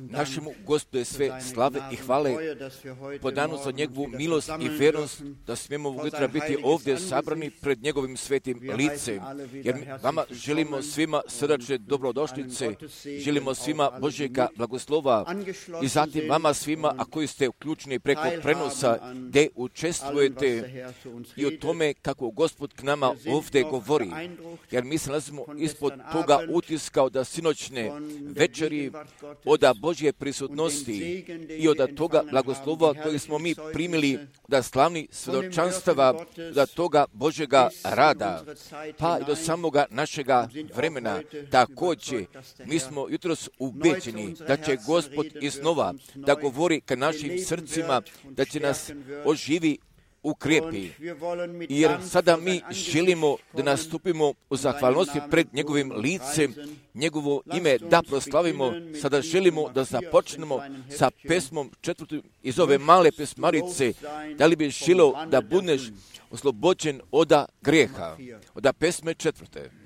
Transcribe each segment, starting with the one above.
Našemu Gospodu je sve slave i hvale po danu za njegovu milost i vjernost, da smijemo ovog jutra biti ovdje sabrani pred njegovim svetim licem. Jer vama želimo svima srdačne dobrodošlice, želimo svima Božjega blagoslova i zatim vama svima, a koji ste uključeni preko prenosa, gdje učestvujete i o tome kako Gospod k nama ovdje govori. Jer mi se nalazimo ispod toga utiska da sinoćne večeri od Božje prisutnosti i od toga blagoslova koji smo mi primili da slavni svjedočanstava da toga Božjega rada, pa i do samoga našega vremena. Također, mi smo jutros ubeđeni da će Gospod iznova da govori ka našim srcima, da će nas oživi ukrijepi, jer sada mi želimo da nastupimo u zahvalnosti pred njegovim licem, njegovo ime da proslavimo. Sada želimo da započnemo sa pesmom 4. iz ove male pesmarice. Da li bi želio da budeš oslobođen od grijeha? Od pesme 4.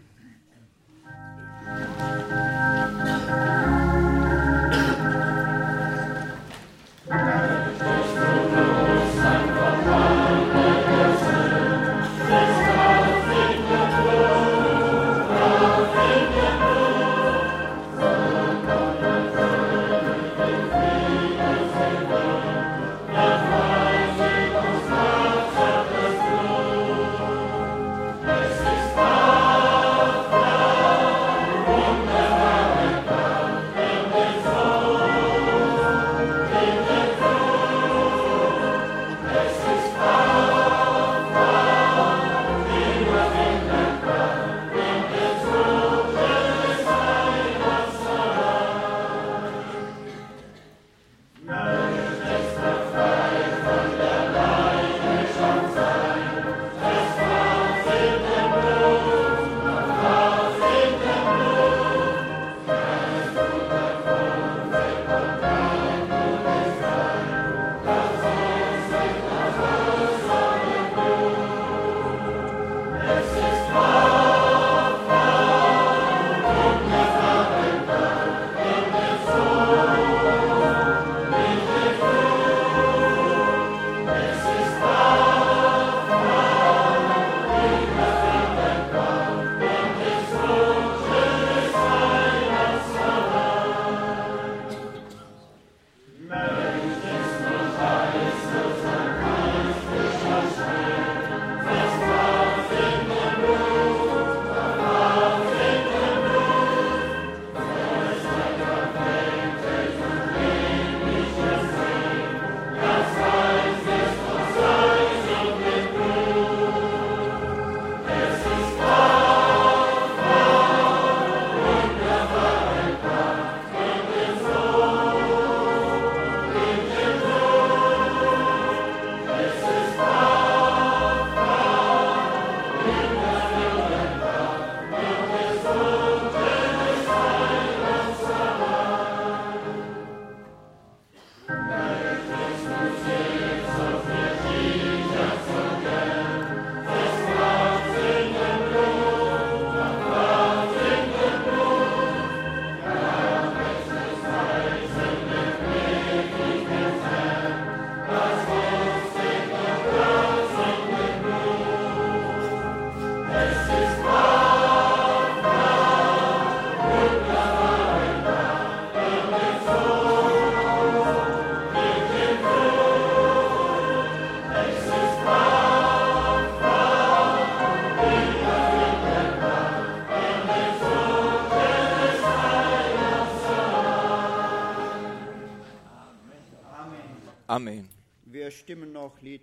Amen.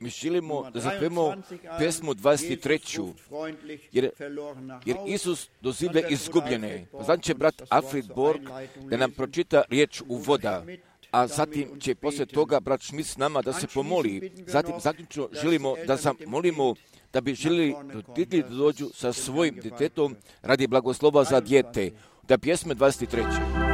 Mi želimo da zapevamo pesmu 23. Jer Isus dozivlja izgubljene. Znači brat Alfred Borg da nam pročita riječ uvoda, a zatim će poslije toga brat Schmidt s nama da se pomoli. Zatim zaključno želimo da zamolimo da bi željeli roditelji da dođu sa svojim djetetom radi blagoslova za dijete. Da pjesme 23.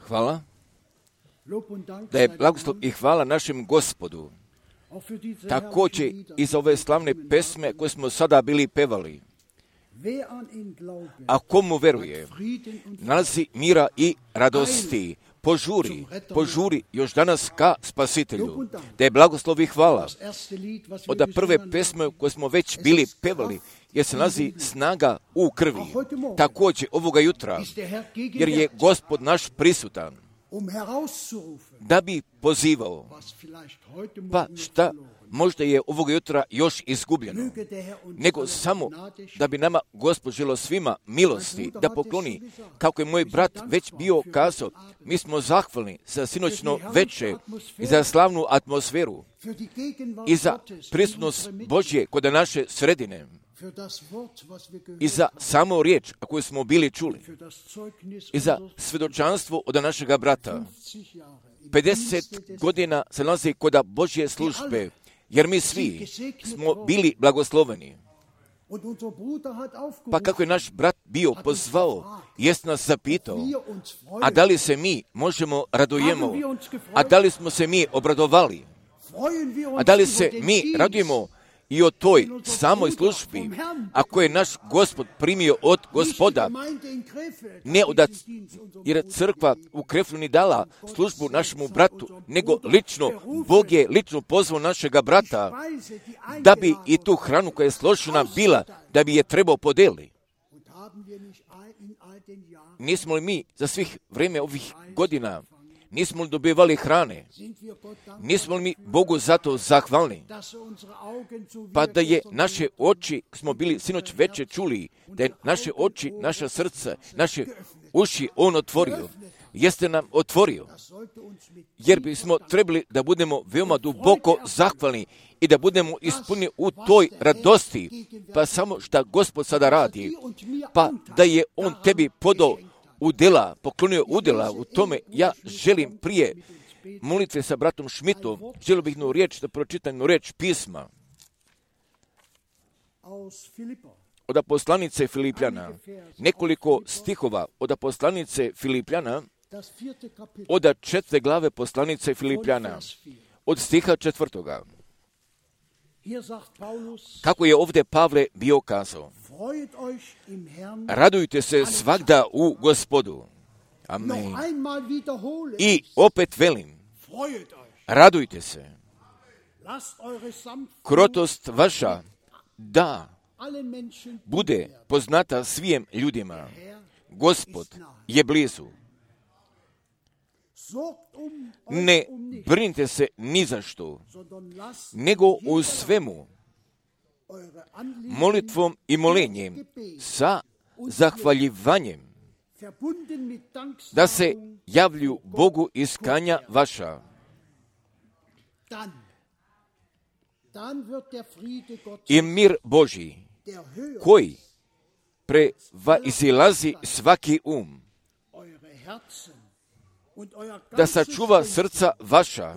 hvala, da je blagoslov i hvala našem Gospodu, također i za ove slavne pesme koje smo sada bili pevali. A komu veruje, nalazi mira i radosti, požuri još danas ka Spasitelju, da je blagoslov i hvala. Od prve pesme koje smo već bili pevali, jer se nalazi snaga u krvi, također ovoga jutra, jer je Gospod naš prisutan, da bi pozivao, pa šta možda je ovoga jutra još izgubljeno, nego samo da bi nama Gospod želio svima milosti da pokloni, kako je moj brat već bio kazao, mi smo zahvalni za sinoćno veče i za slavnu atmosferu i za prisutnost Božje kod naše sredine i za samo riječ koju smo bili čuli i za svjedočanstvo od našega brata. 50 godina se nalazi kod Božje službe, jer mi svi smo bili blagosloveni. Pa kako je naš brat bio pozvao, jest nas zapitao, a da li se mi možemo radujemo, a da li smo se mi obradovali, a da li se mi radujemo i o toj samoj službi, ako je naš Gospod primio od Gospoda, ne jer je crkva u Krefluni dala službu našemu bratu, nego lično, Bog je lično pozvao našega brata, da bi i tu hranu koja je složena bila, da bi je trebao podeli. Nismo li mi za svih vrijeme ovih godina, nismo li dobivali hrane? Nismo li mi Bogu zato zahvalni? Pa da je naše oči, smo bili sinoć veče čuli, da je naše oči, naša srca, naše uši On otvorio. Jeste nam otvorio. Jer bismo trebali da budemo veoma duboko zahvalni i da budemo ispunjeni u toj radosti. Pa samo šta Gospod sada radi, pa da je On tebi podao udjela, poklonio udjela u tome, ja želim prije molitve sa bratom Šmitom, želio bih jednu riječ, da pročitam jednu riječ pisma od poslanice Filipljana, nekoliko stihova od poslanice Filipljana, od 4. glave poslanice Filipljana, od stiha 4. Kako je ovdje Pavle bio kazao, radujte se svagda u Gospodu. Amen. I opet velim, radujte se. Krotost vaša da bude poznata svim ljudima. Gospod je blizu. Ne brinite se ni za što, nego u svemu molitvom i molenjem sa zahvaljivanjem da se javlju Bogu iz kanja vaša. I mir Božji, koji prevazilazi svaki da sačuva srca vaša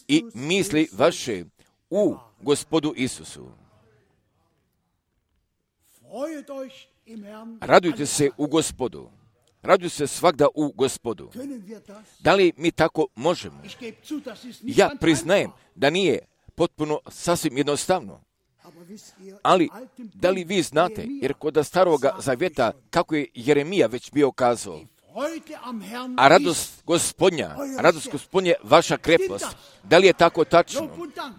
i misli vaše u Gospodu Isusu. Radujte se u Gospodu. Radujte se svagda u Gospodu. Da li mi tako možemo? Ja priznajem da nije potpuno sasvim jednostavno. Ali, da li vi znate, jer kod Staroga Zavjeta, kako je Jeremija već bio kazao, a radost Gospodnja vaša krepkost. Da li je tako tačno?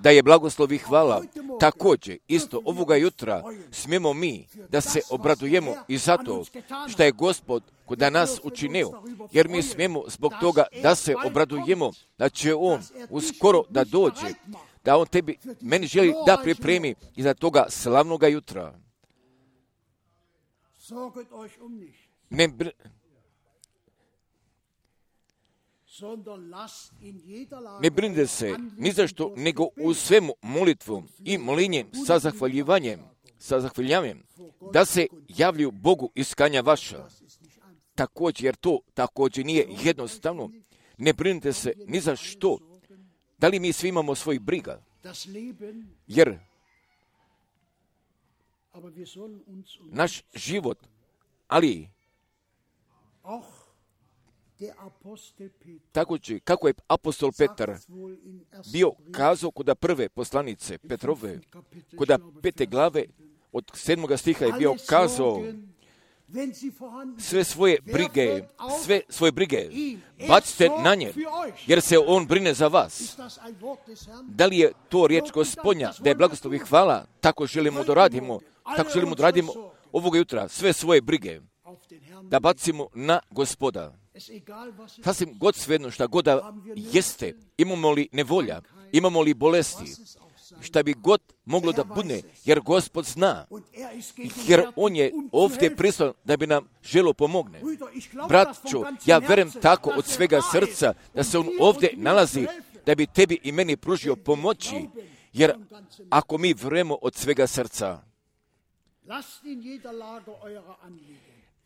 Da je blagoslov i hvala. Također, isto ovoga jutra smijemo mi da se obradujemo i zato što je Gospod kod nas učinio, jer mi smijemo zbog toga da se obradujemo, da će On uskoro da dođe, da On meni želi da pripremi iza toga slavnoga jutra. Ne brinite se ni za što, nego u svemu molitvom i molinjem sa zahvaljivanjem, da se javljaju Bogu iz kanja vaša. Također, jer to također nije jednostavno, ne brinite se ni za što. Da li mi svi imamo svoj briga? Jer naš život, ali Također, kako je apostol Petar bio kazao kod prve poslanice Petrove, kod 5. glave od 7. stiha je bio kazao sve svoje brige bacite na nje, jer se on brine za vas. Da li je to riječ Gospodnja, da je blagoslov i hvala, tako želimo da radimo ovoga jutra, sve svoje brige da bacimo na Gospoda. Sasvim god svejedno šta god da jeste, imamo li nevolja, imamo li bolesti, šta bi god moglo da bude, jer Gospod zna, jer On je ovdje prisutan da bi nam želo pomogne. Bratčo, ja verujem tako od svega srca da se On ovdje nalazi da bi tebi i meni pružio pomoći, jer ako mi verujemo od svega srca,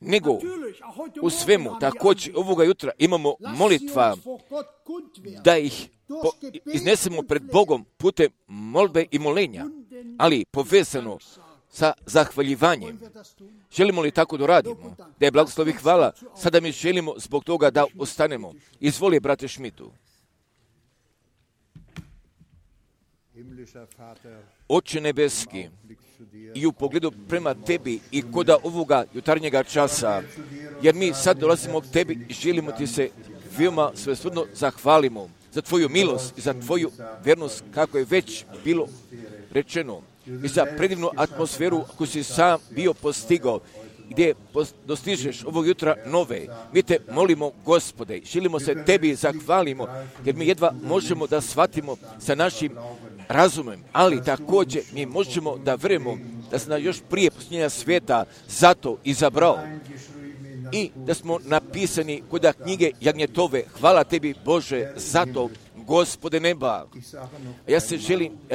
nego u svemu također ovoga jutra imamo molitva da ih iznesemo pred Bogom putem molbe i molenja, ali povezano sa zahvaljivanjem. Želimo li tako da radimo? Da je blagoslov i hvala, sada mi želimo zbog toga da ostanemo. Izvoli, brate Šmitu. Oče nebeski, i u pogledu prema tebi i koda ovoga jutarnjega časa, jer mi sad dolazimo k tebi i želimo ti se veoma svesrdno zahvalimo za tvoju milost i za tvoju vjernost, kako je već bilo rečeno, i za predivnu atmosferu koju si sam bio postigao, gdje dostižeš ovog jutra nove. Mi te molimo, Gospode, želimo se tebi zahvalimo, jer mi jedva možemo da shvatimo sa našim razumem, ali također mi možemo da verujemo da se nas još prije posljednja svijeta zato izabrao i da smo napisani kod knjige Jagnjetove. Hvala tebi, Bože, zato, Gospode neba. Ja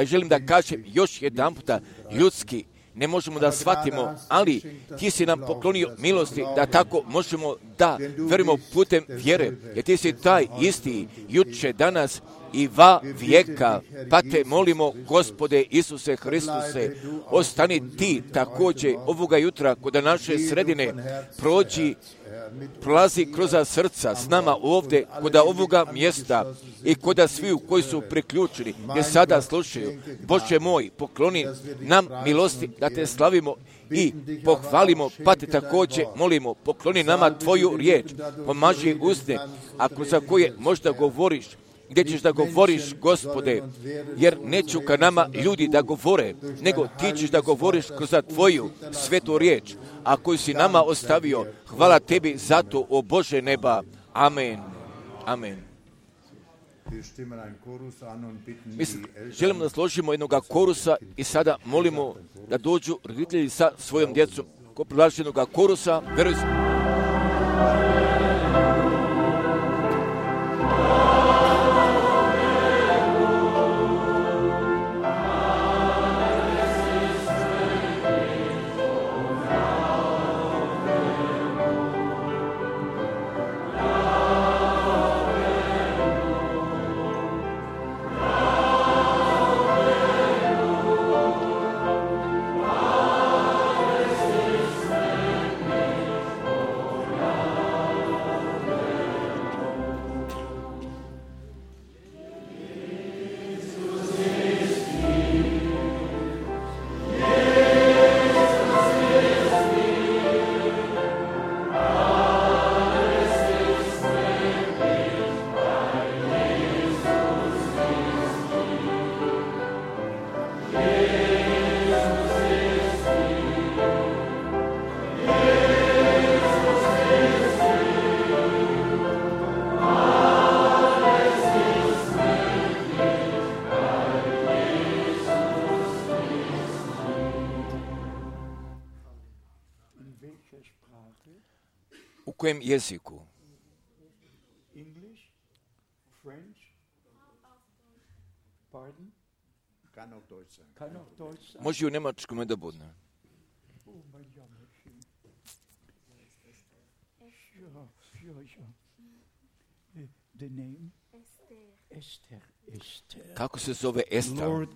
želim da kažem još jedan puta, ljudski ne možemo da shvatimo, ali ti si nam poklonio milosti da tako možemo da verujemo putem vjere, jer ti si taj isti juče, danas i va vijeka. Pa te molimo, Gospode Isuse Hristuse, ostani ti također ovoga jutra kod naše sredine, prolazi kroz srca s nama ovdje kod ovoga mjesta i kod svi koji su priključeni, gdje sada slušaju. Bože moj, pokloni nam milosti da te slavimo i pohvalimo, pa te također molimo, pokloni nama tvoju riječ, pomaži usne, ako za koje možda govoriš, gdje ćeš da govoriš, Gospode, jer neću ka nama ljudi da govore, nego ti ćeš da govoriš kroz tvoju svetu riječ, a koju si nama ostavio. Hvala tebi zato, o Bože neba. Amen. Amen. Želimo da složimo jednog korusa i sada molimo da dođu roditelji sa svojom djecom. Ko predlaže jednog korusa, veruj. U kojem jeziku? Može i u njemačkom da bude. Kako se zove Ester?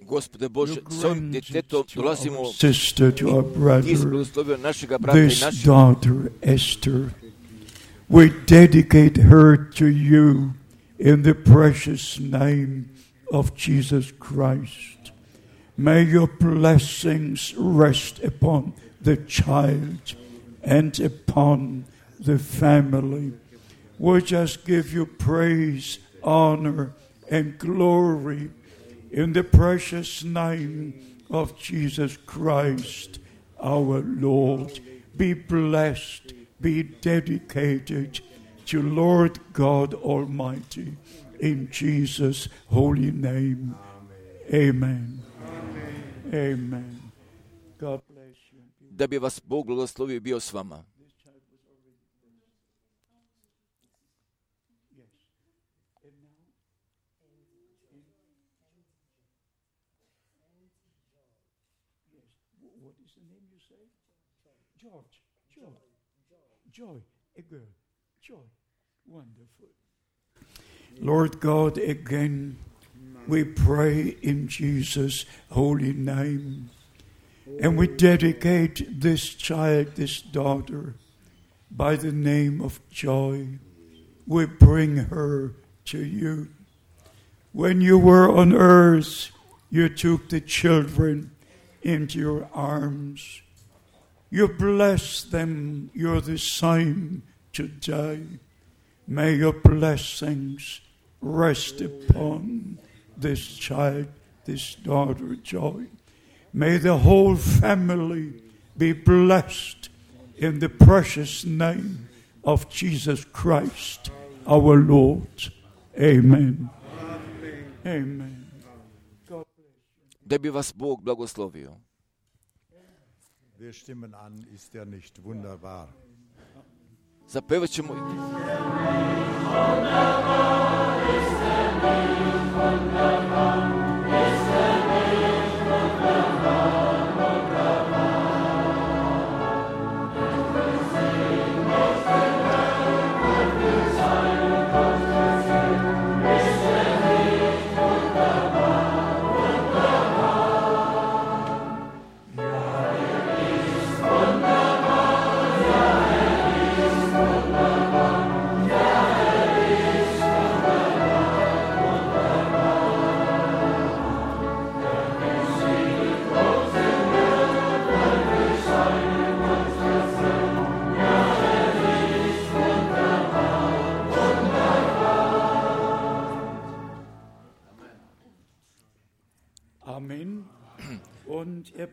Gospode Bože, s ovim djetetom dolazimo i blagoslovio našega brata i this daughter, Esther. We dedicate her to you in the precious name of Jesus Christ. May your blessings rest upon the child and upon the family. We just give you praise, honor, and glory in the precious name of Jesus Christ, our Lord. Be blessed, be dedicated to Lord God Almighty. In Jesus' holy name, amen. Amen. God bless you. Da bi vas Bog blagoslovio i bio s vama. What is the name you say? Joy, a girl. Joy. Wonderful. Lord God, again, we pray in Jesus' holy name. And we dedicate this child, this daughter, by the name of Joy. We bring her to you. When you were on earth, you took the children into your arms. You bless them. You're the same today. May your blessings rest upon this child, this daughter, Joy. May the whole family be blessed in the precious name of Jesus Christ, our Lord. Amen. Amen. God bless you. Da bi vas Bog blagoslovio. Wir stimmen an, ist er nicht wunderbar? Zapevat ćemo.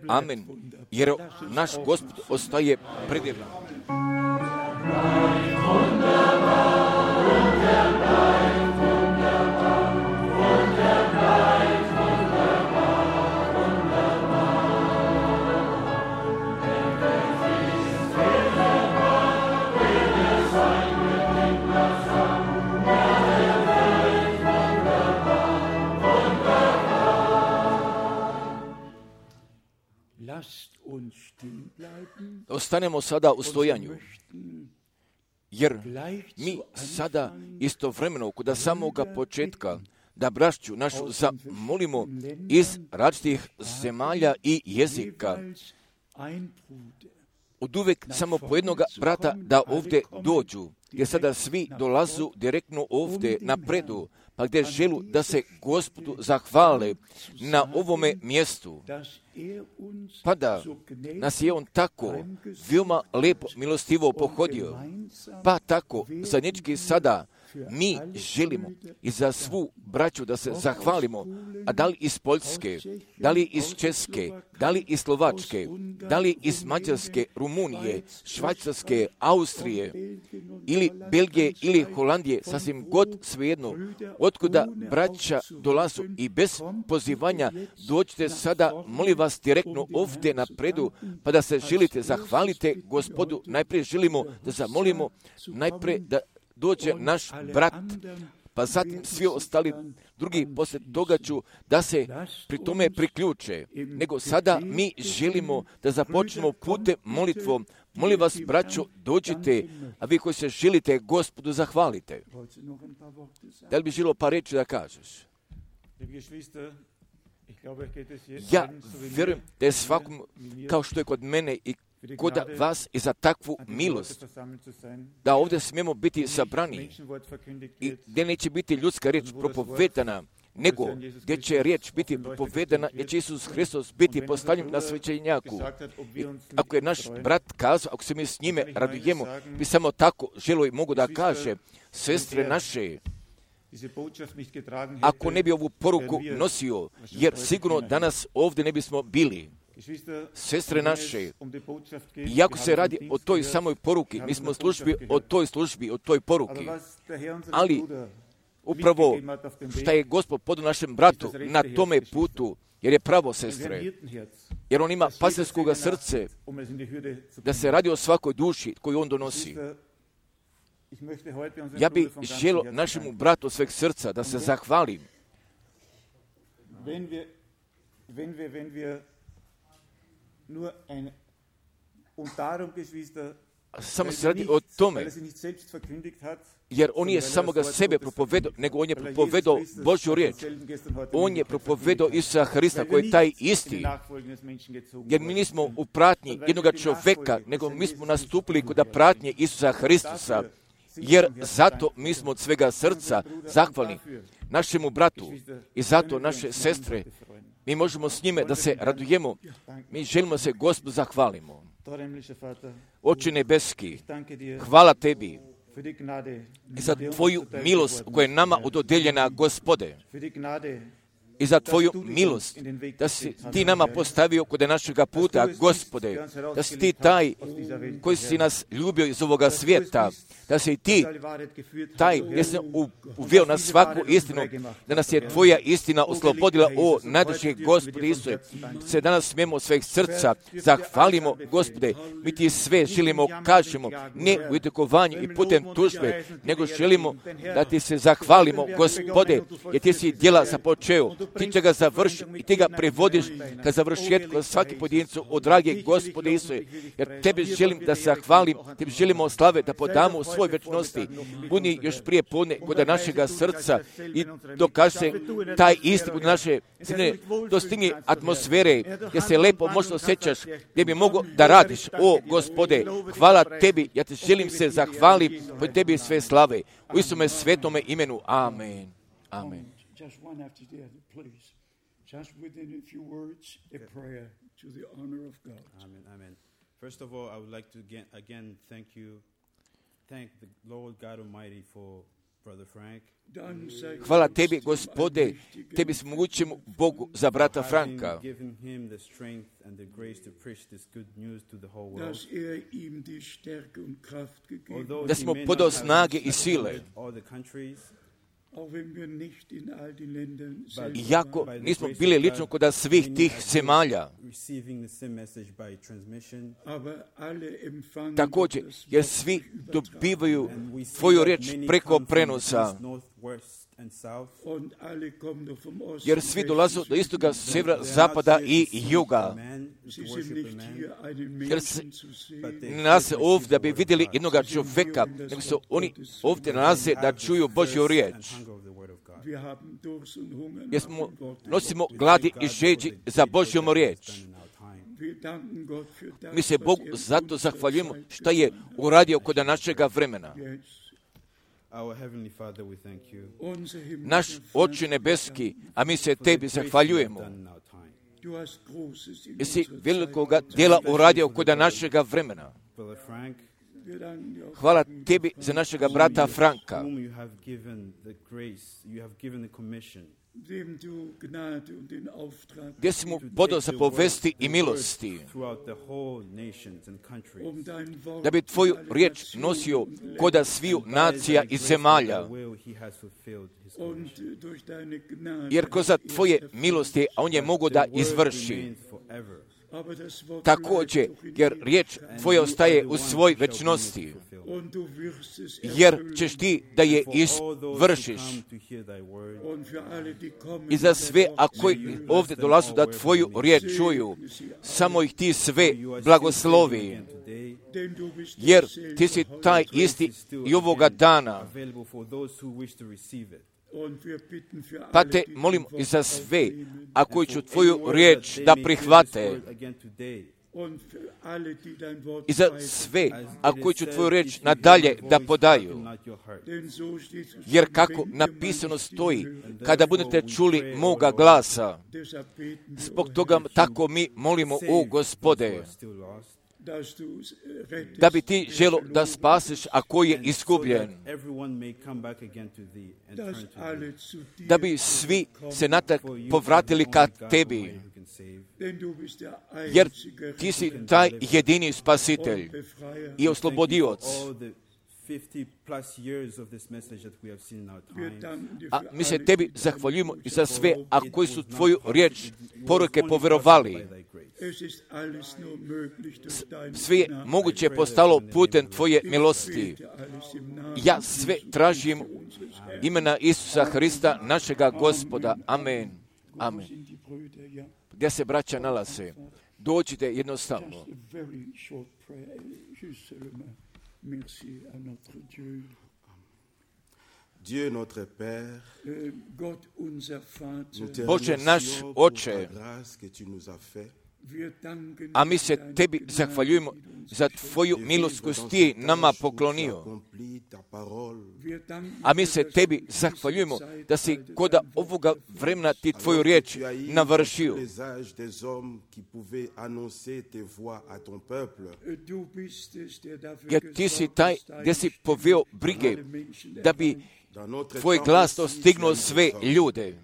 Amen. Jer naš Gospod ostaje predivan. Ostanemo sada u stojanju, jer mi sada istovremeno kod samoga početka da braću našu zamolimo iz različitih zemalja i jezika. Od uvek samo po jednoga brata da ovdje dođu, jer sada svi dolazu direktno ovdje napredu, pa gdje želu da se Gospodu zahvale na ovome mjestu. Pa da nas je on tako veoma lepo milostivo pohodio, pa tako zajednički sada mi želimo i za svu braću da se zahvalimo, a da li iz Poljske, da li iz Česke, da li iz Slovačke, da li iz Mađarske, Rumunije, Švajcarske, Austrije, ili Belgije, ili Holandije, sasvim god svejedno, otkuda braća dolazu i bez pozivanja dođite sada, molim vas, direktno ovdje napredu, pa da se želite, zahvalite Gospodu. Najprije želimo da zamolimo, najprije da dođe naš brat, pa zatim svi ostali drugi poslije toga ću da se pri tome priključe. Nego sada mi želimo da započnemo putem molitvom. Molim vas, braćo, dođite, a vi koji se želite Gospodu zahvalite. Da li bi želio par reći da kažeš? Ja vjerujem da je svakom, kao što je kod mene i kod vas, i za takvu milost, da ovdje smijemo biti sabrani i gdje neće biti ljudska riječ propovedana, nego gdje će riječ biti propovedana, gdje će Isus Hristos biti postavljen na svećenjaku. I ako je naš brat kazao, ako se mi s njime radujemo, bi samo tako želo i mogu da kaže, sestre naše, ako ne bi ovu poruku nosio, jer sigurno danas ovdje ne bismo bili. Sestre naše, iako se radi o toj samoj poruki, mi smo službi o toj poruki, ali upravo šta je Gospod podao našem bratu na tome putu, jer je pravo, sestre, jer on ima pastirskoga srce, da se radi o svakoj duši koju on donosi. Ja bih želio našemu bratu od sveg srca da se zahvalim. Samo se radi o tome, jer on je samoga sebe propovedao, nego on je propovedao Božju riječ. On je propovedao Isusa Hrista koji je taj isti. Jer mi nismo u pratnji jednoga čovjeka, nego mi smo nastupili kod pratnje Isusa Hristusa. Jer zato mi smo od svega srca zahvalni našemu bratu i zato naše sestre, mi možemo s njime da se radujemo. Mi želimo se Gospodu zahvalimo. Oče nebeski, hvala tebi za tvoju milost koja je nama ododeljena, Gospode, i za tvoju milost da si ti nama postavio kod našega puta, Gospode, da si ti taj koji si nas ljubio iz ovoga svijeta, da si ti taj gdje si uveo na svaku istinu, da nas je tvoja istina oslobodila, o najdraži Gospode Isuse. Se danas smijemo sveg srca zahvalimo, Gospode, mi ti sve želimo, kažemo, ne u itekovanju i putem tužbe, nego želimo da ti se zahvalimo, Gospode, jer ti si djela započeo, ti će ga završiti i ti ga prevodiš ka završetku svaki pojedincu, o dragi Gospode Isuse, jer tebi želim da se zahvalim, tebi želimo slave da podamo u svoj večnosti. Budi još prije podne kod našega srca i dokaže taj isti kod naše sine, dostigni atmosfere gdje se lepo možda osjećaš, gdje bi mogo da radiš. O Gospode, hvala tebi, ja te želim se zahvalim, po tebi sve slave. U Isume svetome imenu. Amen. Amen. Just one after the other, please. Just within a few words, a prayer to the honor of God. Amen, amen. First of all, I would like to again thank the Lord God Almighty for Brother Frank. Hvala tebi, Gospode, tebi smogućemo Bogu za brata Franka, da smo podao snage i sile. Iako nismo bili lično kod svih tih zemalja, također, jer svi dobivaju tvoju riječ preko prenosa, jer svi dolazu do istoga, sjevera, zapada i juga. Jer se nalaze ovdje da bi vidjeli jednoga čovjeka, nego se oni ovdje nalaze da čuju Božju riječ. Jer nosimo gladi i žeđi za Božjom riječ. Mi se Bogu zato zahvaljujemo što je uradio kod našega vremena. Naš Oče nebeski, a mi se tebi zahvaljujemo. Jesi velikoga djela uradio kod našega vremena. Hvala tebi za našega brata Franka, gdje si mu podao zapovesti i milosti, da bi tvoju riječ nosio koda sviju nacija i zemalja. Jer kroz tvoje milosti, a on je mogo da izvrši. Također, jer riječ tvoja ostaje u svoj večnosti, jer ćeš ti da je izvršiš. I za sve, a koji ovdje dolazu da tvoju riječ čuju, samo ih ti sve blagoslovi, jer ti si taj isti i ovoga dana. Pa te molim i za sve, a koji ću tvoju riječ da prihvate, i za sve, a koji ću tvoju riječ nadalje da podaju. Jer kako napisano stoji, kada budete čuli moga glasa, zbog toga tako mi molimo, o Gospode, da bi ti želo da spasiš, a koji je izgubljen, da bi svi se natak povratili ka tebi, jer ti si taj jedini spasitelj i oslobodioc. A mi se tebi zahvaljujemo i za sve, a koji su tvoju riječ poruke poverovali. Sve je moguće postalo putem tvoje milosti. Ja sve tražim imena Isusa Hrista, našega Gospoda. Amen. Amen. Gdje se braća nalaze? Dođite jednostavno. Dieu notre Père, Bože naš Oče, a mi se tebi zahvaljujemo za tvoju milost koju si ti nama poklonio. A mi se tebi zahvaljujemo da si kod ovoga vremena ti tvoju riječ navršio. Jer ti si taj gdje si poveo brige da bi tvoj glas dostignuo sve ljude.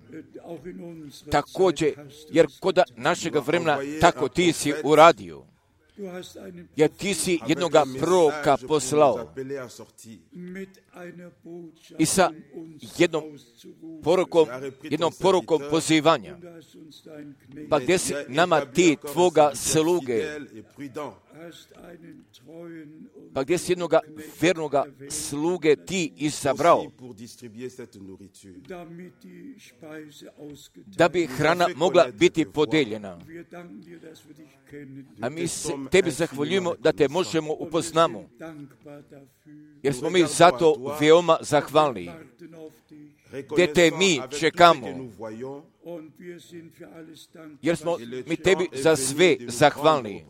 Također, jer kod našega vremena tako ti si uradio. Jer ti si jednoga proroka poslao i sa jednom porukom pozivanja. Pa gdje si nama ti tvoga sluge? Pa gdje si jednoga vernoga sluge ti izabrao? Da bi hrana mogla biti podeljena. A mi se tebi zahvaljujemo da te možemo upoznamo. Jer smo mi zato veoma zahvalni. Gdje te mi čekamo. Jer smo mi tebi za sve zahvalni.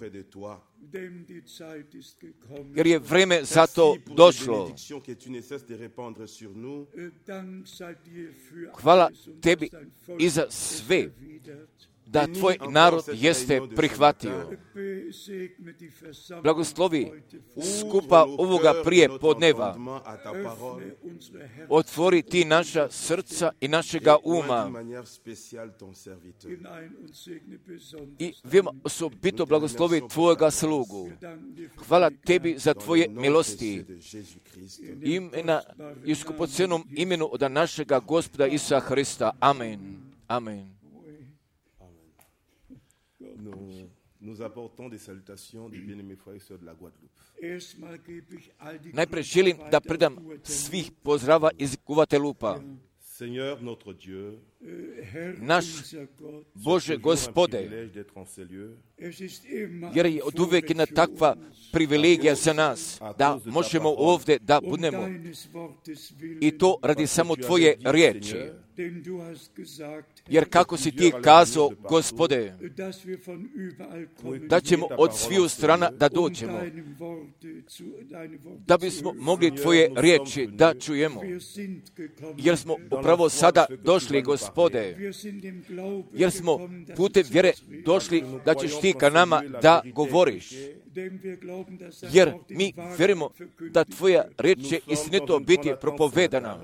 Jer je vreme za to došlo. Hvala tebi i za sve da tvoj narod jeste prihvatio. Blagoslovi skupa ovoga prije podneva. Otvori ti naša srca i našega uma. I veoma osobito blagoslovi tvojega slugu. Hvala tebi za tvoje milosti. Imena i skupocenom imenu od našega Gospoda Isusa Hrista. Amen. Amen. Nous apportons des salutations des bien-aimés frères et sœurs de la Guadeloupe. Najprej želim da predam svih pozdrava iz Guadeloupa. Seigneur notre Dieu, naš Bože Gospode, jer je od uvijek jedna takva privilegija za nas, da možemo ovdje da budemo i to radi samo tvoje riječi. Jer kako si ti kazao, Gospode, da ćemo od sviju strana da dođemo, da bismo mogli tvoje riječi da čujemo. Jer smo upravo sada došli, Gospode, jer smo putem vjere došli da ćeš ti ka nama da govoriš. Jer mi vjerujemo da tvoja riječ će istinito biti propovedana.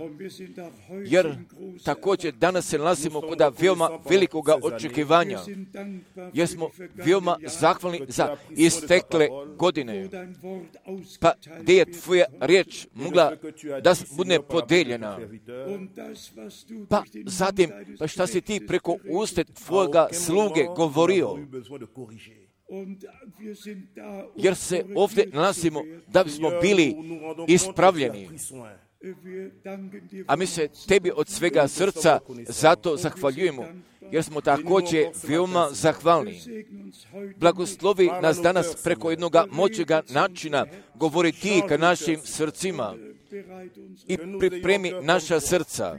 Jer također danas se nalazimo kod veoma velikoga očekivanja. Jer smo veoma zahvalni za istekle godine. Pa gdje je tvoja riječ mogla da bude podeljena? Pa zatim, pa šta si ti preko usta tvojega sluge govorio? Jer se ovdje nalazimo da bismo bili ispravljeni. A mi se tebi od svega srca zato zahvaljujemo, jer smo također veoma zahvalni. Blagoslovi nas danas preko jednoga moćega načina, govori ti ka našim srcima. i pripremi naša srca,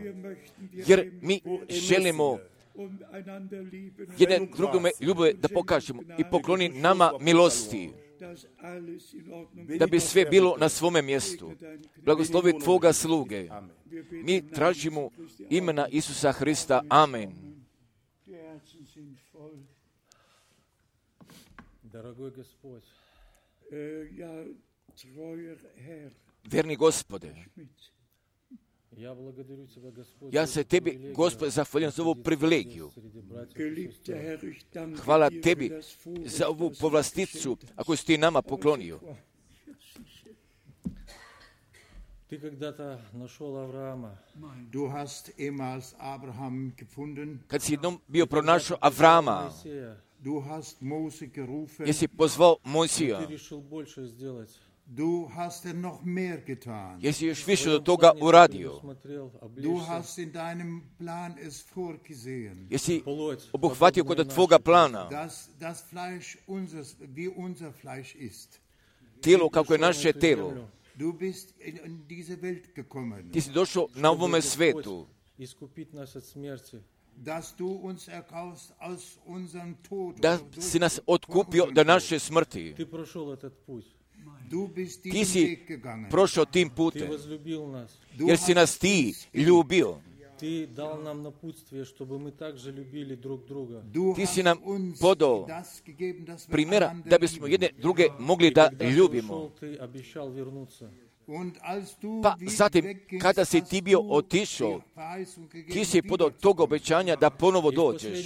jer mi želimo jedan drugome ljubove da pokažemo i pokloni nama milosti, da bi sve bilo na svome mjestu. Blagoslovi Tvoga sluge. Mi tražimo imena Isusa Hrista. Amen. Verni Gospode, ja se Tebi, Gospode, zahvaljujem za ovu privilegiju. Hvala Tebi za ovu povlasticu, ako si Ti nama poklonio. Kad si jednom bio pronašao Avrama, jesi pozvao Mojsija, Du hast noch mehr getan. Jesi još više od toga uradio. Du hast in deinem Plan es vorgesehen. Jesi obuhvatio kod tvoga plana. Das Fleisch wie unser Fleisch ist. Tijelo kako je naše tijelo. Du bist in diese Welt gekommen. Ti si došao na ovome svetu. Dass du uns erkaufst aus unserem Tod. Da si nas otkupio do naše smrti. Ti si prošao tim putem, jer si nas Ti ljubio. Ti si nam podao primjera da bismo jedne druge mogli da ljubimo. Pa zatim, kada si ti bio otišao, ti si podao tog obećanja da ponovo dođeš.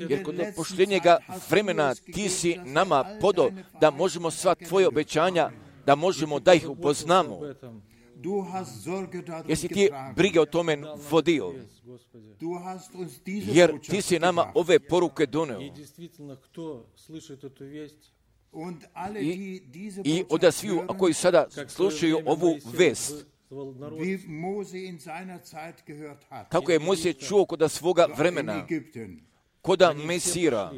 Jer kod posljednjega vremena ti si nama podao da možemo sva tvoje obećanja, da možemo da ih upoznamo. Jesi ti brige o tome vodio? Jer ti si nama ove poruke doneo. I od sviju koji sada slušaju ovu vest, kako je Mojsije čuo kod svoga vremena, koda Mesira,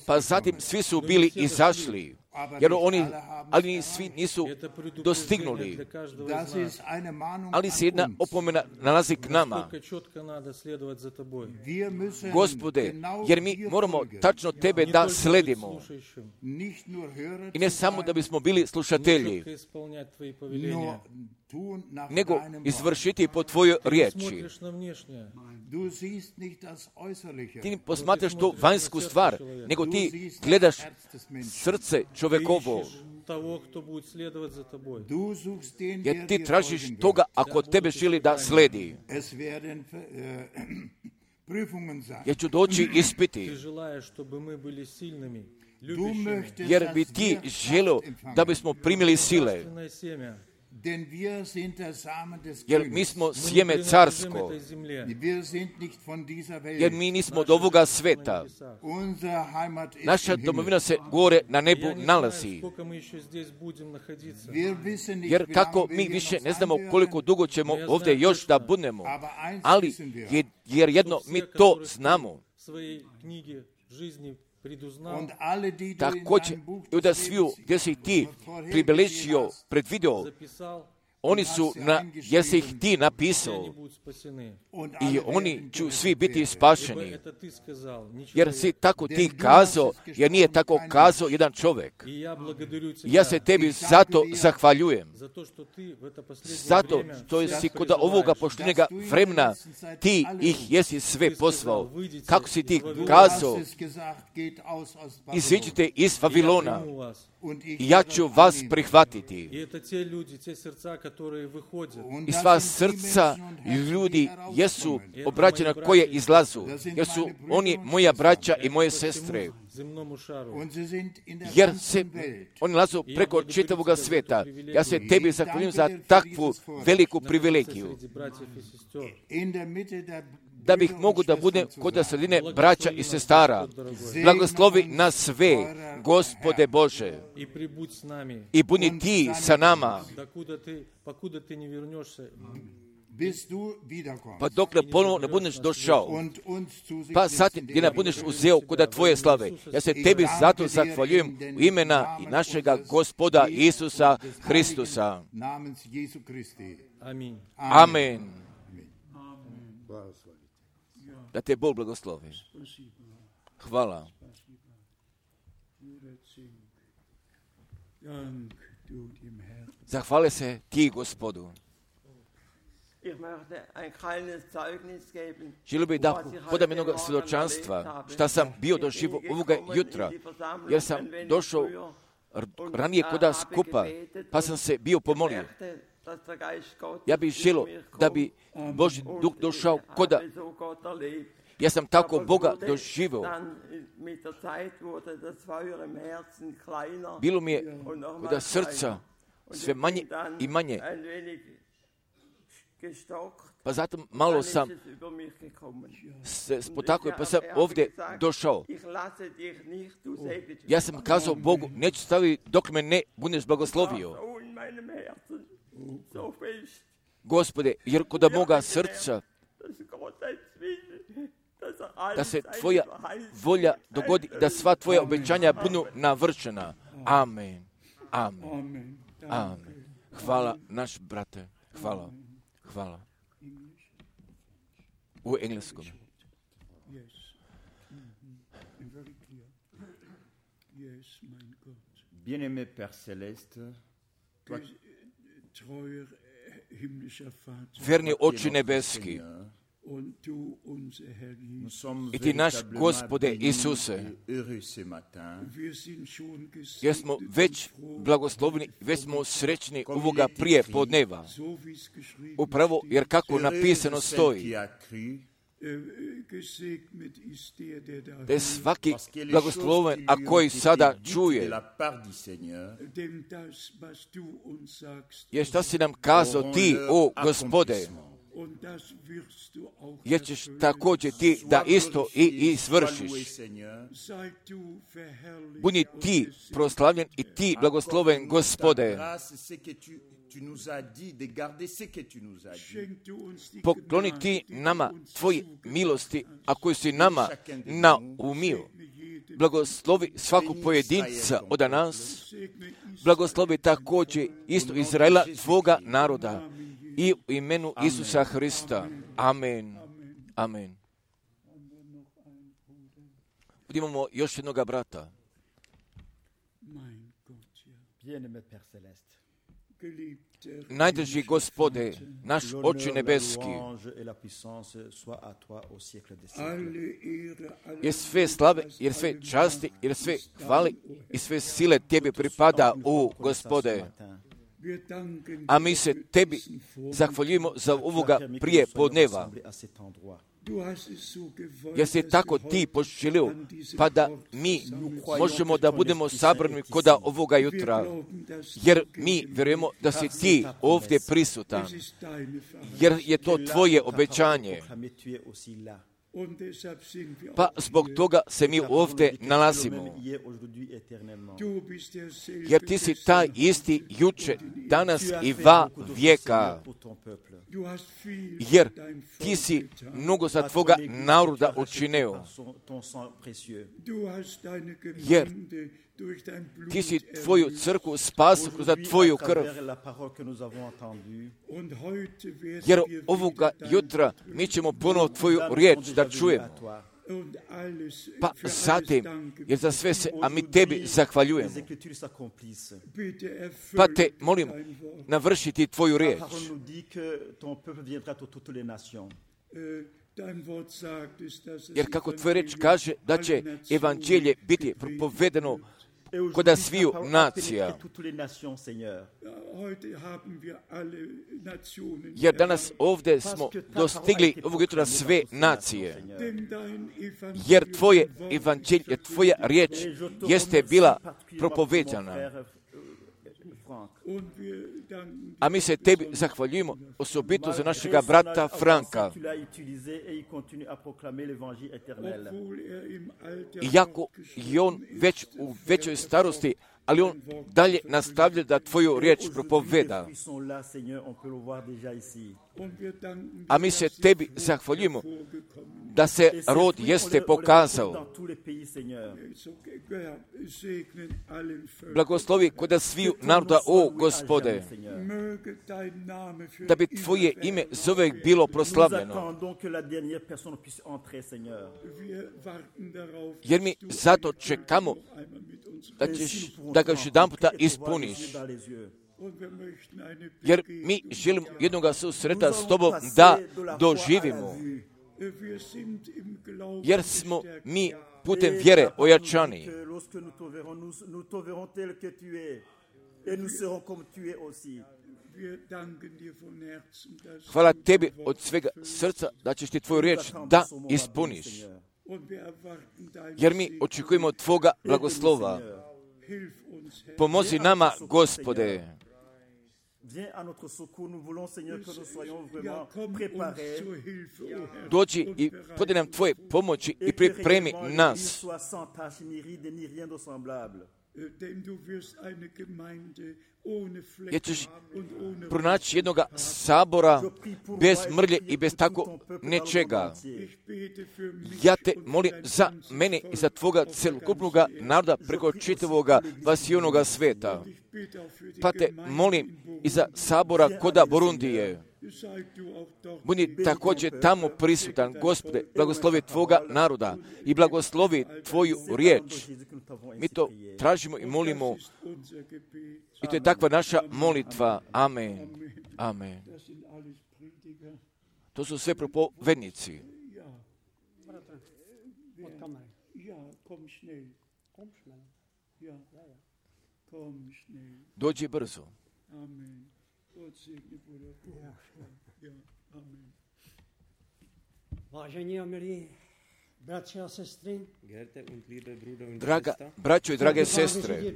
pa zatim svi su bili izašli, jer ali svi nisu dostignuli. Ali se jedna opomena nalazi k nama. Gospode, jer mi moramo tačno Tebe da sledimo. I ne samo da bismo bili slušatelji, nego izvršiti po Tvojoj riječi. Ti ne posmatraš to vanjsku stvar, nego ti gledaš srce čovekovo. Jer ti tražiš toga ako tebe želi da sledi. Jer ću doći ispiti. Jer bi ti želio da bismo primili sile. Jer mi smo sjeme carsko. Jer mi nismo od ovoga sveta. Naša domovina se gore na nebu nalazi. Jer kako mi više ne znamo koliko dugo ćemo ovdje još da budemo. Ali jer jedno mi to znamo. Također i da sviju gdje si ti pribeležio, predvidio, oni su, jer si ih ti napisao i oni će svi biti spašeni. Jer si tako ti kazao, jer nije tako kazao jedan čovjek. Ja se tebi zato zahvaljujem. Zato što si kod ovoga poštenjega vremena ti ih jesi sve poslao. Kako si ti kazao, iziđite iz Vavilona i ja ću vas prihvatiti. I sva srca ljudi jesu obraćena koje izlazu, jer su oni moja braća i moje sestre. Jer se oni lazu preko čitavoga svijeta. Ja se tebi zahvaljujem za takvu veliku privilegiju. Da bih mogu da budem kod sredine braća i sestara. Blagoslovi nas sve, Gospode Bože. I budi ti sa nama. pa dok ne ponovo ne budeš došao, pa zatim gdje ne budeš uzeo kod tvoje slave. Ja se tebi zato zahvaljujem u imena i našega Gospoda Isusa Hristusa. Amen. Da te Bog blagoslovi. Hvala. Zahvali se ti, Gospodu. Želio bih da podam jednog svjedočanstva šta sam bio doživio ovoga jutra, jer sam došao ranije kod skupa, pa sam se bio pomolio. Ja bih želio da bi Božji duh došao koda. Ja sam tako Boga doživio. Bilo mi je koda srca sve manje i manje. Pa zato malo sam se spotakao, pa sam ovdje došao. Ja sam kazao Bogu, neću staviti dok me ne budeš blagoslovio. Gospode, jer kod moga srca da se tvoja volja dogodi, da sva tvoja obećanja budu navršena. Amen. Amen. Amen. Hvala, naš brate. Hvala. Hvala. U engleskom. Bien-aimé Père Céleste, verni Oče nebeski, i ti naš Gospode Isuse, jer smo već blagoslovni, već smo srećni ovoga prije podneva. Upravo jer kako napisano stoji, da je svaki blagosloven, a koji sada čuje. Jer šta si nam kazao ti, o Gospode, jer ćeš također ti da isto i izvršiš. Budi ti proslavljen i ti blagosloven, Gospode. Pokloni ti nama tvoji milosti, a koji si nama naumio. Blagoslovi svakog pojedinca od nas. Blagoslovi također isto Izraela, tvoga naroda. I u imenu Isusa Hrista. Amen. Amen. Imamo još jednoga brata. Najdrži Gospode, naš Oče nebeski, jer sve slave, jer sve časti, jer sve hvali i sve sile tebi pripada, o Gospode. A mi se tebi zahvaljujemo za ovoga prije podneva. Jer si tako ti poželio, pa da mi možemo da budemo sabrani koda ovoga jutra. Jer mi vjerujemo da si ti ovdje prisutan. Jer je to tvoje obećanje. Pa zbog toga se mi ovdje nalazimo. Jer ti si taj isti juče, danas i va vijeka. Jer ti si mnogo za tvoga naroda učinio. Jer ti si tvoju crkvu spasio kroz tvoju krv. Jer ovoga jutra mi ćemo ponovo tvoju riječ da čujemo. Pa zatim, jer za sve se, a mi tebi zahvaljujemo. Pa te molim, navršiti tvoju riječ. Jer kako tvoja riječ kaže da će evanđelje biti propovedeno koda sviju nacija. Jer danas ovdje smo dostigli ovog jutra sve nacije. Jer tvoje evanđelje, tvoja riječ jeste bila propovedana. A mi se tebi zahvaljujemo osobito za našega brata Franka. Iako je on već u većoj starosti, ali on dalje nastavlja da tvoju riječ propoveda. A mi se tebi zahvaljujemo da se rod jeste pokazao. Blagoslovi kod sviju naroda, o Gospode, da bi tvoje ime zovek bilo proslavljeno. Jer mi zato čekamo da ga još jedan puta ispuniš. Jer mi želimo jednoga susreta s tobom da doživimo. Jer smo mi putem vjere ojačani. Hvala tebi od svega srca da ćeš ti tvoju riječ da ispuniš. Jer mi očekujemo tvoga blagoslova. Pomozi nama, Gospode. Dođi i podaj nam tvoje pomoći i pripremi nas. Jer ćeš pronaći jednog sabora bez mrlje i bez tako nečega. Ja te molim za mene i za tvoga celokupnog naroda preko čitavoga vasijonoga sveta. Pa te molim i za sabora koda Burundije. Budi također tamo prisutan, Gospode, blagoslovi tvoga naroda i blagoslovi tvoju riječ. Mi to tražimo i molimo. I to je takva naša molitva. Amen. Amen. To su sve propovednici. Dođi brzo. Vážení a milí bratři a sestry, Draga braćo i drage sestre,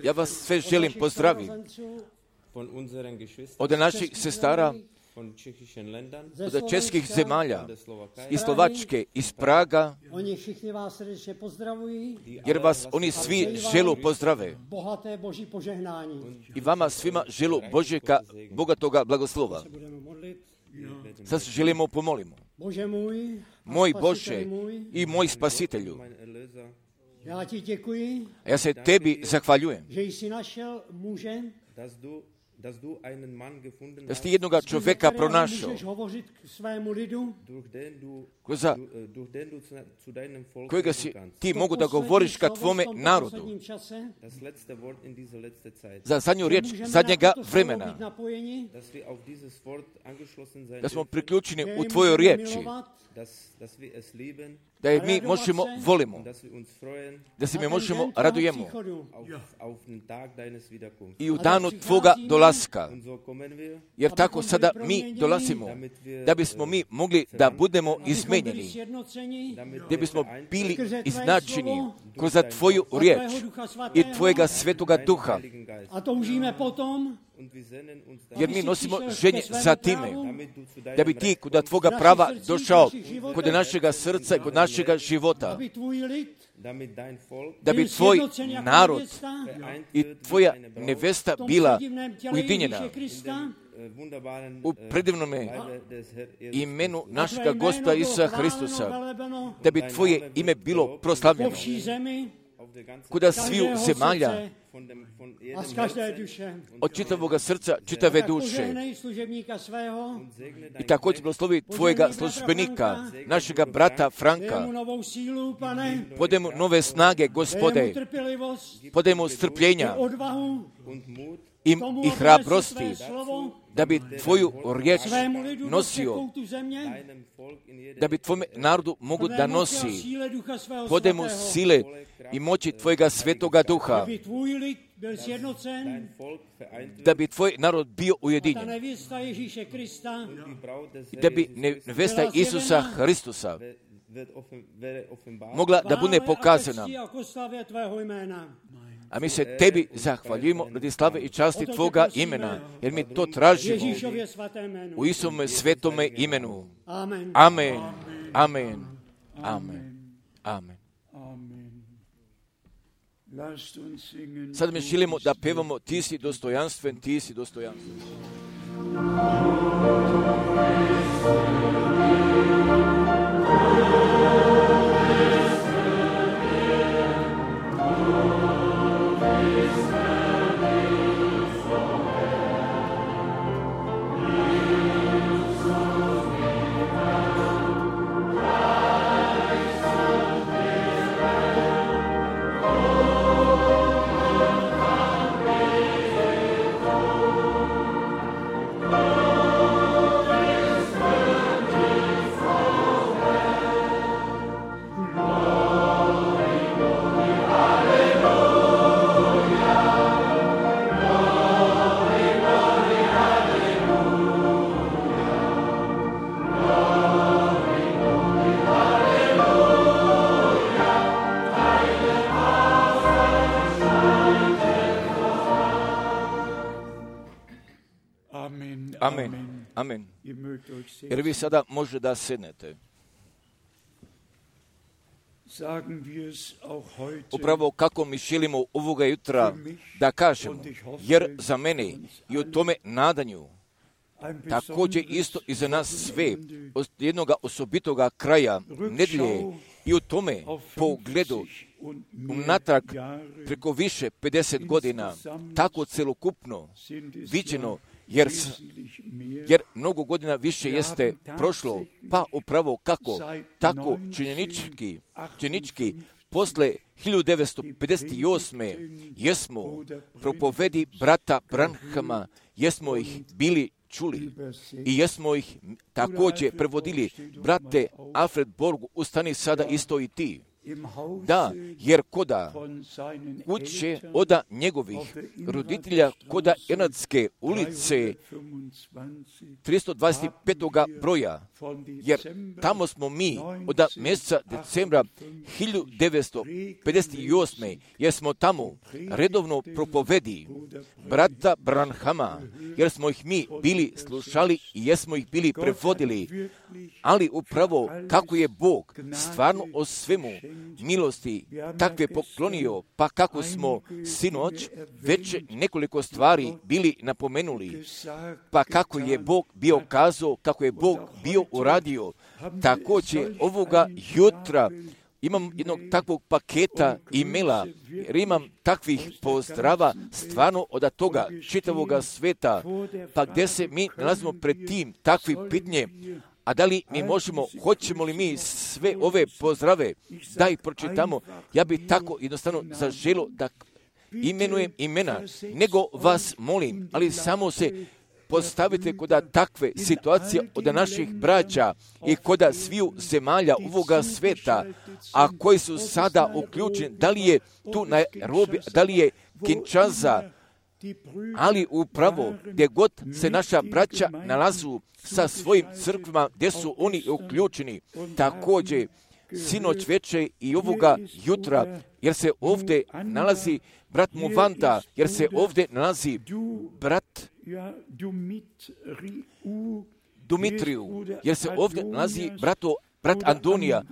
ja vas sve želim pozdraviti od naših sestara, od českih zemalja, iz Slovačke, iz Praga, jer vas oni svi želu pozdrave. I vama svima želu Božjega, bogatoga blagoslova. Sad se želimo pomolimo. Moj Bože i moj Spasitelju, ja se tebi zahvaljujem da si jednoga čovjeka pronašao, kojega si ti mogu da govoriš ka tvome narodu, za zadnju riječ zadnjega vremena, da smo priključeni u tvojoj riječi, da je mi možemo volimo, da se mi možemo radujemo i u danu tvoga dolaska. Jer tako sada mi dolazimo, da bismo mi mogli da budemo izmenjeni, da bismo bili iznačeni kroz tvoju riječ i tvojega svetoga duha. Jer mi nosimo ženje za time, da bi ti kod tvoga prava došao kod našega srca i kod našega života, da bi tvoj narod i tvoja nevesta bila ujedinjena u predivnome imenu našega Gospoda Isusa Hristusa, da bi tvoje ime bilo proslavljeno kod sviju zemalja, od čitavoga srca, čitave duše. I također blagoslovi tvojega službenika, našega brata Franka. Podaj mu nove snage, Gospode. Podaj mu strpljenja i hrabrosti, da bi tvoju riječ nosio, da bi tvome narodu mogu da nosi. Podaj mu sile i moći tvojega svetoga duha, da bi tvoj narod bio ujedinjen, da bi nevesta Isusa Hristusa mogla da bude pokazana. A mi se tebi zahvaljujemo radi slave i časti tvoga imena, jer mi to tražimo u Isuse svetome imenu. Amen. Amen. Amen. Amen. Sad mi želimo da pevamo Ti si dostojanstven, Ti si dostojanstven. Amen. Amen. Jer vi sada možete da sednete. Upravo kako mi želimo ovoga jutra da kažemo, jer za mene i u tome nadanju, također isto i za nas sve, od jednoga osobitoga kraja nedelje i u tome pogledu unatrag preko više 50 godina, tako celokupno viđeno, jer mnogo godina više jeste prošlo, pa upravo kako, tako činjenički, posle 1958. jesmo propovedi brata Branhama, jesmo ih bili čuli i jesmo ih također prevodili. Brate Alfred Borgu, ustani sada isto i ti. Da, jer koda kuće oda njegovih roditelja, koda Ernadske ulice 325. broja, jer tamo smo mi od mjeseca decembra 1958. jer smo tamo redovno propovedi brata Branhama, jer smo ih mi bili slušali i jesmo ih bili prevodili, ali upravo kako je Bog stvarno o svemu milosti takve poklonio, pa kako smo sinoć već nekoliko stvari bili napomenuli, pa kako je Bog bio kazao, kako je Bog bio uradio, također ovoga jutra imam jednog takvog paketa e-maila, jer imam takvih pozdrava stvarno od toga čitavoga sveta, pa gdje se mi nalazimo pred tim takvi pitnje, a da li mi možemo, hoćemo li mi sve ove pozdrave da ih pročitamo? Ja bih tako jednostavno zaželio da imenujem imena, nego vas molim, ali samo se postavite kod takve situacije od naših braća i kod sviju zemalja ovoga sveta, a koji su sada uključeni, da li je tu Nairobi, da li je Kinshasa, ali upravo gdje god se naša braća nalazu sa svojim crkvama, gdje su oni uključeni, također sinoć večer i ovoga jutra, jer se ovdje nalazi brat Muvanda, jer se ovdje nalazi brat Dumitriju, jer se ovdje nalazi brat Andonija,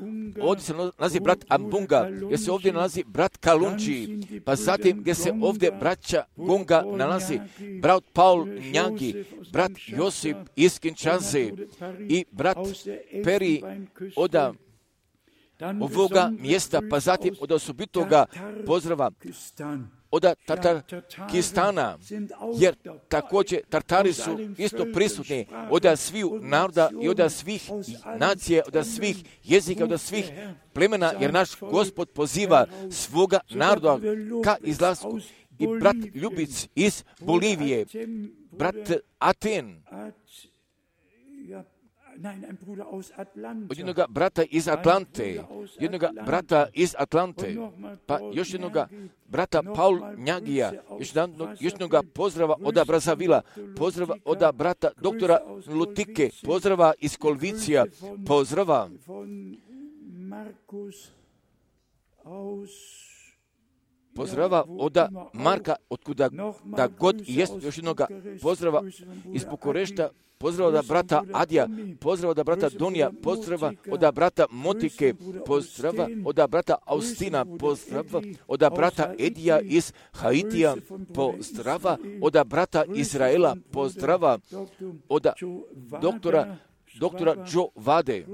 ovdje se nalazi brat Ambunga, jer se ovdje nalazi brat Kalunči, pa zatim gdje se ovdje braća Gonga nalazi brat Paul Njagi, brat Josip iz Kinshase i brat Peri od ovoga mjesta, pa zatim od osobitoga pozdrava od Tatarkistana, jer također Tartari su isto prisutni od sviju naroda i od svih nacije, od svih jezika, od svih plemena, jer naš Gospod poziva svoga naroda ka izlasku. I brat Ljubic iz Bolivije, brat Aten, od jednog brata iz Atlante, pa još jednog brata Paul Njagija, još jednog pozdrava od Brazavila, pozdrava od brata doktora Lutike, pozdrava iz Kolvicija, pozdrava pozdrava od Marka, otkuda da god jest, još jednoga pozdrava iz Bukurešta, pozdrava od brata Adija, pozdrava od brata Donija, pozdrava od brata Motike, pozdrava od brata Austina, pozdrava od brata Edija iz Haitija, pozdrava od brata Izraela, pozdrava od doktora Joe Vade,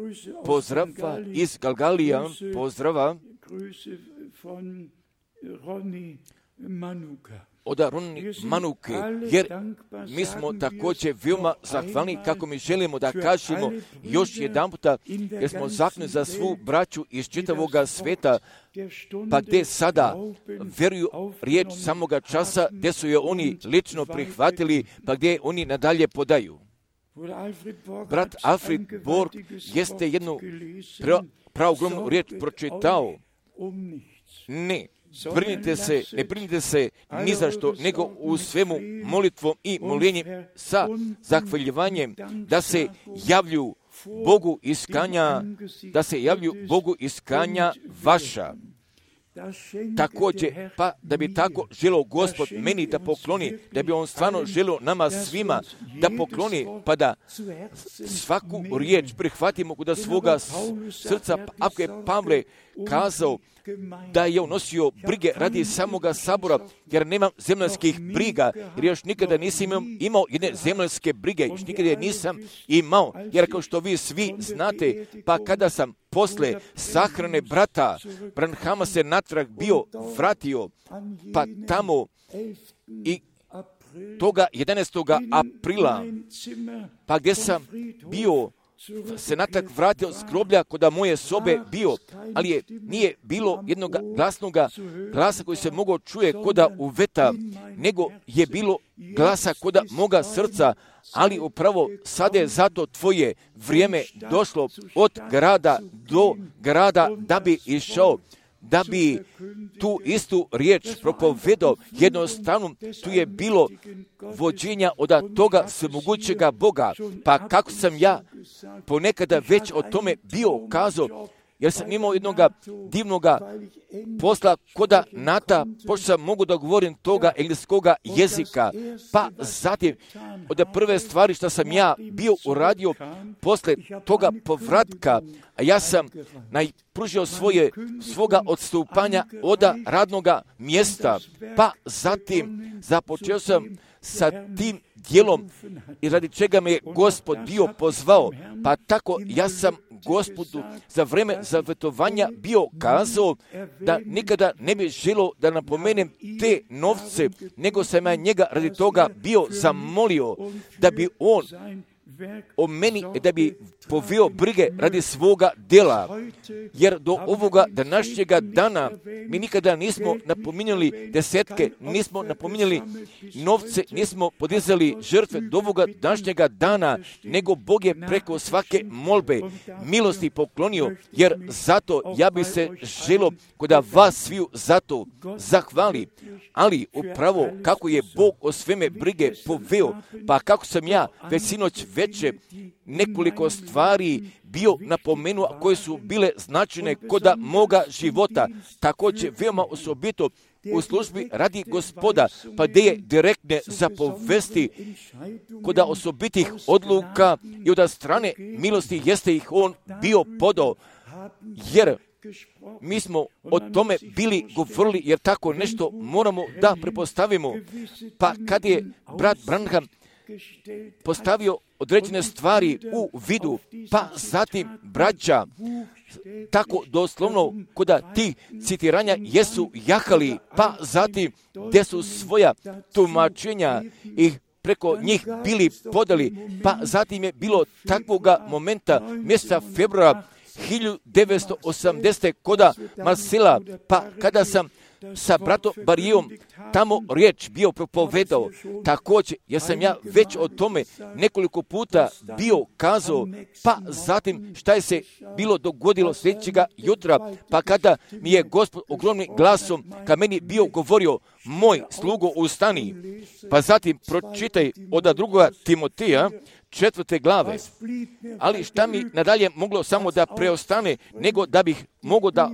pozdrava iz Galgalija, pozdrava od Ronnie Manuke, jer mi smo također veoma zahvalni kako mi želimo da kažemo još jedan puta, jer smo zahvalni za svu braću iz čitavog sveta, pa gdje sada vjeruju riječ samoga časa, gdje su je oni lično prihvatili, pa gdje oni nadalje podaju. Brat Alfred Borg jeste jednu praogromnu riječ pročitao. Ne brinite se ni za što, nego u svemu molitvom i moljenjem sa zahvaljivanjem da se javlju Bogu iskanja vaša. Također, pa da bi tako želio Gospod meni da pokloni, da bi on stvarno želio nama svima da pokloni, pa da svaku riječ prihvatimo kod svoga srca. Ako je Pavle kazao da je on nosio brige radi samoga sabora, jer nemam zemaljskih briga, jer još nikada nisam imao jedne zemaljske brige, još nikada je nisam imao, jer kao što vi svi znate, pa kada sam posle sahrane brata Branhama se natrag bio vratio, pa tamo i toga 11. aprila, pa gdje sam bio se natrag vratio s groblja koda moje sobe bio, ali nije bilo jednog glasnog glasa koji se mogao čuje koda uveta, nego je bilo glasa koda moga srca, ali upravo sada je zato tvoje vrijeme došlo od grada do grada da bi išao, da bi tu istu riječ propovedao. Jednostavno tu je bilo vođenja od toga svemogućega Boga. Pa kako sam ja ponekada već o tome bio kazao, jer sam imao jednog divnog posla koda Nata, pošto sam mogu da govorim toga engleskoga jezika, pa zatim od prve stvari što sam ja bio uradio posle toga povratka, a ja sam pružio svoga odstupanja od radnoga mjesta, pa zatim započeo sam sa tim dijelom i radi čega me je Gospod bio pozvao, pa tako ja sam Gospodu za vreme zavjetovanja bio kazao da nikada ne bi želio da napomenem te novce, nego sam ja njega radi toga bio zamolio da bi on o meni, da bi poveo brige radi svoga djela, jer do ovoga današnjega dana mi nikada nismo napominjali desetke, nismo napominjali novce, nismo podizali žrtve do ovoga današnjega dana, nego Bog je preko svake molbe milosti poklonio, jer zato ja bi se želio kod vas sviju zato zahvali, ali upravo kako je Bog o sveme brige poveo, pa kako sam ja već sinoć veče nekoliko stvari bio napomenuo koje su bile značajne koda moga života, također veoma osobito u službi radi Gospoda, pa gdje je direktne zapovesti koda osobitih odluka i od strane milosti jeste ih on bio podao, jer mi smo o tome bili govorili, jer tako nešto moramo da prepostavimo. Pa kad je brat Branham postavio određene stvari u vidu, pa zatim braća tako doslovno koda ti citiranja jesu jahali, pa zatim gdje su svoja tumačenja i preko njih bili podali, pa zatim je bilo takvoga momenta mjeseca februara 1980. koda Marsela, pa kada sam sa bratom Barijom tamo riječ bio propovedao, također jer sam ja već o tome nekoliko puta bio kazao, pa zatim šta je se bilo dogodilo sljedećega jutra, pa kada mi je Gospod ogromnim glasom ka meni bio govorio, moj slugo ustani, pa zatim pročitaj od 2. Timotija 4. glave. Ali šta mi nadalje moglo samo da preostane, nego da bih mogao da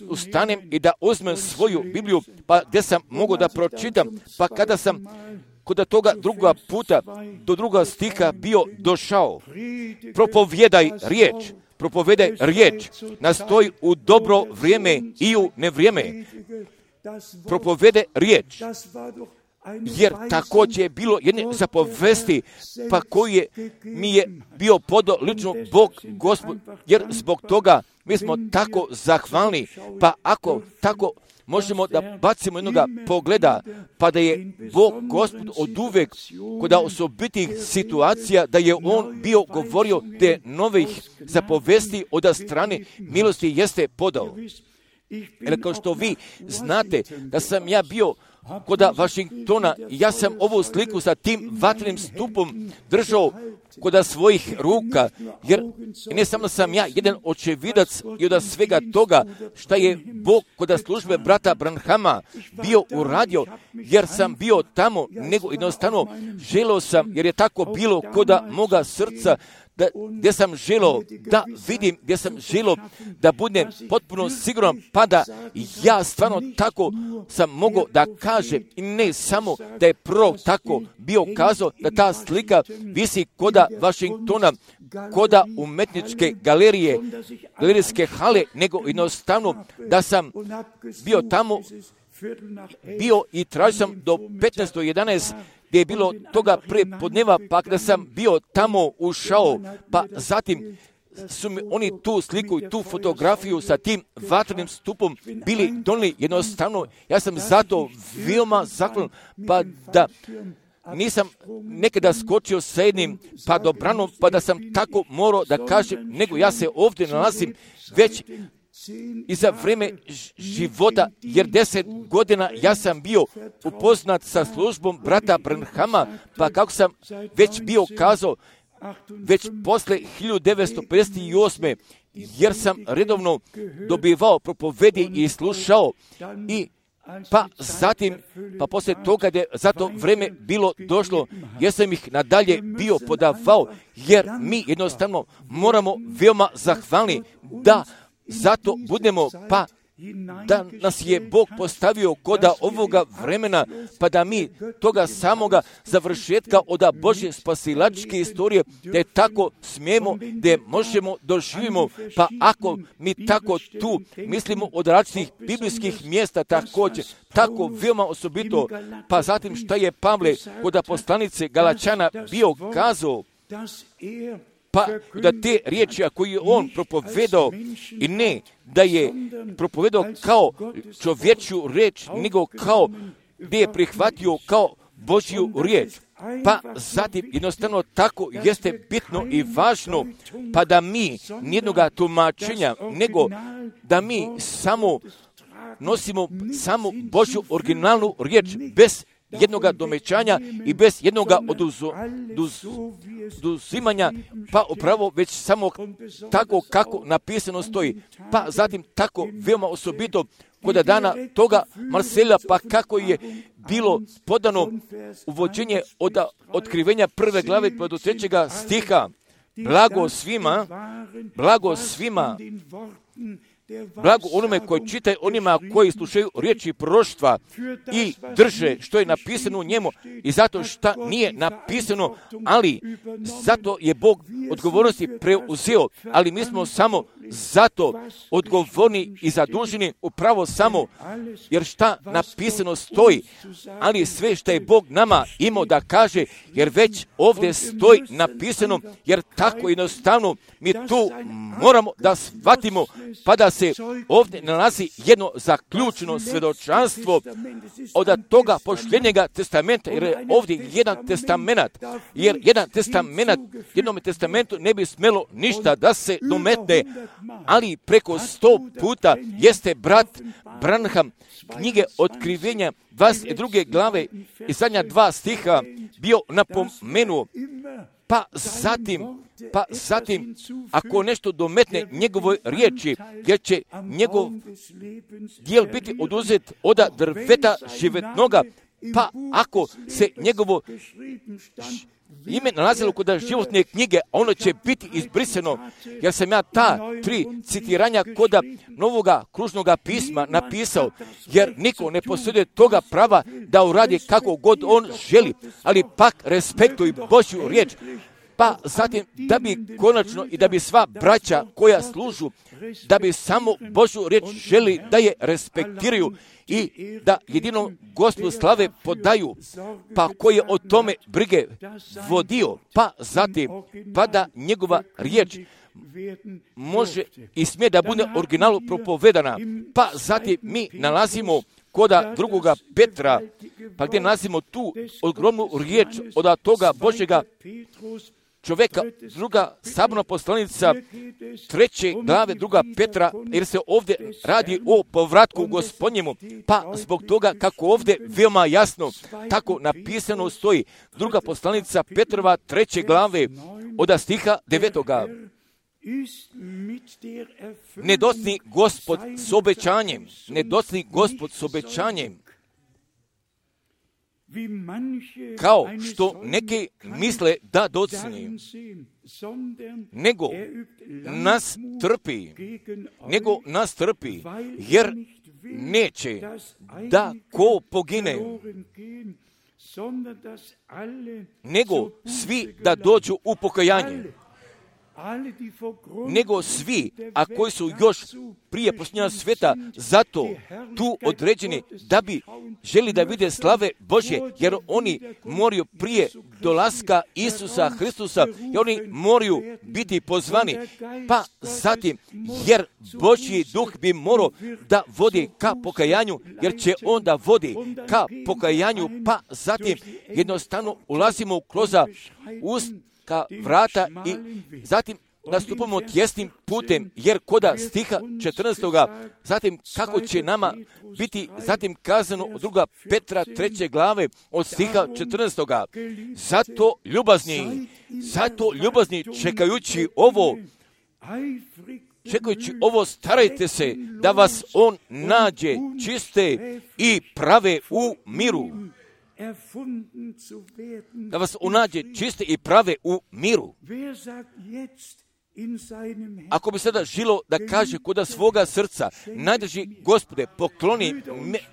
ustanem i da uzmem svoju Bibliju, pa gdje sam mogao da pročitam, pa kada sam kod toga druga puta do 2. stiha bio došao, propovijedaj riječ, nastoji u dobro vrijeme i u nevrijeme. Propovede riječ, jer također je bilo jedne zapovesti, pa koji mi je bio podao lično Bog Gospod, jer zbog toga mi smo tako zahvalni, pa ako tako možemo da bacimo jednoga pogleda, pa da je Bog Gospod od uvek kod osobitih situacija, da je On bio govorio te novih zapovesti od strane milosti jeste podao. Jer kao što vi znate da sam ja bio kod Vašingtona, ja sam ovu sliku sa tim vatrenim stupom držao kod svojih ruka, jer ne samo sam ja jedan očevidac i od svega toga šta je Bog kod službe brata Branhama bio uradio, jer sam bio tamo, nego jednostavno želeo sam, jer je tako bilo kod moga srca, gdje sam želeo da vidim, gdje sam želeo da budem potpuno siguran, pa da ja stvarno tako sam mogao da kažem, i ne samo da je prorok tako bio kazao, da ta slika visi koda Vašingtona, koda umetničke galerije, galerijske hale, nego jednostavno da sam bio tamo, bio i tražio sam do 15:11, gdje je bilo toga prepodneva, pa kada sam bio tamo ušao, pa zatim su mi oni tu sliku i tu fotografiju sa tim vatrenim stupom bili donijeli jednostavno. Ja sam zato veoma zahvalan, pa da nisam nekada skočio sa jednim padobranom, pa da sam tako morao da kažem, nego ja se ovdje nalazim već i za vrijeme života, jer 10 godina ja sam bio upoznat sa službom brata Branhama, pa kako sam već bio kazao, već posle 1958. jer sam redovno dobivao propovedi i slušao, i pa zatim, pa poslije toga je za to vrijeme bilo došlo, jer sam ih nadalje bio podavao, jer mi jednostavno moramo veoma zahvalni da zato budemo, pa da nas je Bog postavio koda ovoga vremena, pa da mi toga samoga završetka od Božje spasilačke istorije, da je tako smijemo, da možemo doživimo, pa ako mi tako tu mislimo od različitih biblijskih mjesta također, tako veoma osobito, pa zatim šta je Pavle kod poslanice Galačana bio kazao, pa da te riječi koje je on propovedao, i ne da je propovedao kao čovječju riječ, nego kao gdje je prihvatio kao Božju riječ. Pa zatim jednostavno tako jeste bitno i važno, pa da mi nijednoga tumačenja, nego da mi samo nosimo samo Božju originalnu riječ, bez jednoga domećanja i bez jednoga oduzimanja, pa upravo već samo tako kako napisano stoji. Pa zatim tako veoma osobito kod dana toga Marsela, pa kako je bilo podano uvođenje od otkrivenja 1. glave pa do 3. stiha. Blago svima, blago onome koji čitaju, onima koji slušaju riječi proroštva i drže što je napisano u njemu, i zato što nije napisano, ali zato je Bog odgovornosti preuzeo, ali mi smo samo zato odgovorni i zaduženi upravo samo, jer šta napisano stoji, ali sve što je Bog nama imao da kaže, jer već ovdje stoji napisano, jer tako jednostavno mi tu moramo da shvatimo, pa da se ovdje nalazi jedno zaključeno svjedočanstvo od toga posljednjega testamenta, jer je ovdje jedan testament, jer jedan testament, jednom testamentu ne bi smjelo ništa da se dometne, ali preko 100 puta jeste brat Branham knjige Otkrivenja 22. glave i zadnja 2 stiha bio napomenuo, pa zatim, ako nešto dometne njegovoj riječi, jer će njegov dijel biti oduzet od drveta životnoga, pa ako se njegovo ime nalazilo kod životne knjige, ono će biti izbrisano, jer sam ja ta 3 citiranja kod Novoga kružnoga pisma napisao, jer niko ne posjeduje toga prava da uradi kako god on želi, ali pak respektuj Božju riječ, pa zatim da bi konačno i da bi sva braća koja služu, da bi samo Božju riječ želi da je respektiraju i da jedino Gospodu slave podaju, pa koji je o tome brige vodio, pa zatim, pa da njegova riječ može i smije da bude originalu propovedana, pa zatim mi nalazimo koda 2. Petra, pa gdje nalazimo tu ogromnu riječ od toga Božjega čovjeka, 2. saborna poslanica 3. glave 2. Petra, jer se ovdje radi o povratku Gospodnjemu, pa zbog toga kako ovdje veoma jasno tako napisano stoji, 2. poslanica Petrova 3. glave od stiha 9. Ne docni Gospod s obećanjem, ne docni Gospod s obećanjem, kao što neki misle da docni, nego nas trpi, jer neće da ko pogine, nego svi da dođu u pokajanje. Nego svi, a koji su još prije posljednja sveta, zato tu određeni da bi želi da vide slave Božje, jer oni moraju prije dolaska Isusa Hristusa, i oni moraju biti pozvani, pa zatim, jer Božji duh bi morao da vodi ka pokajanju, jer će onda vodi ka pokajanju, pa zatim jednostavno ulazimo kroz ka vrata i zatim nastupamo tjesnim putem, jer koda stiha 14. zatim kako će nama biti zatim kazano od 2. Petra 3. glave od stiha 14. Zato ljubazni čekajući ovo starajte se da vas on nađe čiste i prave u miru. Da vas unađe čiste i prave u miru. Ako bi sada žilo da kaže koda svoga srca, najdrži Gospode,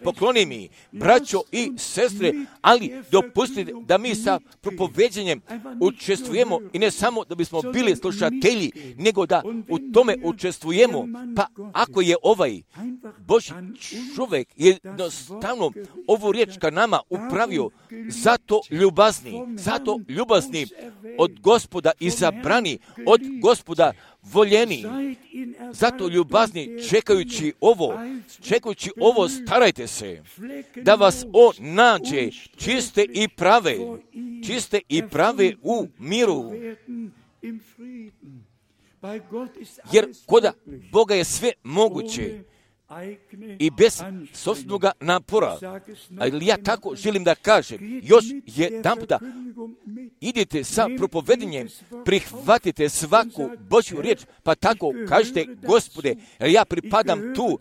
pokloni mi, braćo i sestre, ali dopustite da mi sa propoveđenjem učestvujemo i ne samo da bismo bili slušatelji, nego da u tome učestvujemo. Pa ako je ovaj Božji čovjek jednostavno ovu riječ ka nama upravio, zato ljubazni od Gospoda izabrani, od Gospoda voljeni, zato ljubazni čekajući ovo starajte se da vas on nađe čiste i prave u miru. Jer kod Boga je sve moguće i bez sobstvenog napora. Ali ja tako želim da kažem, još jedanputa, idite sa propovedanjem, prihvatite svaku Božju riječ, pa tako kažete, Gospode, jer ja pripadam tu,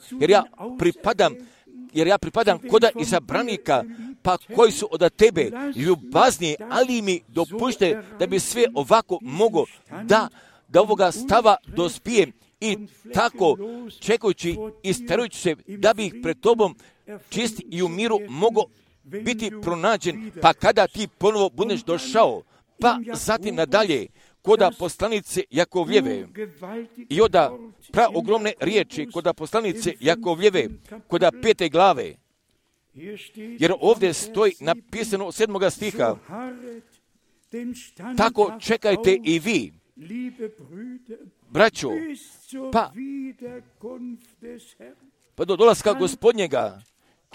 jer ja pripadam koda izabranika, pa koji su od tebe ljubazni, ali mi dopušte da bi sve ovako mogo da ovoga stava dospijem i tako čekajući i starajući se da bi ih pred tobom čisti i u miru mogo biti pronađen, pa kada ti ponovo budeš došao, pa zatim nadalje koda poslanice Jakovljeve i oda ogromne riječi koda poslanice Jakovljeve koda 5. glave, jer ovdje stoji napisano 7. stiha, tako čekajte i vi, braćo, pa do dolaska Gospodnjega,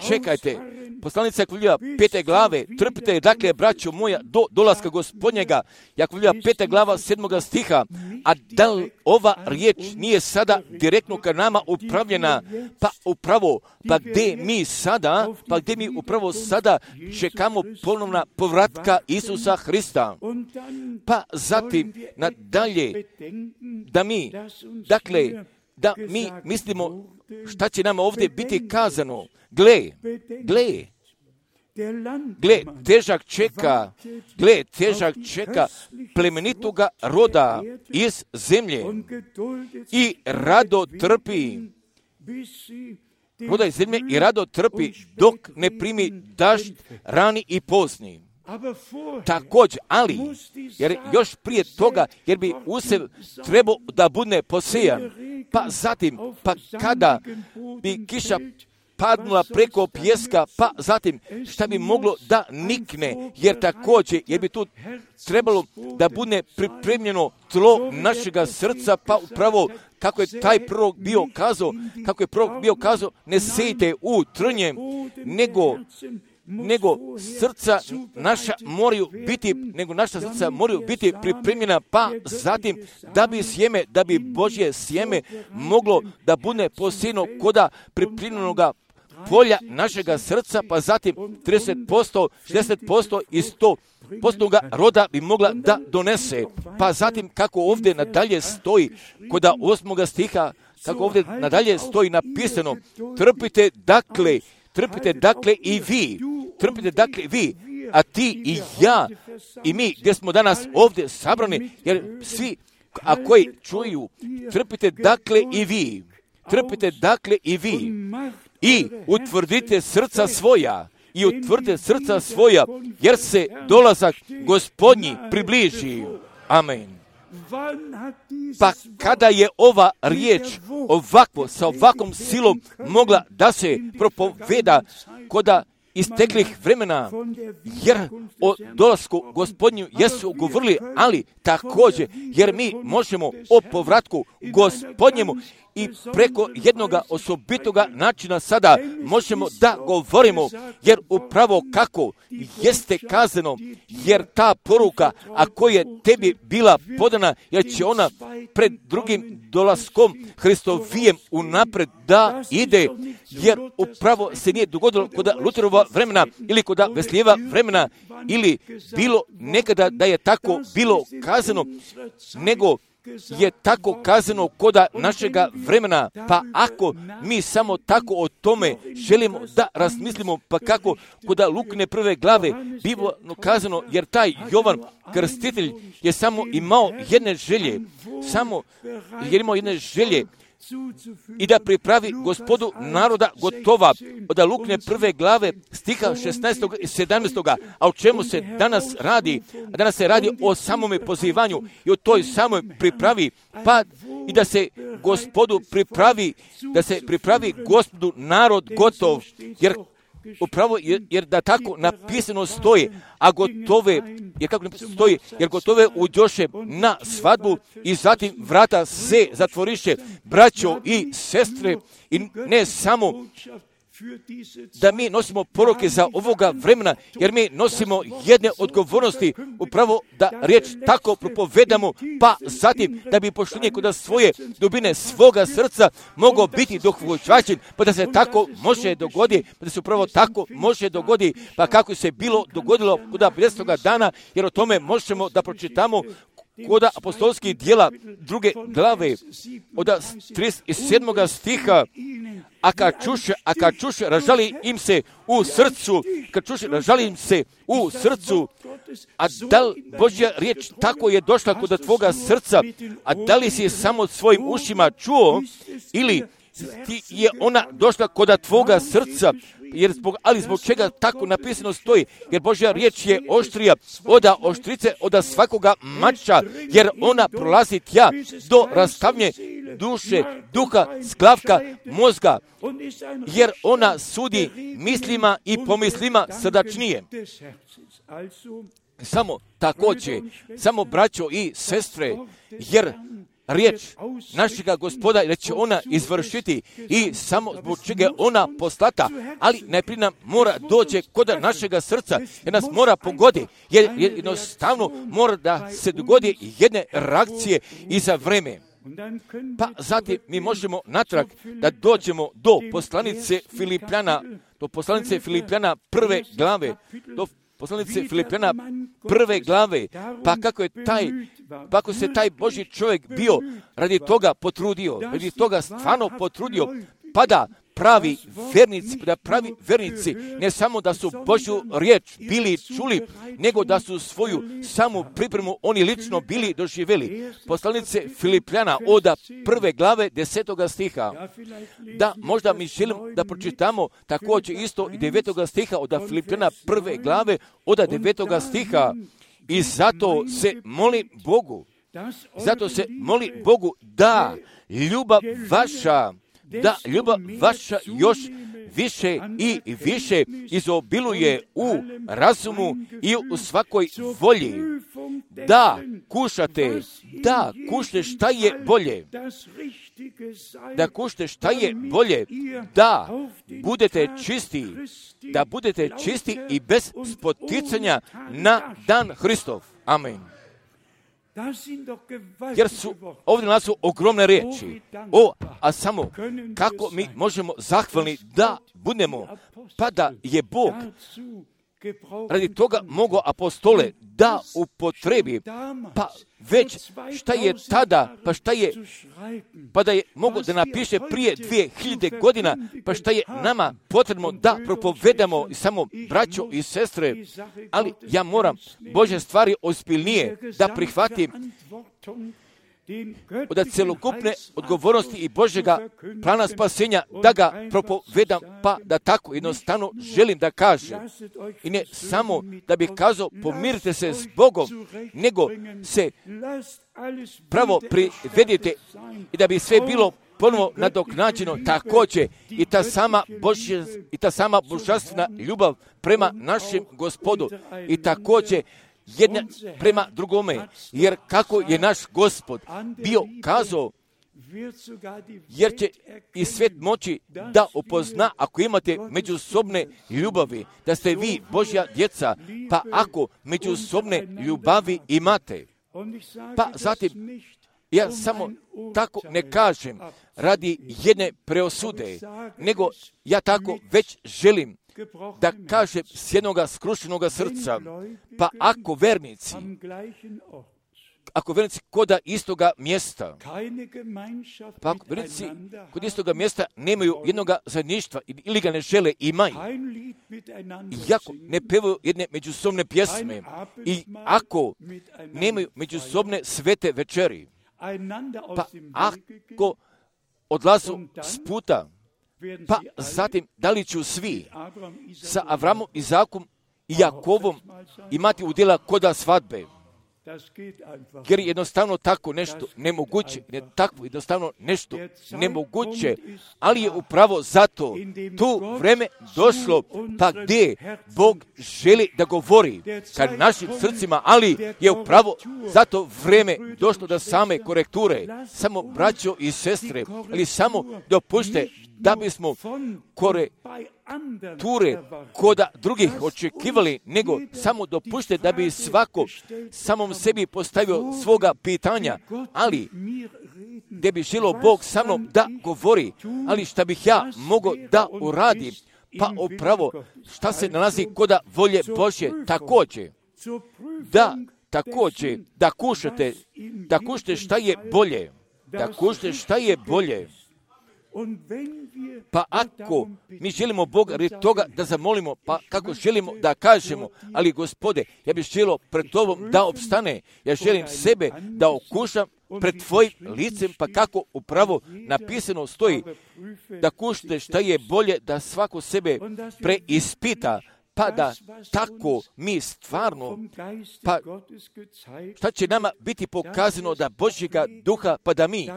čekajte. Poslanica Jakovljeva 5. glave, trpite, dakle, braćo moja, do dolaska Gospodnjega. Jakovljeva 5. glava 7. stiha. A da li ova riječ nije sada direktno ka nama upravljena? Pa upravo, pa gdje mi upravo sada čekamo ponovna povratka Isusa Hrista. Pa zatim nadalje da mi mislimo šta će nama ovdje biti kazano. Gle, težak čeka plemenitoga roda iz zemlje i rado trpi. Roda iz zemlje i rado trpi dok ne primi dažd rani i pozni. Također, ali, jer još prije toga, jer bi usjev trebao da bude posejan, pa zatim, pa kada bi kiša padnula preko pijeska, pa zatim šta bi moglo da nikne, jer također, jer bi tu trebalo da bude pripremljeno tlo našega srca, pa upravo kako je taj prorok bio kazao, ne sejte u trnje, nego naša srca moraju biti pripremljena, pa zatim da bi Božje sjeme moglo da bude posijeno koda pripremljenoga polja našega srca, pa zatim 30%, 60% i 100% roda bi mogla da donese. Pa zatim kako ovdje nadalje stoji koda 8. stiha, kako ovdje nadalje stoji napisano, trpite dakle i vi, a ti i ja i mi gdje smo danas ovdje sabrani, jer svi, a koji čuju, trpite dakle i vi i utvrdite srca svoja, jer se dolazak Gospodnji približi. Amen. Pa kada je ova riječ sa ovakvom silom mogla da se propoveda koda isteklih vremena, jer o dolasku Gospodnju jesu govorili, ali također, jer mi možemo o povratku Gospodnjemu i preko jednoga osobitoga načina sada možemo da govorimo, jer upravo kako jeste kazano, jer ta poruka, ako je tebi bila podana, jer će ona pred drugim dolaskom Hristovijem unapred da ide, jer upravo se nije dogodilo kod Luterova vremena ili kod Veslijeva vremena, ili bilo nekada da je tako bilo kazano, nego je tako kazano koda našega vremena. Pa ako mi samo tako o tome želimo da razmislimo, pa kako koda Lukine 1. glave bilo kazano, jer taj Jovan Krstitelj je samo imao jedne želje, i da pripravi Gospodu naroda gotova. Od Lukine 1. glave stiha 16. i 17. A o čemu se danas radi? A danas se radi o samome pozivanju i o toj samoj pripravi, pa i da se Gospodu pripravi Gospodu narod gotov, jer da tako napisano stoji, jer gotove uđoše na svadbu i zatim vrata se zatvoriše. Braćo i sestre, i ne samo da mi nosimo poruke za ovoga vremena, jer mi nosimo jedne odgovornosti upravo da riječ tako propovedamo, pa zatim da bi poštenje kod svoje dubine svoga srca mogao biti dohvaćen, pa da se tako može dogoditi, pa da se upravo tako može dogoditi, pa kako se bilo dogodilo kod 50. dana, jer o tome možemo da pročitamo kod apostolskih djela 2. glave od 37. stiha. A kad čuše, ražali im se u srcu, a da li Božja riječ tako je došla kod tvoga srca, a da li si samo svojim ušima čuo, ili ti je ona došla kod tvoga srca, ali zbog čega tako napisano stoji, jer Božja riječ je oštrija od oštrice, od svakoga mača, jer ona prolazi tja do rastavnje duše, duha, sklavka, mozga, jer ona sudi mislima i pomislima srdačnije. Samo također, samo braćo i sestre, riječ našega Gospoda, da će ona izvršiti i samo zbog čega je ona poslata, ali najprije nam mora doći kod našega srca, jer nas mora pogodi, jer jednostavno mora da se dogodi jedne reakcije i za vreme. Pa zatim mi možemo natrag da dođemo do poslanice Filipljana prve glave, prve glave, pa kako se taj Božji čovjek bio radi toga potrudio, radi toga stvarno potrudio, pa da pravi vernici, ne samo da su Božju riječ bili čuli, nego da su svoju samu pripremu oni lično bili doživjeli. Poslanice Filipljana od prve glave 10. stiha. Da, možda mi želim da pročitamo također isto i 9. stiha od Filipljana prve glave od 9. stiha. I zato se moli Bogu da ljubav vaša još više i više izobiluje u razumu i u svakoj volji. Da kušate šta je bolje. Da budete čisti i bez spoticanja na dan Hristov. Amen. Jer su ovdje nas su ogromne riječi. A samo kako mi možemo zahvalni da budemo, pa da je Bog radi toga mogao apostole da upotrebi, pa već šta je tada, pa da je mogao da napiše prije 2000 godina, pa šta je nama potrebno da propovedamo samo braćo i sestre, ali ja moram Božje stvari ozbiljnije da prihvatim od celokupne odgovornosti i Božjega plana spasenja, da ga propovedam, pa da tako jednostavno želim da kažem. I ne samo da bih kazao pomirite se s Bogom, nego se pravo privedite i da bi sve bilo ponovo nadoknađeno. Također i ta sama božanstvena ljubav prema našem Gospodu i također jedna prema drugome, jer kako je naš Gospod bio kazao, jer će i svijet moći da upozna ako imate međusobne ljubavi, da ste vi Božja djeca, pa ako međusobne ljubavi imate. Pa zatim, ja samo tako ne kažem radi jedne preosude, nego ja tako već želim da kažem s jednoga skrušenoga srca, pa ako vernici koda istoga mjesta, pa ako vernici kod istoga mjesta nemaju jednoga zajedništva ili ga ne žele imaju, i ako ne pevaju jedne međusobne pjesme, i ako nemaju međusobne svete večeri, pa ako odlazu s puta, pa zatim da li ću svi sa Avramom, Izakom i Jakovom imati udjela koda svadbe? Jer jednostavno tako nešto nemoguće, ali je upravo zato tu vreme došlo, pa gdje Bog želi da govori ka našim srcima, ali je upravo zato vreme došlo do same korekture. Samo braćo i sestre, ali samo dopušte da bismo korekture koda drugih očekivali, nego samo dopušte da bi svako samom sebi postavio svoga pitanja, ali gdje bi želio Bog sa mnom da govori, ali šta bih ja mogao da uradim, pa upravo šta se nalazi koda volje Božje također. Da kušate šta je bolje. Pa ako mi želimo Boga radi toga da zamolimo, pa kako želimo da kažemo, ali Gospode, ja bih želio pred Tobom da opstane, ja želim sebe da okušam pred Tvojim licem, pa kako upravo napisano stoji, da kušate šta je bolje, da svako sebe preispita, pa da tako mi stvarno, pa šta će nama biti pokazano da Božjega duha, pa da mi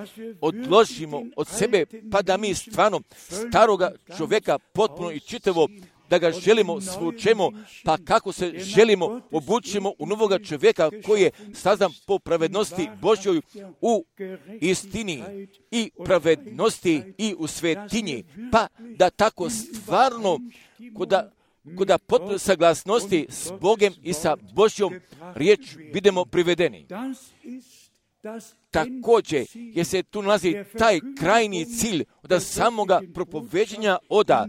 odložimo od sebe, pa da mi stvarno staroga čovjeka potpuno i čitavo da ga želimo svučemo, pa kako se želimo obučimo u novoga čovjeka koji je sazdan po pravednosti Božjoj u istini i pravednosti i u svetinji, pa da tako stvarno kod potpune saglasnosti s Bogem i sa Božjom riječ budemo privedeni. Također, jer se tu nalazi taj krajni cilj od samoga propoveđenja oda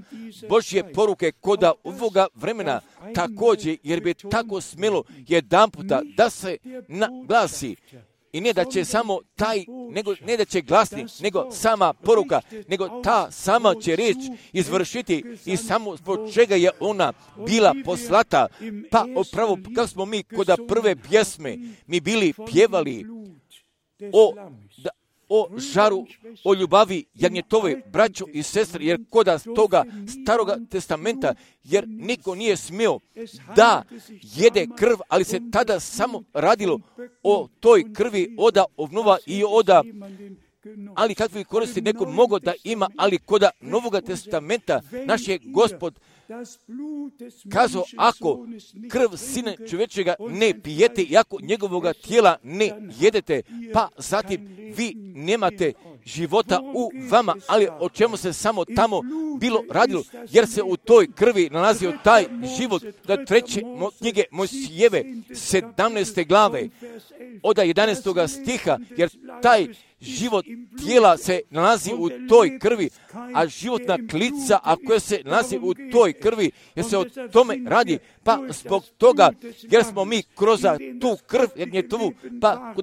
Božje poruke koda ovoga vremena, također, jer bi tako smjelo jedanputa da se naglasi. I ne da će samo ne da će glasni, nego sama poruka, nego ta sama će riječ izvršiti i samo zbog čega je ona bila poslata. Pa upravo kako smo mi kod prve pjesme mi bili pjevali o žaru, o ljubavi jagnjetove, braćo i sestre, jer koda toga staroga testamenta, jer niko nije smio da jede krv, ali se tada samo radilo o toj krvi oda ovnova i oda, ali kakvi koristi neko mogo da ima, ali koda Novoga testamenta naš je Gospod kazao, ako krv Sina čovječega ne pijete i ako njegovoga tijela ne jedete, pa zatim vi nemate života u vama, ali o čemu se samo tamo bilo radilo, jer se u toj krvi nalazio taj život. Da treće knjige Mojsijeve 17. glave od 11. stiha, jer taj život tijela se nalazi u toj krvi, a životna klica, a koja se nalazi u toj krvi, jer se o tome radi, pa zbog toga, jer smo mi kroz tu krv jagnjetovu, pa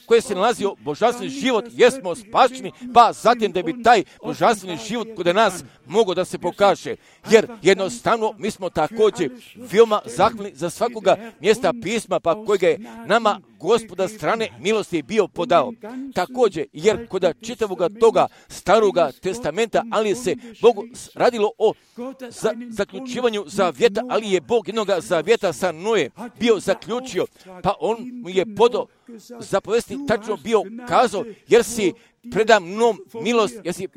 koja se nalazio božanstveni život, jer smo spašeni, pa zatim da bi taj božanstveni život kod nas mogao da se pokaže. Jer jednostavno mi smo također veoma zahvalni za svakoga mjesta pisma, pa kojega je nama Gospoda strane milosti bio podao. Također, jer kod čitavoga toga staroga testamenta, ali se Bogu radilo o zaključivanju zavjeta, ali je Bog jednoga zavjeta sa Noe bio zaključio, pa on mu je podao zapovesti, tačno bio kazao, jer si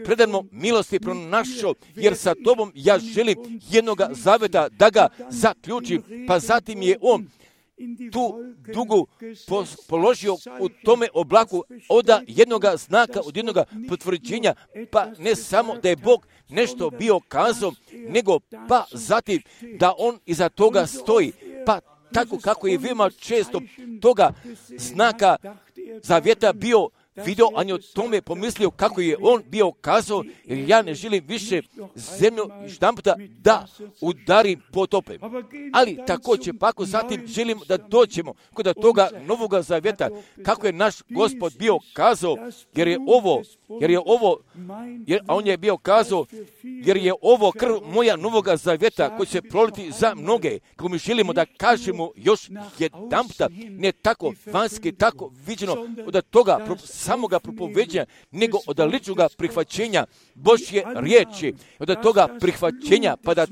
predamnom milosti pronašao, jer sa tobom ja želim jednoga zavjeta da ga zaključim, pa zatim je on tu dugu položio u tome oblaku od jednoga znaka, od jednoga potvrđenja, pa ne samo da je Bog nešto bio kazao, nego pa zatim da on iza toga stoji, pa tako kako je veoma često toga znaka zavjeta bio vidio, a je o tome pomislio kako je on bio kazao, jer ja ne želim više zemlju štamputa da udarim potopem. Ali također, pa ako zatim želimo da dođemo kod toga Novoga zavjeta, kako je naš Gospod bio kazao, a on je bio kazao, jer je ovo krv moja Novoga zavjeta koji će proliti za mnoge, kako mi želimo da kažemo još jedanputa, ne tako vanjski, tako viđeno od toga samoga propoveđenja, nego od ličnoga prihvaćenja Božje riječi, od toga prihvaćenja, pa da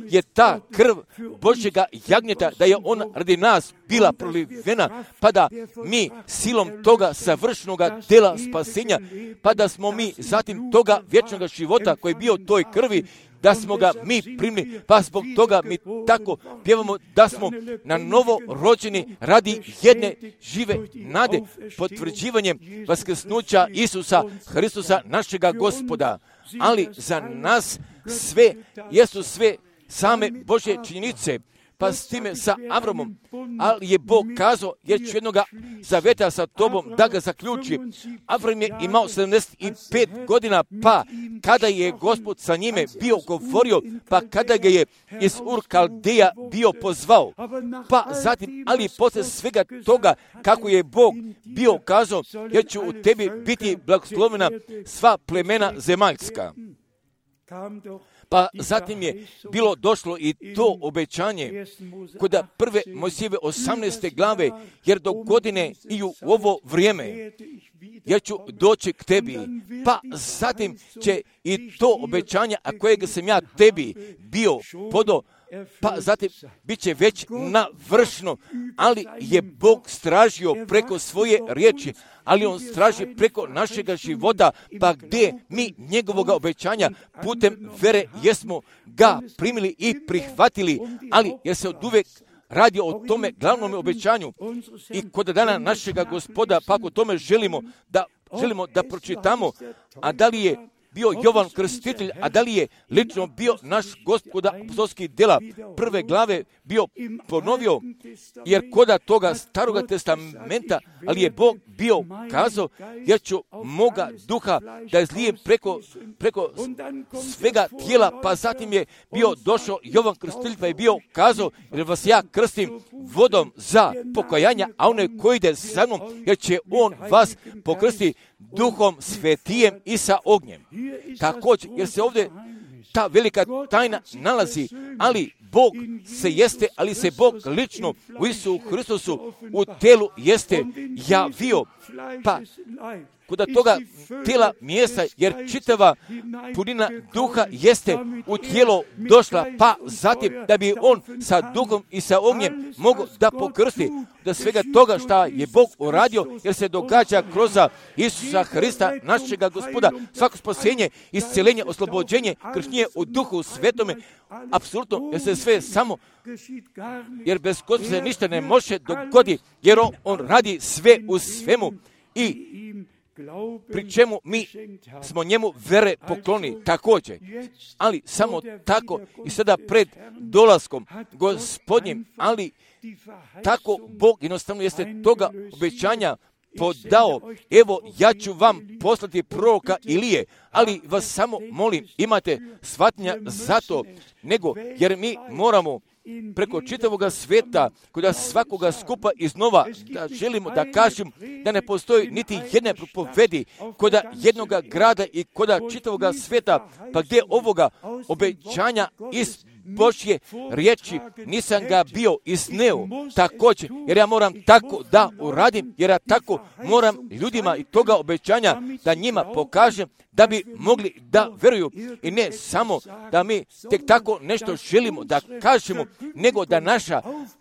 je ta krv Božjega jagnjeta, da je on radi nas bila prolivena, pa da mi silom toga savršenoga dela spasenja, pa da smo mi zatim toga vječnog života koji je bio u toj krvi, da smo ga mi primili, pa zbog toga mi tako pjevamo da smo na novo rođeni radi jedne žive nade, potvrđivanjem vaskrsnuća Isusa Hristusa našega Gospoda. Ali za nas sve jesu sve same Božje činjenice, pa s time sa Avramom, ali je Bog kazao, jer ću jednoga zavjeta sa tobom da ga zaključi. Avram je imao 75 godina, pa kada je Gospod sa njime bio govorio, pa kada ga je iz Ur Kaldeja bio pozvao, pa zatim, ali poslije svega toga, kako je Bog bio kazao, jer ću u tebi biti blagoslovena sva plemena zemaljska. Pa zatim je bilo došlo i to obećanje kod prve Mojsijeve 18. glave, jer do godine i u ovo vrijeme ja ću doći k tebi. Pa zatim će i to obećanje, a kojeg sam ja tebi bio podao, pa zatim bit će već navršeno, ali je Bog stražio preko svoje riječi, ali on straži preko našega života, pa gdje mi njegovoga obećanja putem vere jesmo ga primili i prihvatili, ali jer se oduvek radi o tome glavnom obećanju i kod dana našega Gospoda, pa ako tome želimo da pročitamo, a da li je bio Jovan Krstitelj, a da li je lično bio naš Gospoda apostolskih djela prve glave bio ponovio, jer koda toga staroga testamenta, ali je Bog bio kazao, jer ću moga duha da izlijem preko svega tijela, pa zatim je bio došao Jovan Krstitelj pa je bio kazao, jer vas ja krstim vodom za pokajanja, a onaj koji ide sa mnom, jer će on vas pokrstiti Duhom Svetijem i sa ognjem. Također, jer se ovdje ta velika tajna nalazi, ali Bog se jeste, ali se Bog lično u Isusu Hristusu u telu jeste javio, pa kod toga tijela mjesta, jer čitava punina duha jeste u tijelo došla, pa zatim da bi on sa duhom i sa ognjem mogao da pokrsti da svega toga što je Bog uradio, jer se događa kroz Isusa Hrista, našega Gospoda, svako spasenje, isceljenje, oslobođenje, kršnje u Duhu Svetome, apsolutno, jer se sve samo, jer bez Gospoda se ništa ne može dogoditi, jer on radi sve u svemu i pri čemu mi smo njemu vere pokloni također, ali samo tako i sada pred dolaskom Gospodnjim, ali tako Bog jednostavno jeste toga obećanja podao, evo ja ću vam poslati proroka Ilije, ali vas samo molim, imate shvatnja za to, nego jer mi moramo preko čitavoga sveta, kod svakoga skupa iznova, da želimo da kažem da ne postoji niti jedne propovedi kod jednoga grada i kod čitavoga sveta, pa gdje ovoga obećanja iz Božje riječi nisam ga bio izneo također, jer ja moram tako da uradim, jer ja tako moram ljudima i toga obećanja da njima pokažem da bi mogli da veruju i ne samo da mi tek tako nešto želimo da kažemo, nego da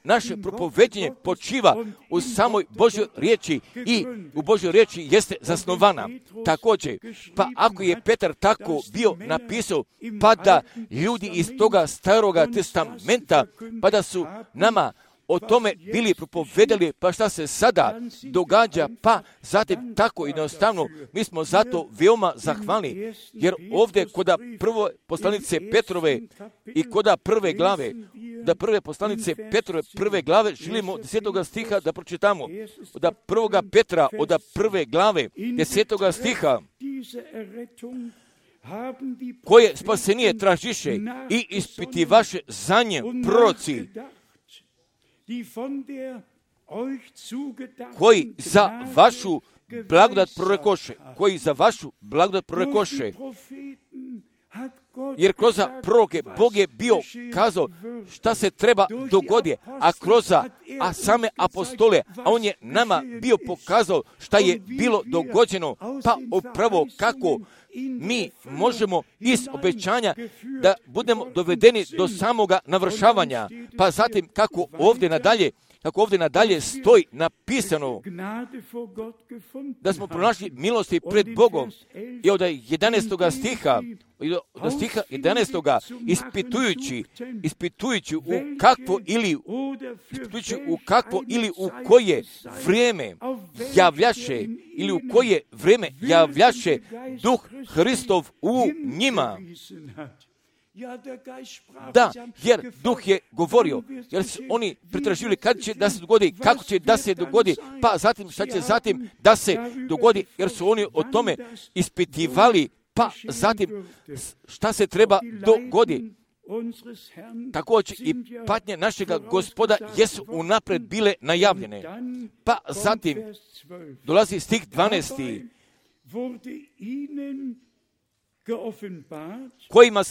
naše propoveđenje počiva u samoj Božjoj riječi i u Božjoj riječi jeste zasnovana. Također, pa ako je Petar tako bio napisao, pa da ljudi iz toga staroga testamenta, pa da su nama o tome bili propovedali, pa šta se sada događa, pa zatim tako jednostavno, mi smo zato veoma zahvalni, jer ovdje kod prve poslanice Petrove i kod prve glave, da prve poslanice Petrove prve glave, želimo 10. stiha da pročitamo, od prvoga Petra, od prve glave, 10. stiha, koje spasenije tražiše i ispitivaše za nje proroci, koji za vašu blagodat prorekoše, jer kroz proroke Bog je bio kazao šta se treba dogoditi, a same apostole, a on je nama bio pokazao šta je bilo dogođeno, pa upravo kako mi možemo iz obećanja da budemo dovedeni do samoga navršavanja, pa zatim kako ovdje nadalje stoji napisano da smo pronašli milosti pred Bogom i od 11. stiha, od stiha 11. ispitujući u kakvo ili u koje vrijeme javljaše Duh Hristov u njima. Da, jer Duh je govorio, jer su oni pretraživali kad će da se dogodi, kako će da se dogodi, pa zatim šta će zatim da se dogodi, jer su oni o tome ispitivali, pa zatim šta se treba dogoditi. Također i patnje našega Gospoda jesu unapred bile najavljene. Pa zatim dolazi stih 12. kojima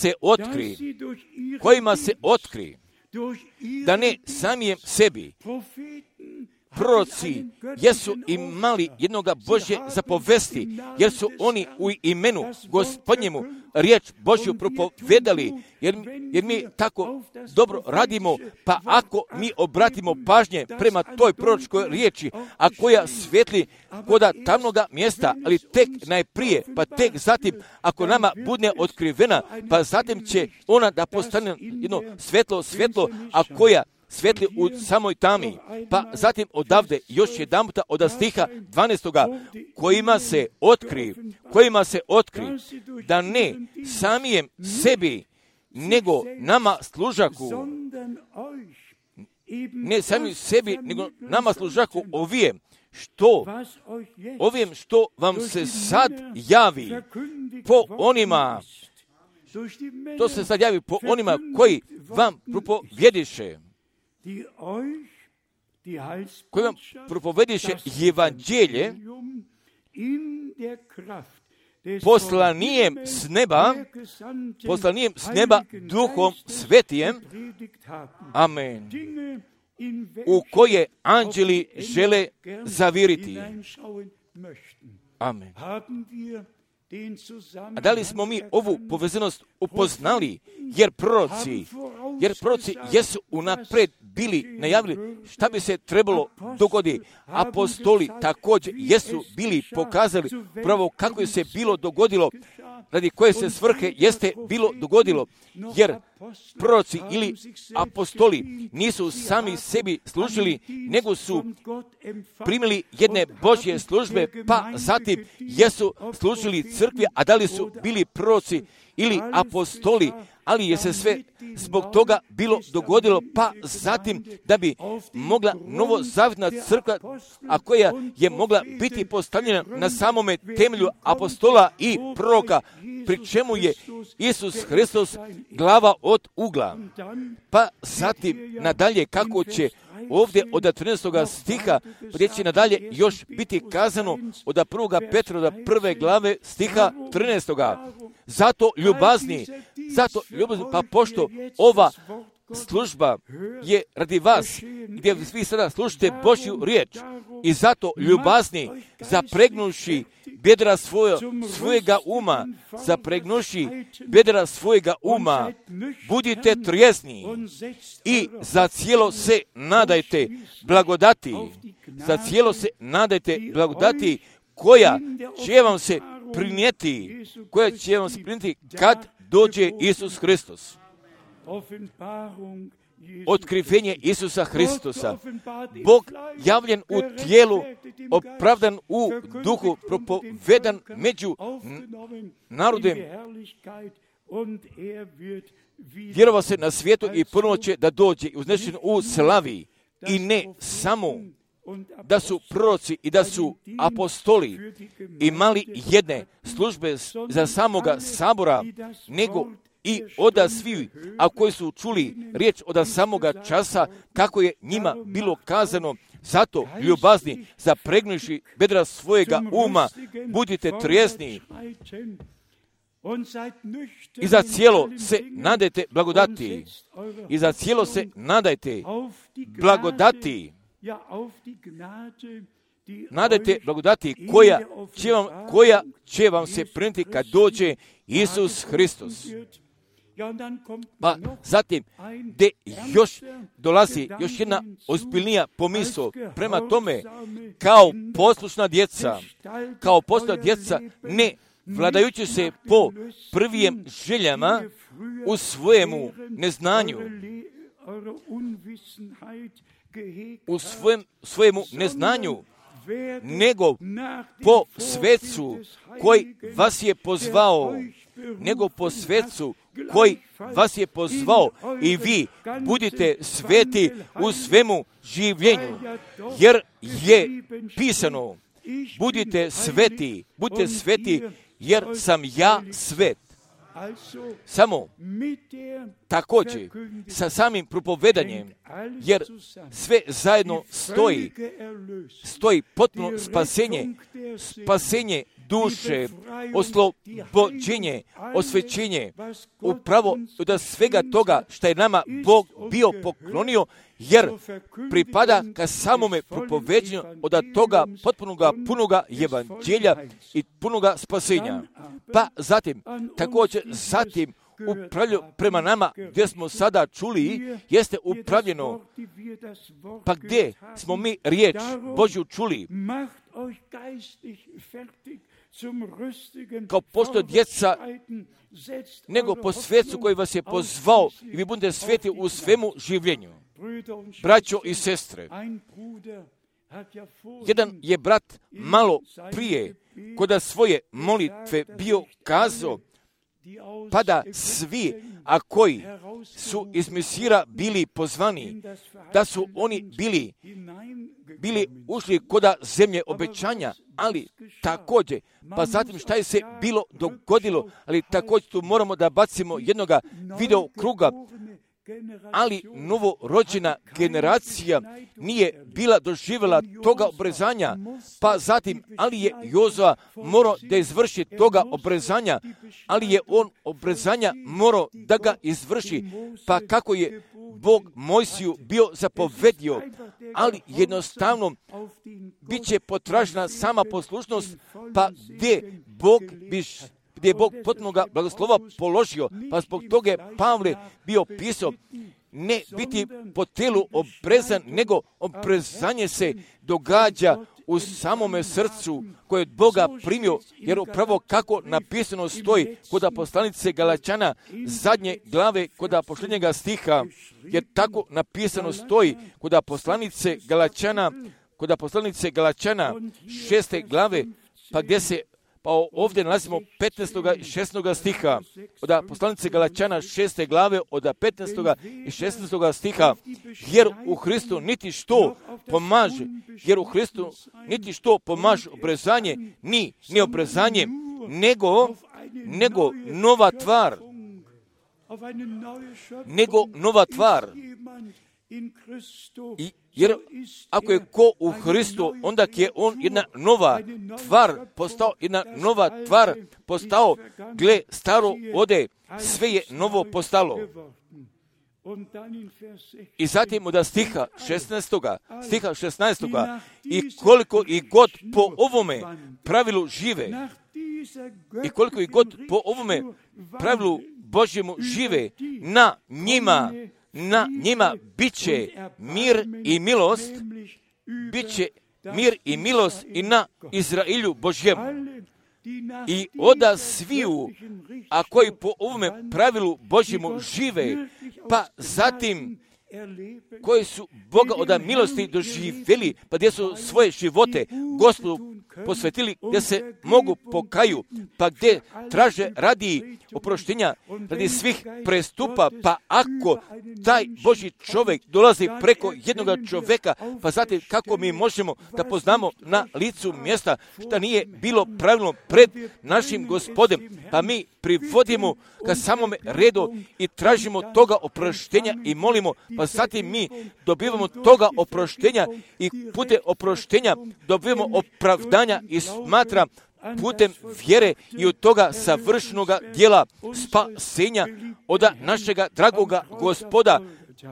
se otkri da ne samijem sebi proroci jesu imali jednoga Božje zapovesti, jer su oni u imenu Gospodnjemu riječ Božju propovedali, jer mi tako dobro radimo, pa ako mi obratimo pažnje prema toj proročkoj riječi, a koja svijetli koda tamnoga mjesta, ali tek najprije, pa tek zatim, ako nama bude otkrivena, pa zatim će ona da postane jedno svjetlo, a koja svijetli u samoj tami. Pa zatim odavde još jedanputa od stiha 12. kojima se otkri da ne samijem sebi, nego nama služaku, ne sami sebi, nego nama služaku ovijem, što vam se sad javi po onima, to se sad javi po onima koji vam propovjediše, koji vam propovjediše evanđelje poslanijem s neba Duhom Svetijem, amen, u koje anđeli žele zaviriti. Amen. A da li smo mi ovu povezanost upoznali, jer proroci jesu unaprijed bili najavili šta bi se trebalo dogoditi. Apostoli također jesu bili pokazali pravo kako je se bilo dogodilo, radi koje se svrhe jeste bilo dogodilo, jer proroci ili apostoli nisu sami sebi služili, nego su primili jedne Božje službe, pa zatim jesu služili crkvi, a da li su bili proroci ili apostoli, ali je se sve zbog toga bilo dogodilo, pa zatim da bi mogla novozavjetna crkva, a koja je mogla biti postavljena na samome temelju apostola i proroka, pri čemu je Isus Hristos glava od ugla. Pa zatim nadalje kako će ovdje od 13. stiha prijeći nadalje još biti kazano od 1. Petra od 1. glave stiha 13. Zato ljubazni, pa pošto ova služba je radi vas, gdje vi sada slušate Božju riječ, i zato ljubazni, zapregnuši bedra svojega uma, budite trijezni i za cijelo se nadajte blagodati, koja će vam se prinijeti kad dođe Isus Hristos. Otkrivenje Isusa Hristosa. Bog javljen u tijelu, opravdan u duhu, propovedan među narodem. Vjerova se na svijetu i ponovo će da dođe uznešen u slavi. I ne samo da su proroci i da su apostoli imali jedne službe za samoga sabora, nego i oda svi, a koji su čuli riječ od samoga časa, kako je njima bilo kazano, zato ljubazni, zapregnuši bedra svojega uma, budite trijezni i za cijelo se nadajte blagodati. Nadajte blagodati koja će vam se prinijeti kad dođe Isus Hristos. Pa zatim, gdje još dolazi još jedna ozbiljnija pomisao prema tome, kao poslušna djeca, ne vladajući se po prvijim željama u svojemu neznanju, nego po svecu koji vas je pozvao, i vi budite sveti u svemu življenju, jer je pisano, budite sveti, jer sam ja svet. Samo također sa samim propovedanjem, jer sve zajedno stoji potpuno spasenje duše, oslobođenje, osvećenje, upravo od svega toga što je nama Bog bio poklonio, jer pripada ka samome propoveđenju od toga punoga evanđelja i punoga spasenja. Pa zatim, također upravljaju prema nama gdje smo sada čuli, jeste upravljeno, pa gdje smo mi riječ Božju čuli, kao pošto djeca, nego po svecu koji vas je pozvao i vi budete sveti u svemu življenju. Braćo i sestre, jedan je brat malo prije kod svoje molitve bio kazao, pa da svi, a koji su iz Mesira bili pozvani, da su oni bili ušli koda zemlje obećanja, ali također, pa zatim šta je se bilo dogodilo, ali također tu moramo da bacimo jednoga video kruga, ali novorođena generacija nije bila doživjela toga obrezanja, pa zatim, ali je Jozua morao da izvrši toga obrezanja, ali je on obrezanja morao da ga izvrši, pa kako je Bog Mojsiju bio zapovedio, ali jednostavno bit će potražena sama poslušnost, pa gdje je Bog potpunoga blagoslova položio, pa zbog toga je Pavle bio pisao, ne biti po telu obrezan, nego obrezanje se događa u samome srcu koje je od Boga primio, jer upravo kako napisano stoji kod poslanice Galačana zadnje glave kod posljednjega stiha, jer tako napisano stoji kod poslanice Galačana 6. glave, pa gdje se ovdje nalazimo 15. i 16. stiha, od poslanice Galačana 6. glave, od 15. i 16. stiha, jer u Hristu niti što pomaže obrezanje, ni obrezanje, nego nova tvar. Jer ako je ko u Hristu, onda je on jedna nova tvar postao, gle, staro ode, sve je novo postalo. I zatim od stiha 16. I koliko i god po ovome pravilu žive, i koliko i god po ovome pravilu Božjemu žive, na njima bit će mir i milost i na Izraelju Božjemu. I oda sviju, a koji po ovome pravilu Božjemu žive, pa zatim koji su Boga od milosti doživjeli, pa gdje su svoje živote Gospodu posvetili, gdje se mogu pokaju, pa gdje traže radi oproštenja, radi svih prestupa, pa ako taj Božji čovjek dolazi preko jednoga čovjeka, pa zatim kako mi možemo da poznamo na licu mjesta što nije bilo pravilno pred našim Gospodem, pa mi privodimo ka samome redu i tražimo toga oproštenja i molimo, pa zatim mi dobivamo toga oproštenja i putem oproštenja dobivamo opravdanja i smatra putem vjere i od toga savršenoga djela spasenja od našega dragoga Gospoda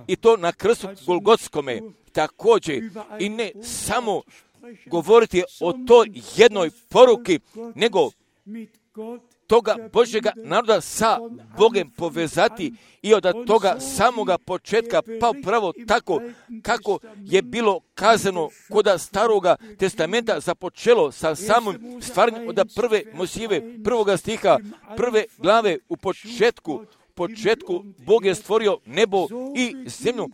i to na krstu Golgotskome. Također i ne samo govoriti o toj jednoj poruki, nego toga Božjega naroda sa Bogem povezati i od toga samoga početka, pa upravo tako kako je bilo kazano kod staroga testamenta započelo sa samim stvaranjem od prve Mojsijeve prvoga stiha, prve glave u početku Bog je stvorio nebo i zemlju,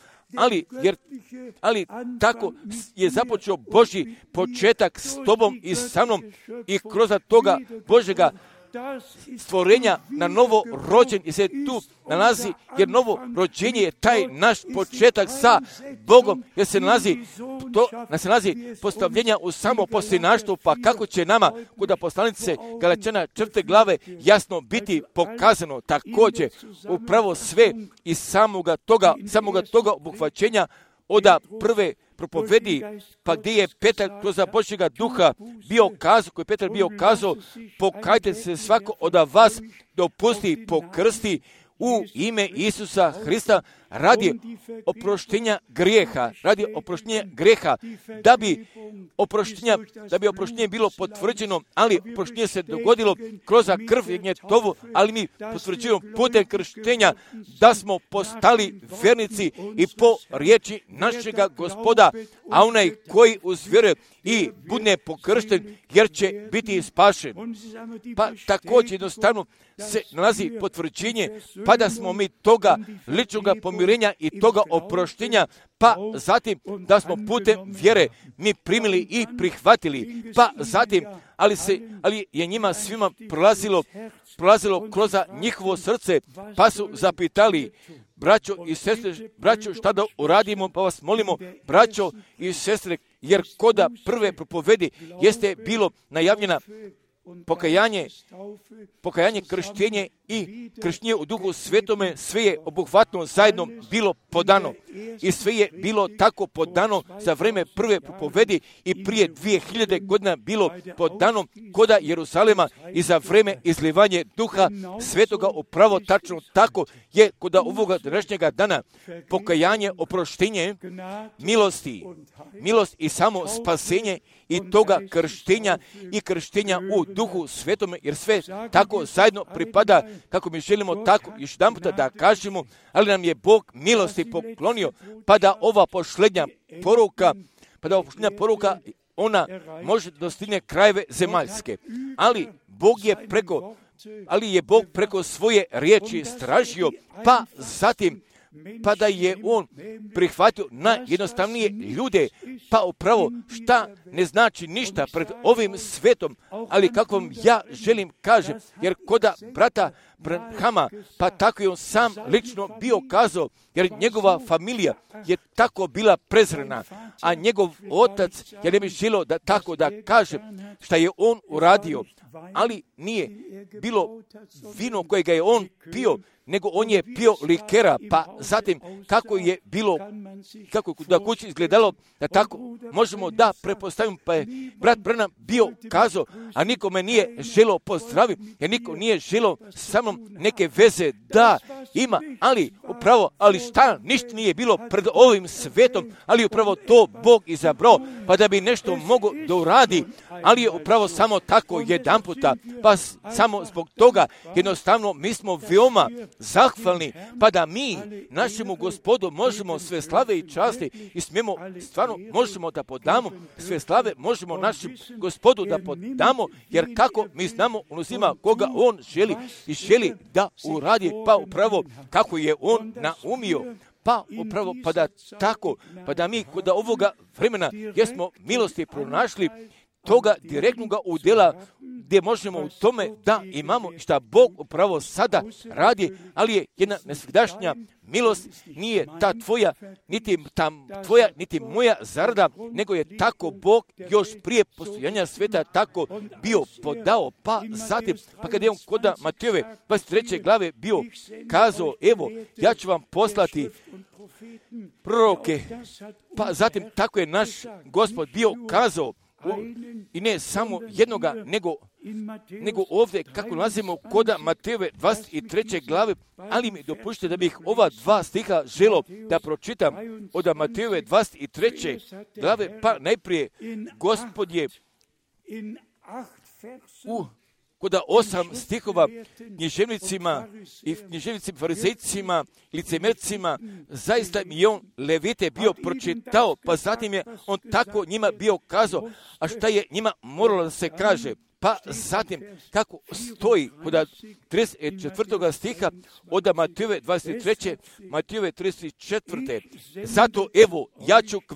ali tako je započeo Božji početak s tobom i sa mnom i kroz toga Božjega stvorenja na novo rođen i se tu nalazi, jer novo rođenje je taj naš početak sa Bogom, jer se nalazi postavljenja u samo posljednaštvu, pa kako će nama kod poslanice Galačana 4. glave jasno biti pokazano također upravo sve iz samoga toga obuhvaćenja oda prve propovedi, pa gdje je Petar kroz Božjega duha bio kazao, koji je Petar bio kazao, pokajte se svako od vas dopusti pokrsti u ime Isusa Hrista radi oproštenja grijeha, da bi oproštenje bilo potvrđeno, ali oproštenje se dogodilo kroz krv Jagnjetovu, ali mi potvrđujemo putem krštenja da smo postali vernici i po riječi našega Gospoda, a onaj koji uzvjeruje i bude pokršten, jer će biti spašen. Pa također jednostavno se nalazi potvrđenje, pa da smo mi toga ličnoga pomirenja i toga oproštenja, pa zatim da smo putem vjere mi primili i prihvatili, pa zatim, ali je njima svima prolazilo kroz njihovo srce, pa su zapitali, braćo i sestre, šta da uradimo, pa vas molimo, braćo i sestre, jer koda prve propovedi jeste bilo najavljena pokajanje, krštenje i krštenje u Duhu Svetome, sve je obuhvatno zajedno bilo podano. I sve je bilo tako podano za vrijeme prve propovedi i prije 2000 godina bilo podano koda Jeruzalema i za vrijeme izlivanje Duha Svetoga upravo tačno tako je koda ovoga današnjega dana pokajanje, oproštenje, milost i samo spasenje i toga krštenja i krštenja u Duhu Svetome, jer sve tako zajedno pripada, kako mi želimo tako još jedan puta da kažemo, ali nam je Bog milosti poklonio, pa da ova posljednja poruka, ona može dostigne krajeve zemaljske. Ali je Bog preko svoje riječi stražio, pa zatim pa da je on prihvatio najjednostavnije ljude, pa upravo šta ne znači ništa pred ovim svetom, ali kako vam ja želim kažem, jer koda brata Branhama, pa tako je on sam lično bio kazao, jer njegova familija je tako bila prezrena, a njegov otac, ja ne bih želio da tako da kažem šta je on uradio, ali nije bilo vino kojega je on pio, nego on je pio likera, pa zatim kako je bilo, kako da kući izgledalo, da tako možemo da prepostavimo, pa je brat Branham bio kazao, a nikome nije želio pozdraviti, jer niko nije želio sa mnom neke veze da ima, ali šta, ništa nije bilo pred ovim svetom, ali upravo to Bog izabrao, pa da bi nešto mogo da uradi, ali je upravo samo tako jedan puta, pa samo zbog toga jednostavno mi smo veoma zahvalni, pa da mi našemu Gospodu možemo sve slave i časti i smijemo, stvarno možemo da podamo sve slave, možemo našem Gospodu da podamo, jer kako mi znamo, on uzima koga on želi i želi da uradi, pa upravo kako je on naumio, pa upravo, pa da tako, pa da mi kod ovoga vremena gdje smo milosti pronašli, toga direktnoga udjela gdje možemo u tome da imamo šta Bog upravo sada radi, ali je jedna nesvegdašnja milost, nije ta tvoja, niti moja zarada, nego je tako Bog još prije postojanja sveta tako bio podao, pa zatim, pa kada je on kod Matejove 23. glave bio kazao, evo, ja ću vam poslati proroke, pa zatim tako je naš Gospod bio kazao, i ne samo jednoga, nego ovdje, kako nalazimo koda Matejove 23. glave, ali mi dopuštite da bih ova dva stiha želio da pročitam od Matejove 23. glave, pa najprije Gospod je koda 8 stihova književnicima i književnicima, farizejcima, licemercima, zaista mi je on Levite bio pročitao, pa zatim je on tako njima bio kazao, a šta je njima moralo da se kaže. Pa zatim, kako stoji kod 34. stiha od Matejove 23. Matejove 34. Zato evo, ja ću k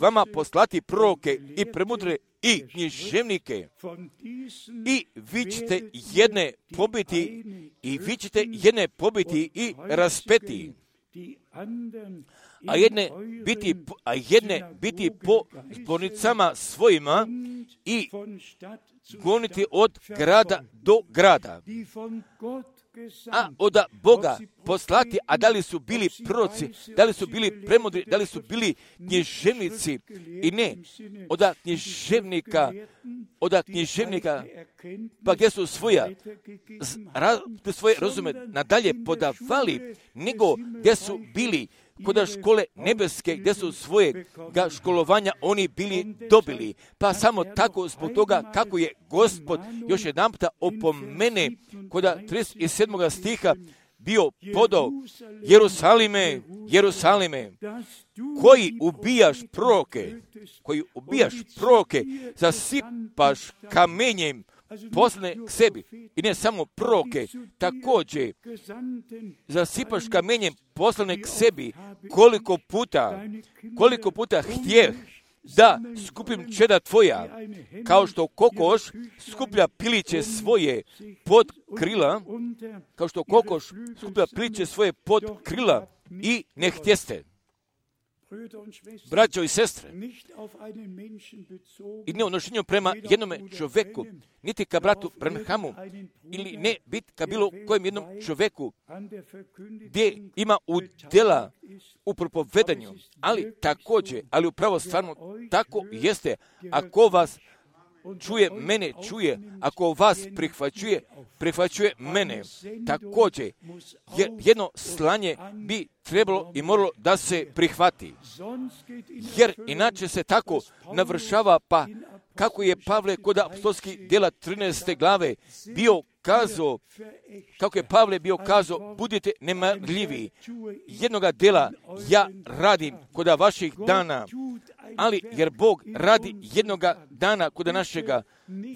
vama poslati proroke i premudre i književnike i vi ćete jedne pobiti i raspeti, a jedne biti po zbornicama svojima i goniti od grada do grada. A od Boga poslati, a da li su bili proroci, da li su bili premudri, da li su bili književnici i ne, od književnika, pa gdje su svoje razume nadalje podavali, nego gdje su bili kod škole nebeske, gdje su svojega školovanja oni bili dobili. Pa samo tako zbog toga kako je Gospod još jedanputa opomene kod 37. stiha bio podao: Jerusalime, koji ubijaš proroke, zasipaš kamenjem poslane k sebi. I ne samo proroke, također zasipaš kamenjem poslane k sebi. Koliko puta htjeh da skupim čeda tvoja, kao što kokoš skuplja piliće svoje pod krila, i ne htjeste. Braćo i sestre, i ne odnošenju prema jednome čovjeku, niti ka bratu Branhamu, ili ne biti ka bilo kojem jednom čovjeku, gdje ima udjela u propovedanju, ali također, ali upravo stvarno tako jeste, ako vas čuje, mene čuje, ako vas prihvaćuje mene. Također, jedno slanje bi trebalo i moralo da se prihvati. Jer inače se tako navršava, pa kako je Pavle kod apostolskih djela 13. glave bio kazao, budite nemarljivi. Jednoga djela ja radim kod vaših dana, ali jer Bog radi jednoga dana kod našega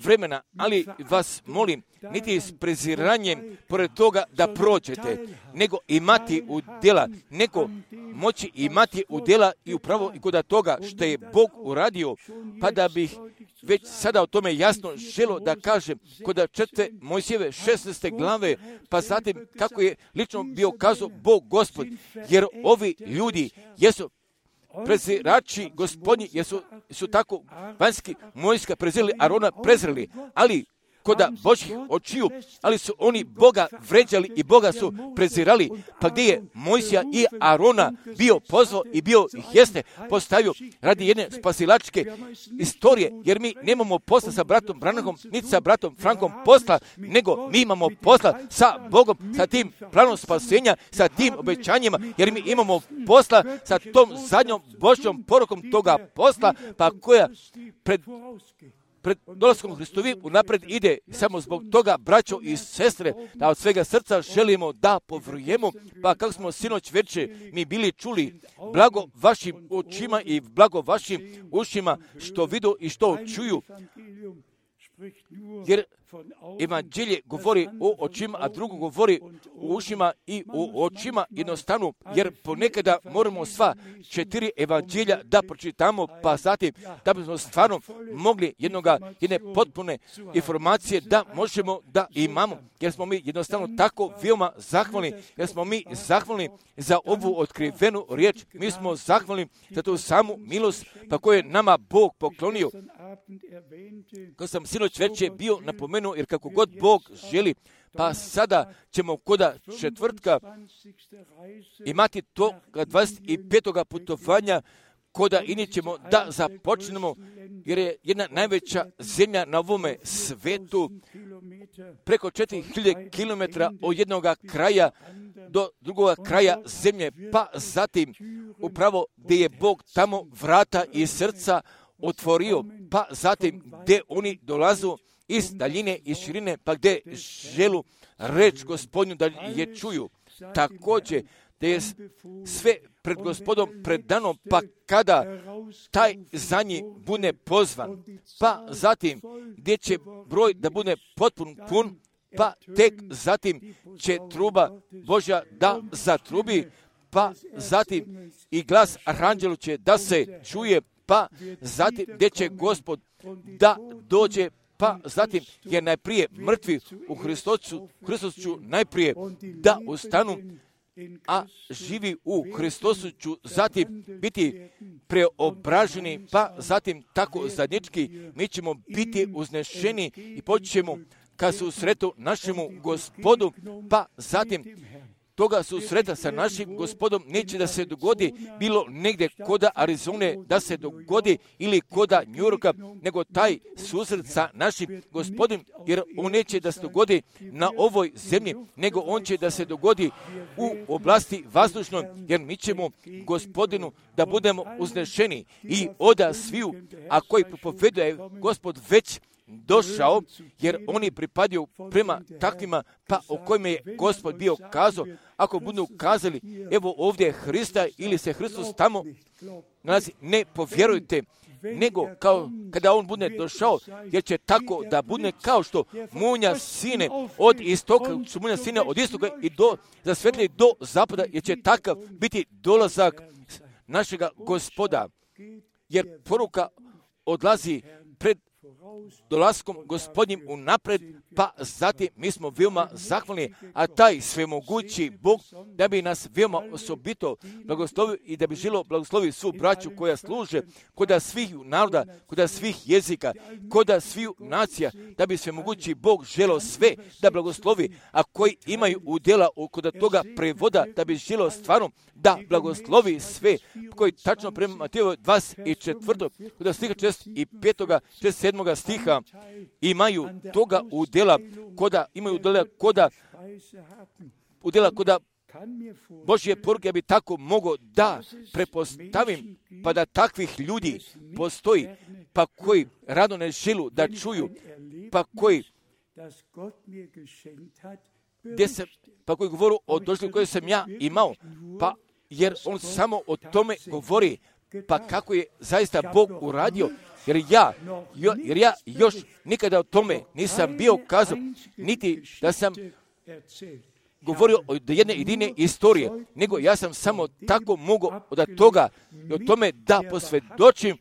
vremena, ali vas molim, niti s preziranjem pored toga da prođete, nego imati u djela, nego moći imati u djela i upravo i kod toga što je Bog uradio, pa da bih već sada o tome jasno želo da kažem kod 4. Mojsijeve 16. glave, pa zatim kako je lično bio kazao Bog Gospod, jer ovi ljudi jesu prezirači Gospodnji, su tako vanjski Mojsija prezirali, Arona prezirali, ali kod Božjih očiju, ali su oni Boga vređali i Boga su prezirali. Pa gdje je Mojsija i Arona bio pozvao i bio ih jeste postavio radi jedne spasilačke istorije, jer mi nemamo posla sa bratom Branham, niti sa bratom Frankom posla, nego mi imamo posla sa Bogom, sa tim planom spasenja, sa tim obećanjima, jer mi imamo posla sa tom zadnjom Božjom porukom toga posla, pa koja pred dolaskom Hristovi unapred ide. Samo zbog toga, braćo i sestre, da od svega srca želimo da povrujemo, pa kako smo sinoć večer mi bili čuli, blago vašim očima i blago vašim ušima što vidu i što čuju, jer evanđelje govori o očima, a drugo govori o ušima i o očima jednostavno, jer ponekada moramo sva 4 evanđelja da pročitamo, pa zatim da bismo stvarno mogli jedne potpune informacije da možemo da imamo, jer smo mi jednostavno tako veoma zahvalni, jer smo mi zahvalni za ovu otkrivenu riječ, mi smo zahvalni za tu samu milost pa koju je nama Bog poklonio. Kao sam sinoć večer bio napomenuo, jer kako god Bog želi, pa sada ćemo kod četvrtka imati toga 25. putovanja, koda ini ćemo da započnemo, jer je jedna najveća zemlja na ovome svetu, preko 4000 km od jednog kraja do drugog kraja zemlje, pa zatim upravo gdje je Bog tamo vrata i srca otvorio, pa zatim gdje oni dolazu iz daljine i širine, pa gdje želu reč Gospodnju da je čuju. Također, da je sve pred Gospodom predano, pa kada taj za njih bude pozvan, pa zatim gdje će broj da bude potpun pun, pa tek zatim će truba Božja da zatrubi, pa zatim i glas aranđelu će da se čuje, pa zatim gdje će Gospod da dođe, pa zatim je najprije mrtvi u Hristosu najprije da ustanu, a živi u Hristosu ću zatim biti preobraženi, pa zatim tako zajednički mi ćemo biti uznešeni i počnemo kad se usretu našemu Gospodu, pa zatim toga susreta sa našim Gospodom neće da se dogodi bilo negdje koda Arizone da se dogodi ili koda Njurka, nego taj susret sa našim Gospodom, jer on neće da se dogodi na ovoj zemlji, nego on će da se dogodi u oblasti vazdušnoj, jer mi ćemo Gospodinu da budemo uznešeni i oda sviju, a koji propoveduje Gospod već došao, jer oni pripadaju prema takvima, pa o kojima je Gospod bio kazao, ako budu kazali, evo ovdje je Hrista ili se Hristos tamo nalazi, ne povjerujte, nego kao kada on bude došao, jer će tako da bude kao što munja sine od istoka, munja sine od istoka i zasvetli do zapada, jer će takav biti dolazak našega Gospoda, jer poruka odlazi pred dolaskom Gospodnjim unapred, pa zatim mi smo veoma zahvalni, a taj svemogući Bog da bi nas veoma osobito blagoslovio i da bi želo blagoslovi svu braću koja služe koda svih naroda, koda svih jezika, koda svih nacija, da bi svemogući Bog želo sve da blagoslovi, a koji imaju udjela koda toga prevoda, da bi želo stvarno da blagoslovi sve, koji tačno prema Mateju 24. koda stiha 65. 67. stiha imaju toga udjela, koda imaju udjela koda Božje poruke, ja bi tako mogao da prepostavim, pa da takvih ljudi postoji, pa koji rado ne želu da čuju, pa koji govoru o doživljaju koje sam ja imao, pa jer on samo o tome govori, pa kako je zaista Bog uradio, jer ja još nikada o tome nisam bio kazao, niti da sam govorio o jedne jedine istorije, nego ja sam samo tako mogao od toga i o tome da posvjedočim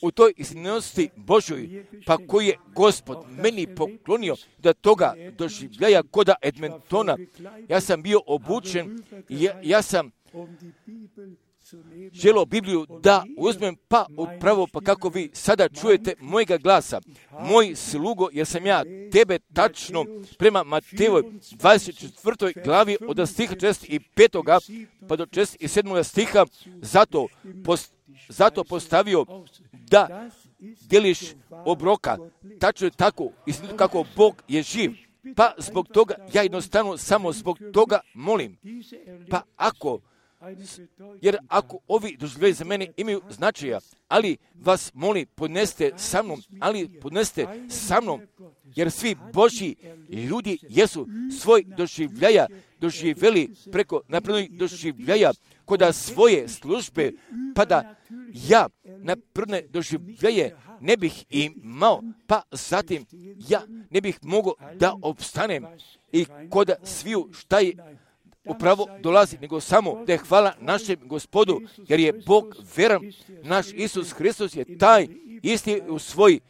u toj istinosti Božoj, pa koji je Gospod meni poklonio da toga doživljaja koda Edmontona. Ja sam bio obučen i ja sam želio Bibliju da uzmem, pa upravo pa kako vi sada čujete mojega glasa, moj slugo, jer sam ja tebe tačno prema Matejevoj 24. glavi od stiha 45. pa do 47. stiha zato postavio da deliš obroka, tačno je tako, istinito kako Bog je živ, pa zbog toga, ja jednostavno samo zbog toga molim, pa ako ovi doživljaji za mene imaju značaja, ali vas molim, podneste sa mnom, jer svi Božji ljudi jesu svoj doživljaja doživjeli preko naprednih doživljaja koda svoje službe, pa da ja napredne doživljaje ne bih imao, pa zatim ja ne bih mogao da opstanem i koda sviju šta je upravo dolazi, nego samo da je hvala našem Gospodu, jer je Bog veran, naš Isus Hristos je taj isti u svoj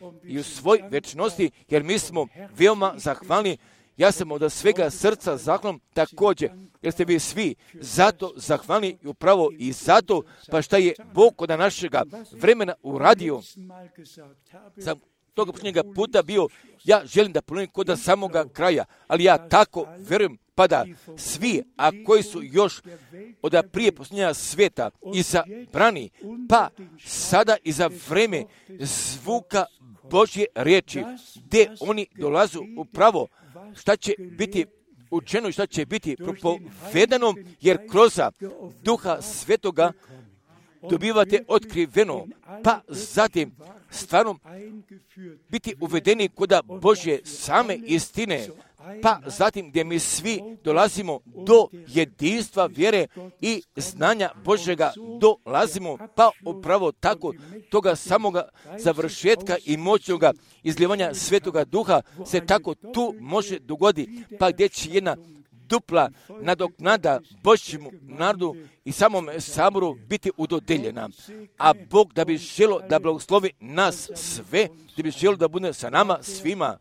večnosti, jer mi smo veoma zahvalni. Ja sam od svega srca zahvalan također, jer ste vi svi zato zahvalni i upravo i zato, pa šta je Bog kod našega vremena uradio. Sam toga posljednjega puta bio, ja želim da ponovim kod samoga kraja, ali ja tako verujem, pa da svi, a koji su još od prije posljednjega svijeta izabrani, pa sada i za vreme zvuka Božje riječi, gdje oni dolazu upravo šta će biti učeno i šta će biti propovedano, jer kroz Duha Svetoga dobivate otkriveno, pa zatim stvarno biti uvedeni koda Božje same istine, pa zatim gdje mi svi dolazimo do jedinstva vjere i znanja Božjega dolazimo, pa upravo tako toga samoga završetka i moćnoga izljevanja Svetoga Duha se tako tu može dogoditi, pa gdje će jedna dupla nadoknada Božjemu narodu i samom saboru biti udodeljena. A Bog da bi želo da blagoslovi nas sve, da bi želo da bude sa nama svima.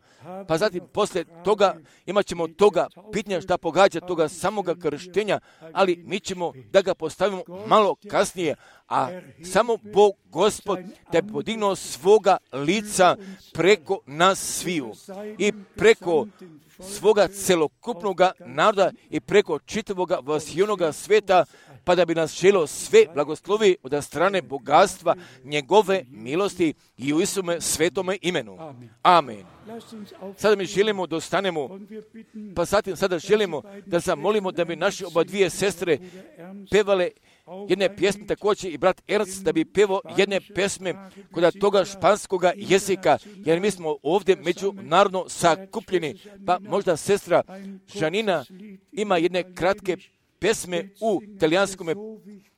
pa zatim poslije toga imat ćemo toga pitanja šta pogađa toga samoga krštenja, ali mi ćemo da ga postavimo malo kasnije, a samo Bog, Gospod, da je podignuo svoga lica preko nas sviju i preko svoga celokupnoga naroda i preko čitavoga vasijonoga sveta, pa da bi nas želio sve blagoslovi od strane bogatstva njegove milosti i u Isume svetome imenu. Amen. Sada mi želimo da ostanemo, pa zatim sada želimo da zamolimo da bi naše oba dvije sestre pevale jedne pjesme, također i brat Ernst da bi pevao jedne pjesme kod toga španskoga jezika, jer mi smo ovdje međunarodno sakupljeni, pa možda sestra Žanina ima jedne kratke pjesme u talijanskom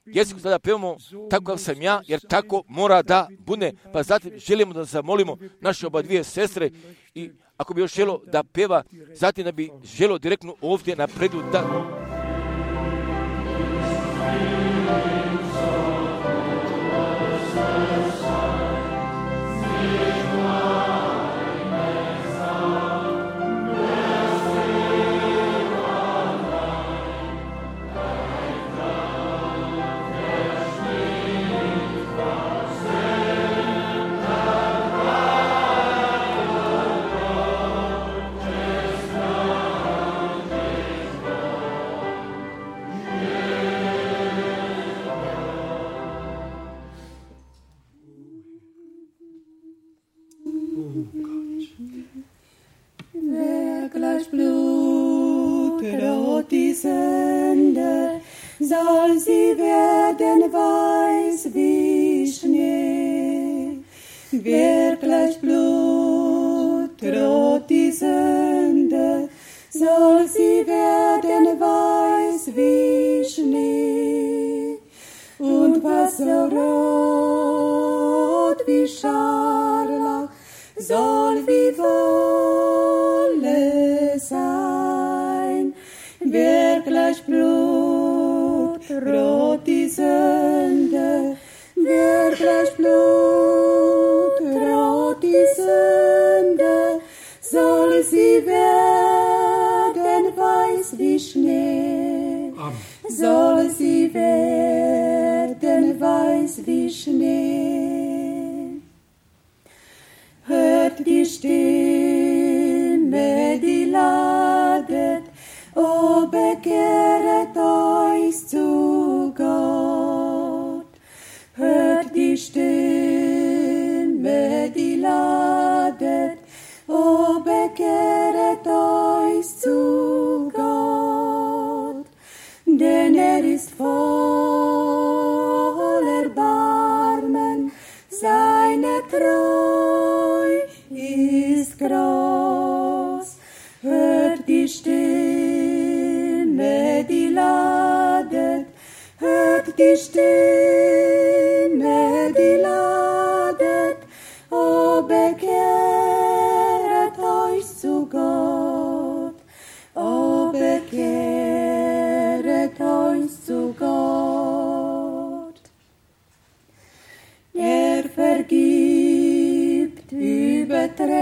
jeziku, sada pevamo tako kao sam ja, jer tako mora da bude, pa zatim želimo da zamolimo naše oba dvije sestre i ako bi još želo da peva, zatim da bi želo direktno ovdje napredu da... Soll sie werden weiß wie Schnee. Wer gleich Blut droht die Sünde, soll sie werden weiß wie Schnee. Und was so rot wie Scharlach, soll wie Wolle sein. Wer gleich Blut rot die Sünde, wer gleich Blut rot die Sünde, soll sie werden weiß wie Schnee. Amen. Soll sie werden weiß wie Schnee. Hört die Stimme, die ladet, o bekehret euch zu Gott. Hört die Stimme, die ladet, o bekehret euch zu Gott. Denn ist voll Erbarmen, seine Treu ist groß. Hört die Stimme, die ladet, hört die Stimme, die ladet, o bekehret euch zu Gott, o bekehret euch zu Gott. Vergibt Übertretung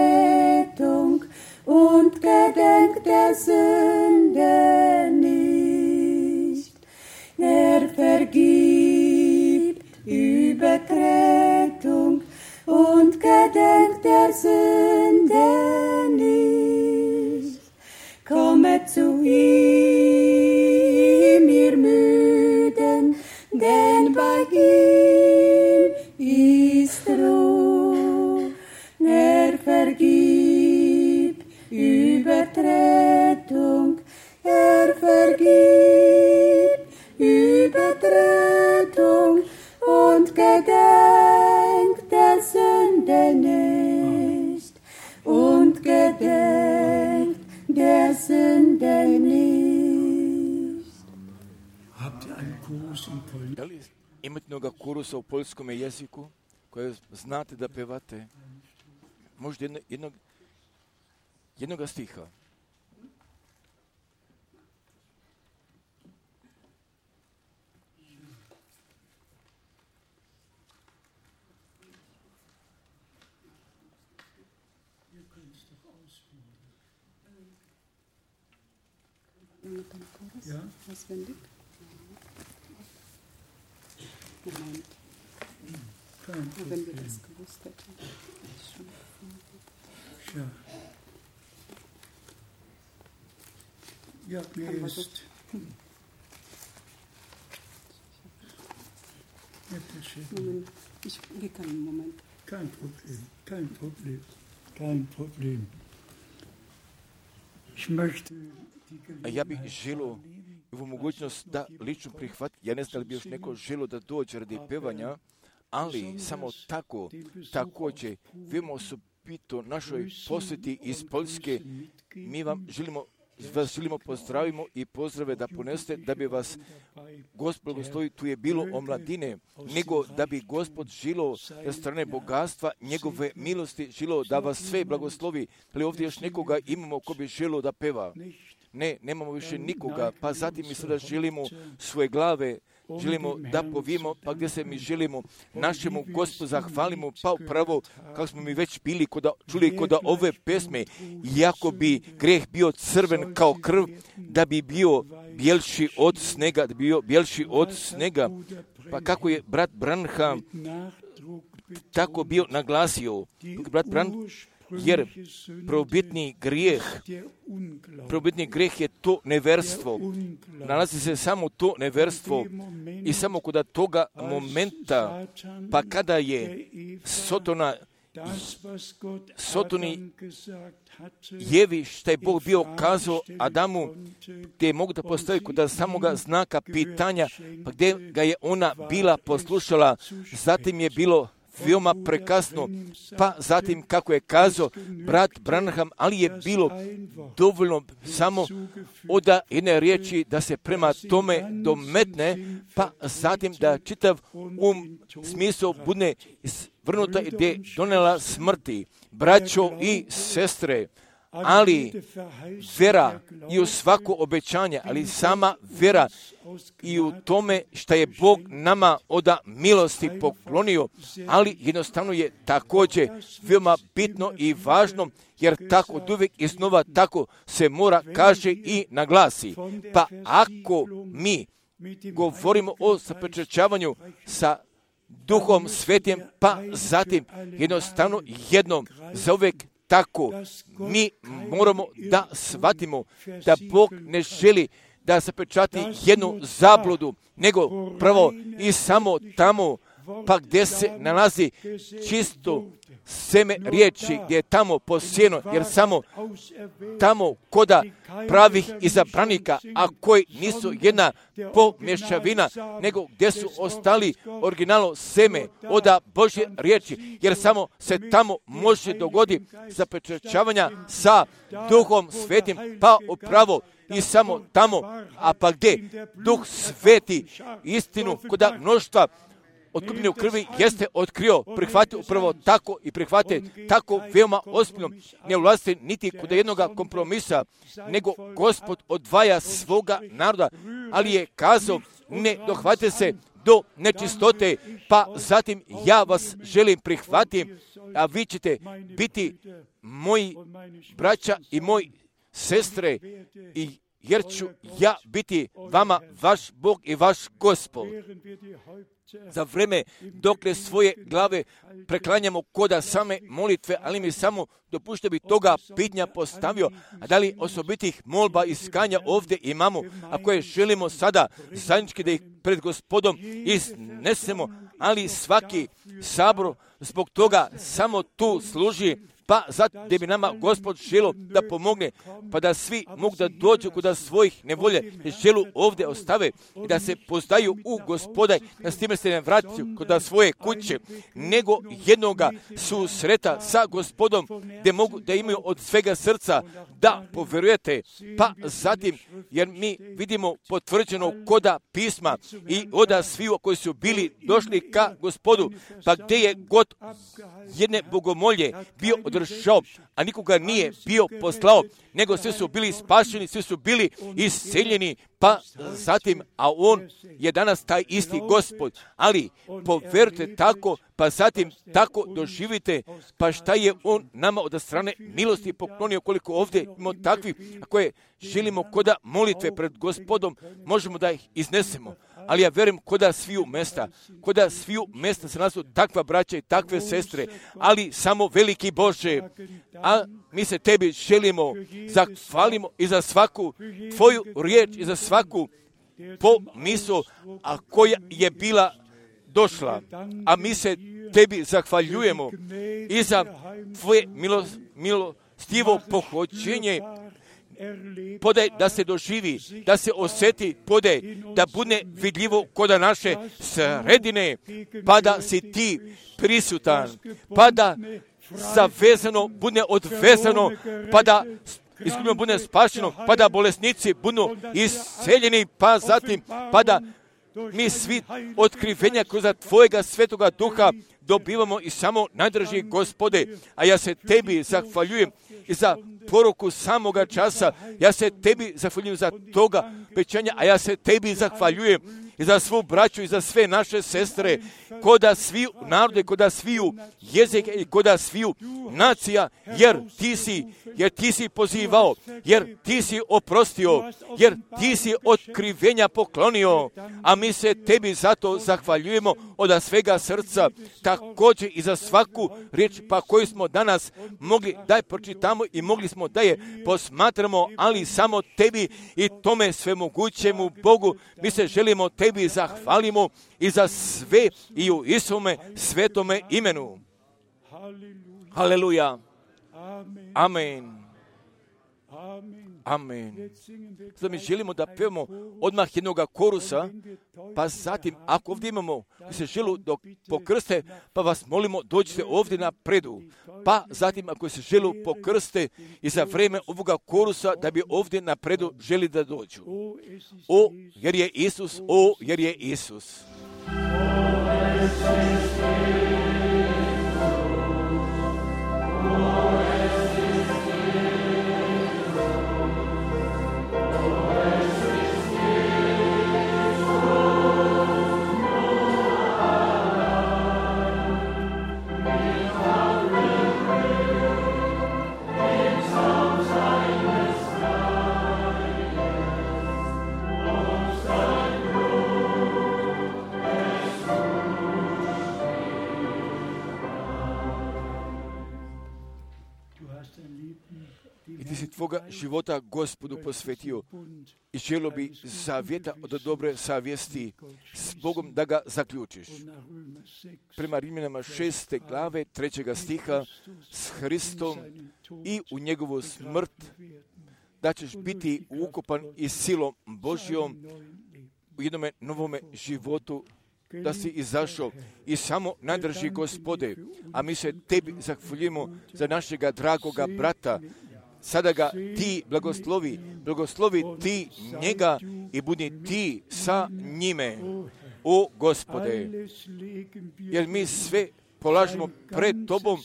und gedenkt der Sünde nicht. Vergibt Übertretung und gedenkt der Sünde nicht. Kommet zu ihm, ihr Müden, denn bei ihm ist Ruhe. Vergibt Übertretung, vergibt Übertretung und gedenkt der Sünde nicht. Und gedenkt der Sünde nicht. Habt ihr einen Kurs in Polnisch? Da li imate mnoga kurusa u poljskom jeziku koje znate da pevate? Možda jednoga stiha. Ihr könnt es doch ausführen. Ja? Kein Problem. Ja. Ja, mir ist... Kein Problem, kein Problem, kein Problem. Ich möchte Ja bih želio ovu mogućnost da lično prihvati. Ja ne znam da li bi još neko želio da dođe radi pevanja, ali samo tako, također, veoma osobito našoj posjeti iz Poljske, mi vas želimo pozdravimo i pozdrave da ponesete, da bi vas Gospod blagoslovi, tu je bilo omladine, nego da bi Gospod žilo na strane bogatstva, njegove milosti, žilo da vas sve blagoslovi. Ali ovdje još nekoga imamo ko bi želio da peva. Ne, nemamo više nikoga, pa zatim mi sada želimo svoje glave, želimo da povijemo, pa gdje se mi želimo našemu Gospodu zahvalimo, pa upravo kako smo mi već bili čuli kod ove pesme, iako bi greh bio crven kao krv, da bi bio bjelši od snega, pa kako je brat Branham tako bio naglasio, brat Branham, jer prvobitni grijeh je to neverstvo. Nalazi se samo to neverstvo i samo kod toga momenta, pa kada je Jevi šta je Bog bio kazao Adamu, gdje je mogu da postavi kod samoga znaka pitanja, pa gdje ga je ona bila poslušala, zatim je bilo veoma prekasno, pa zatim kako je kazao brat Branham, ali je bilo dovoljno samo od jedne riječi da se prema tome dometne, pa zatim da čitav smisao bude vrnuta i gdje donela smrti. Braćo i sestre, ali vera i u svako obećanje, ali sama vera i u tome što je Bog nama od milosti poklonio, ali jednostavno je također veoma bitno i važno, jer tako od uvijek iznova tako se mora kaže i naglasi. Pa ako mi govorimo o zapečaćavanju sa Duhom Svetim, pa zatim jednostavno jednom zauvijek tako mi moramo da shvatimo da Bog ne želi da zapečati jednu zabludu, nego prvo i samo tamo, pa gdje se nalazi čisto seme riječi, gdje je tamo posijeno, jer samo tamo koda pravih izabranika, a koji nisu jedna pomješavina, nego gdje su ostali originalno seme od Božje riječi, jer samo se tamo može dogoditi zapečaćavanja sa Duhom Svetim, pa upravo i samo tamo, a pa gdje Duh Sveti istinu kod mnoštva otkupljene u krvi jeste otkrio, prihvati upravo tako i prihvate tako veoma ozbiljno, ne ulazite niti kod jednog kompromisa, nego Gospod odvaja svoga naroda, ali je kazao ne dohvate se do nečistote, pa zatim ja vas želim prihvatiti, a vi ćete biti moji braća i moji sestre, jer ću ja biti vama vaš Bog i vaš Gospod. Za vreme dokle svoje glave preklanjamo koda same molitve, ali mi samo dopušte bi toga pitanja postavio, a da li osobitih molba i skanja ovdje imamo, a koje želimo sada zajednički da ih pred Gospodom iznesemo, ali svaki sabor zbog toga samo tu služi, pa zato da bi nama Gospod želo da pomogne, pa da svi mogu da dođu kod svojih nevolje, želu ovdje ostave i da se pozdaju u Gospoda, da s time se ne vraćaju kod svoje kuće, nego jednoga susreta sa Gospodom, gdje mogu da imaju od svega srca da poverujete, pa zatim, jer mi vidimo potvrđeno koda pisma i oda svi koji su bili došli ka Gospodu, pa gdje je god jedne bogomolje bio održao, a nikoga nije bio poslao, nego svi su bili spašeni, svi su bili isceljeni, pa zatim, a on je danas taj isti Gospod, ali povjerujte tako, pa zatim tako doživite, pa šta je on nama od strane milosti poklonio, koliko ovdje imamo takvih, a koje želimo koda molitve pred Gospodom, možemo da ih iznesemo. Ali ja vjerujem koda sviju mesta se nasu takva braća i takve sestre, ali samo veliki Bože, a mi se tebi želimo, zahvalimo i za svaku tvoju riječ i za svaku pomisao, a koja je bila došla, a mi se tebi zahvaljujemo i za tvoje milostivo pohođenje. Podaj da se doživi, da se osjeti, podaj da bude vidljivo kod naše sredine, pa da si ti prisutan, pa da zavezano bude odvezano, pa da izgubljeno bude spašeno, pa da bolesnici budu isceljeni, pa zatim, pa da mi svi otkrivenja kroz tvojega svetoga duha dobivamo i samo najdraži Gospode, a ja se tebi zahvaljujem i za poruku samoga časa, ja se tebi zahvaljujem za toga obećanja, a ja se tebi zahvaljujem i za svu braću i za sve naše sestre, koda sviju narode, koda sviju jezike i koda sviju nacija, jer ti si pozivao, jer ti si oprostio, jer ti si otkrivenja poklonio, a mi se tebi zato zahvaljujemo od svega srca, također i za svaku riječ pa koju smo danas mogli da je pročitamo i mogli smo da je posmatramo, ali samo tebi i tome svemogućemu Bogu mi se želimo tebi zahvalimo i za sve i u Isume svetome imenu. Haleluja. Amen. Amen. Sada mi želimo da pevamo odmah jednog korusa, pa zatim, ako ovdje imamo, mi se želu dok pokrste, pa vas molimo dođite ovdje na predu. Pa zatim, ako se želu pokrste i za vrijeme ovoga korusa, da bi ovdje na predu želi da dođu. O, jer je Isus, o, jer je Isus. I ti si tvoga života Gospodu posvetio i želio bi zavjeta od dobre savjesti s Bogom da ga zaključiš. Prema Rimljanima 6. glave 3. stiha s Hristom i u njegovu smrt da ćeš biti ukopan i silom Božjom u jednome novome životu, da si izašao i samo najdrži Gospode, a mi se tebi zahvaljujemo za našega dragoga brata. Sada ga ti blagoslovi ti njega i budi ti sa njime, o Gospode. Jer mi sve polažemo pred tobom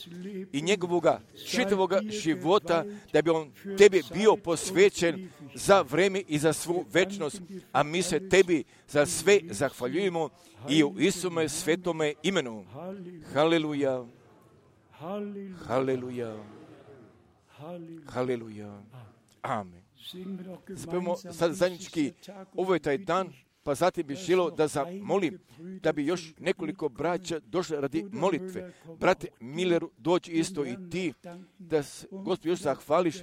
i njegovoga čitavoga života, da bi on tebi bio posvećen za vrijeme i za svu večnost, a mi se tebi za sve zahvaljujemo i u Isume svetome imenu. Haleluja. Haleluja. Haleluja. Amen. Spevamo sad zajednički, ovo je taj dan, pa zatim bih želio da zamolim da bi još nekoliko braća došli radi molitve. Brate Milleru, dođi isto i ti, da se Gospod još zahvališ,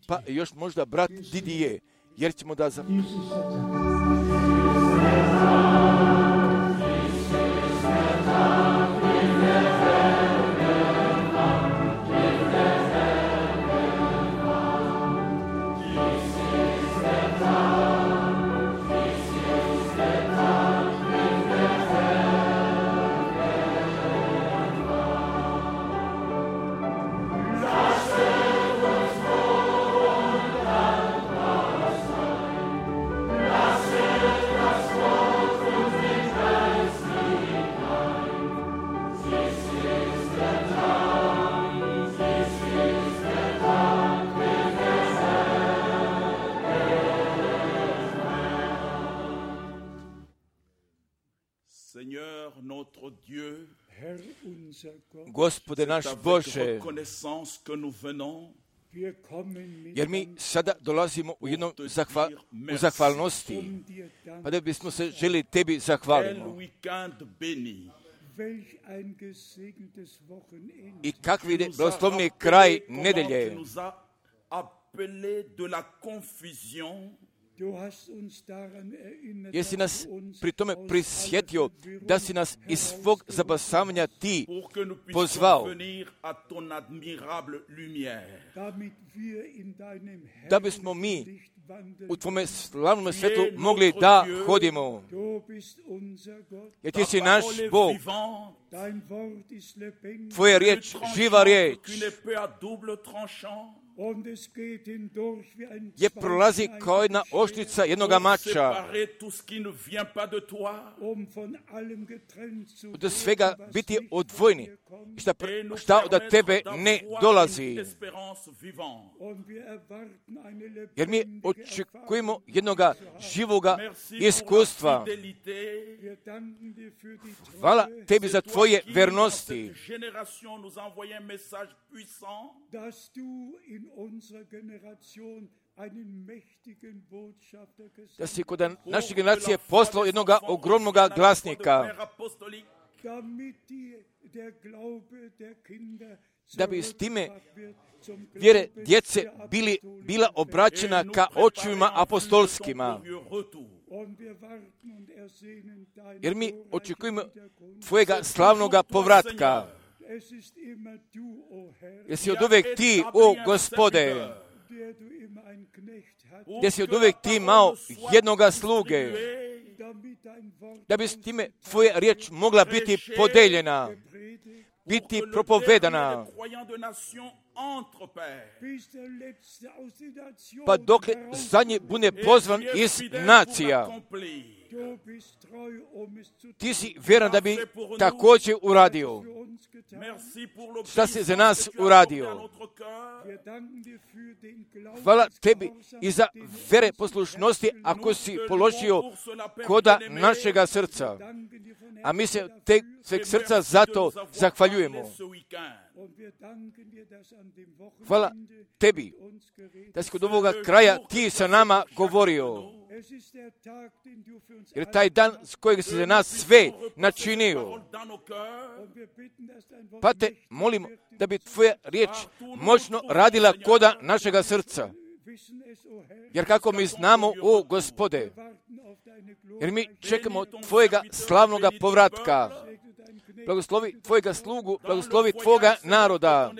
pa još možda brat Didije, jer ćemo da Gospode naš Bože, jer mi sada dolazimo u jednom u zahvalnosti, pa da bismo se želi Tebi zahvalimo. I kakvi je blagoslovni kraj nedelje. Jesi nas pri tome prisjetio da si nas iz svog zabasavanja Ti pozvao, da bismo mi u Tvome slavnom svetlu mogli da hodimo. Jer Ti si naš Bog. Tvoja riječ, živa riječ, je prolazi kao jedna oštrica jednoga mača. Od svega biti odvojeni. Šta od Tebe ne dolazi. Jer mi očekujemo jednoga živoga iskustva. Hvala Tebi za Tvoje vernosti. Da si kod naše generacije poslao jednog ogromnog glasnika, da bi s time vjere djece bila obraćena ka očevima apostolskima. Jer mi očekujemo Tvojega slavnoga povratka. Jesi od uvek Ti, o Gospode, gdje si od uvek Ti imao jednoga sluge, da bi s time Tvoja riječ mogla biti podeljena, biti propovedana, pa dokle zadnji bude pozvan iz nacija. Ti si vjeran da bi također uradio. Šta si za nas uradio? Hvala Tebi i za vere poslušnosti ako si položio koda našega srca. A mi se sveg srca zato zahvaljujemo. Hvala Tebi da si kod ovoga kraja Ti sa nama govorio. Jer taj dan s kojeg si za nas sve načinio. Pa te molimo da bi Tvoja riječ moćno radila koda našega srca. Jer kako mi znamo, o Gospode, jer mi čekamo Tvojega slavnoga povratka. Blagoslovi Tvojega slugu, blagoslovi Tvoga naroda.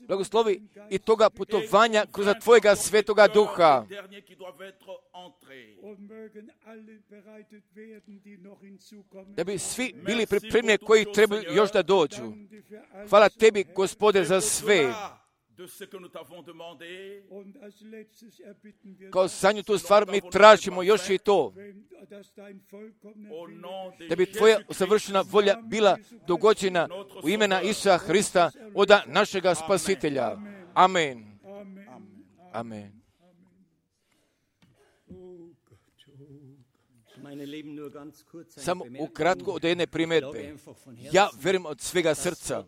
Blagoslovi i toga putovanja kroz Tvojega svetoga duha. Da bi svi bili pripremljeni koji trebaju još da dođu. Hvala Tebi, Gospode, za sve. Kao zadnju tu stvar mi tražimo još i to, da bi Tvoja savršena volja bila dogođena u imena Isusa Hrista, oda našega Spasitelja. Amen. Amen. Samo ukratko od jedne primjedbe. Ja vjerujem od svega srca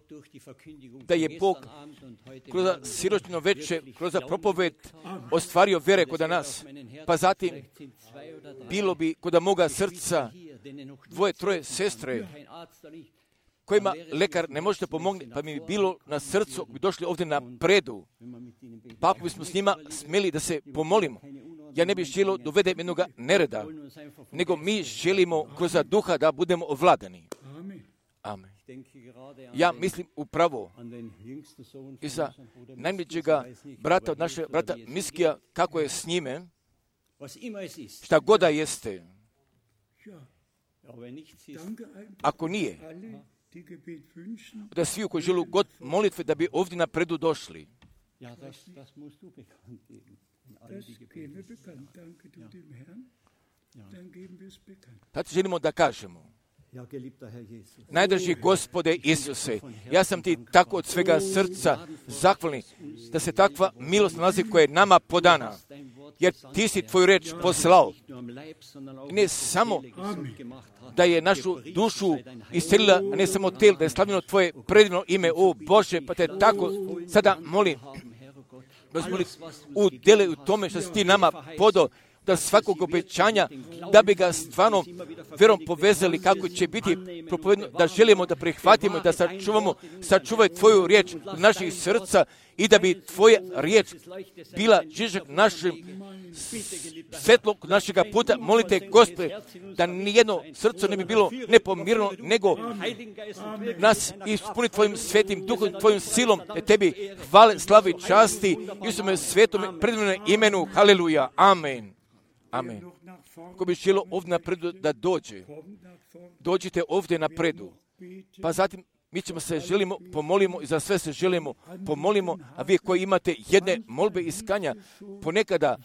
da je Bog kroz siročno večer, kroz propoved ostvario vjere kod nas. Pa zatim bilo bi kod moga srca 2-3 sestre kojima lekar ne može pomoći, pa mi bilo na srcu bi došli ovdje na predu. Pa ako bismo s njima smjeli da se pomolimo, ja ne bih želio dovede jednoga nereda, nego mi želimo kroz duha da budemo ovladani. Amen. Ja mislim upravo i za najmlađega brata od našeg brata Miskija, kako je s njime, šta god da jeste. Ako nije, da svi koji žele god molitve da bi ovdje na predu došli. Sad želimo da kažemo. Najdraži Gospode Isuse, ja sam ti tako od svega srca zahvalni da se takva milost nalazi koja je nama podana, jer ti si tvoju reč poslao. I ne samo da je našu dušu iscelila, a ne samo tijelo, da je slavljeno tvoje predivno ime, o Bože, pa te tako sada molim, udjeli u tome što si ti nama podao, da svakog obećanja, da bi ga stvarno vjerom povezali kako će biti propovedno, da želimo da prihvatimo, da sačuvaj tvoju riječ u naših srca i da bi tvoja riječ bila žižak našim svjetlo našega puta. Molite, Gospode, da nijedno srce ne bi bilo nepomirno, nego nas ispuni tvojim svetim duhom, tvojim silom, tebi hvale, slavi, časti, Isuse svetom, predivnom imenu, haleluja, amen. Amen. Ko bi želio ovdje napredu da dođite ovdje napredu. Pa zatim mi ćemo se pomolimo i za sve se želimo pomolimo, a vi koji imate jedne molbe iskanja, ponekada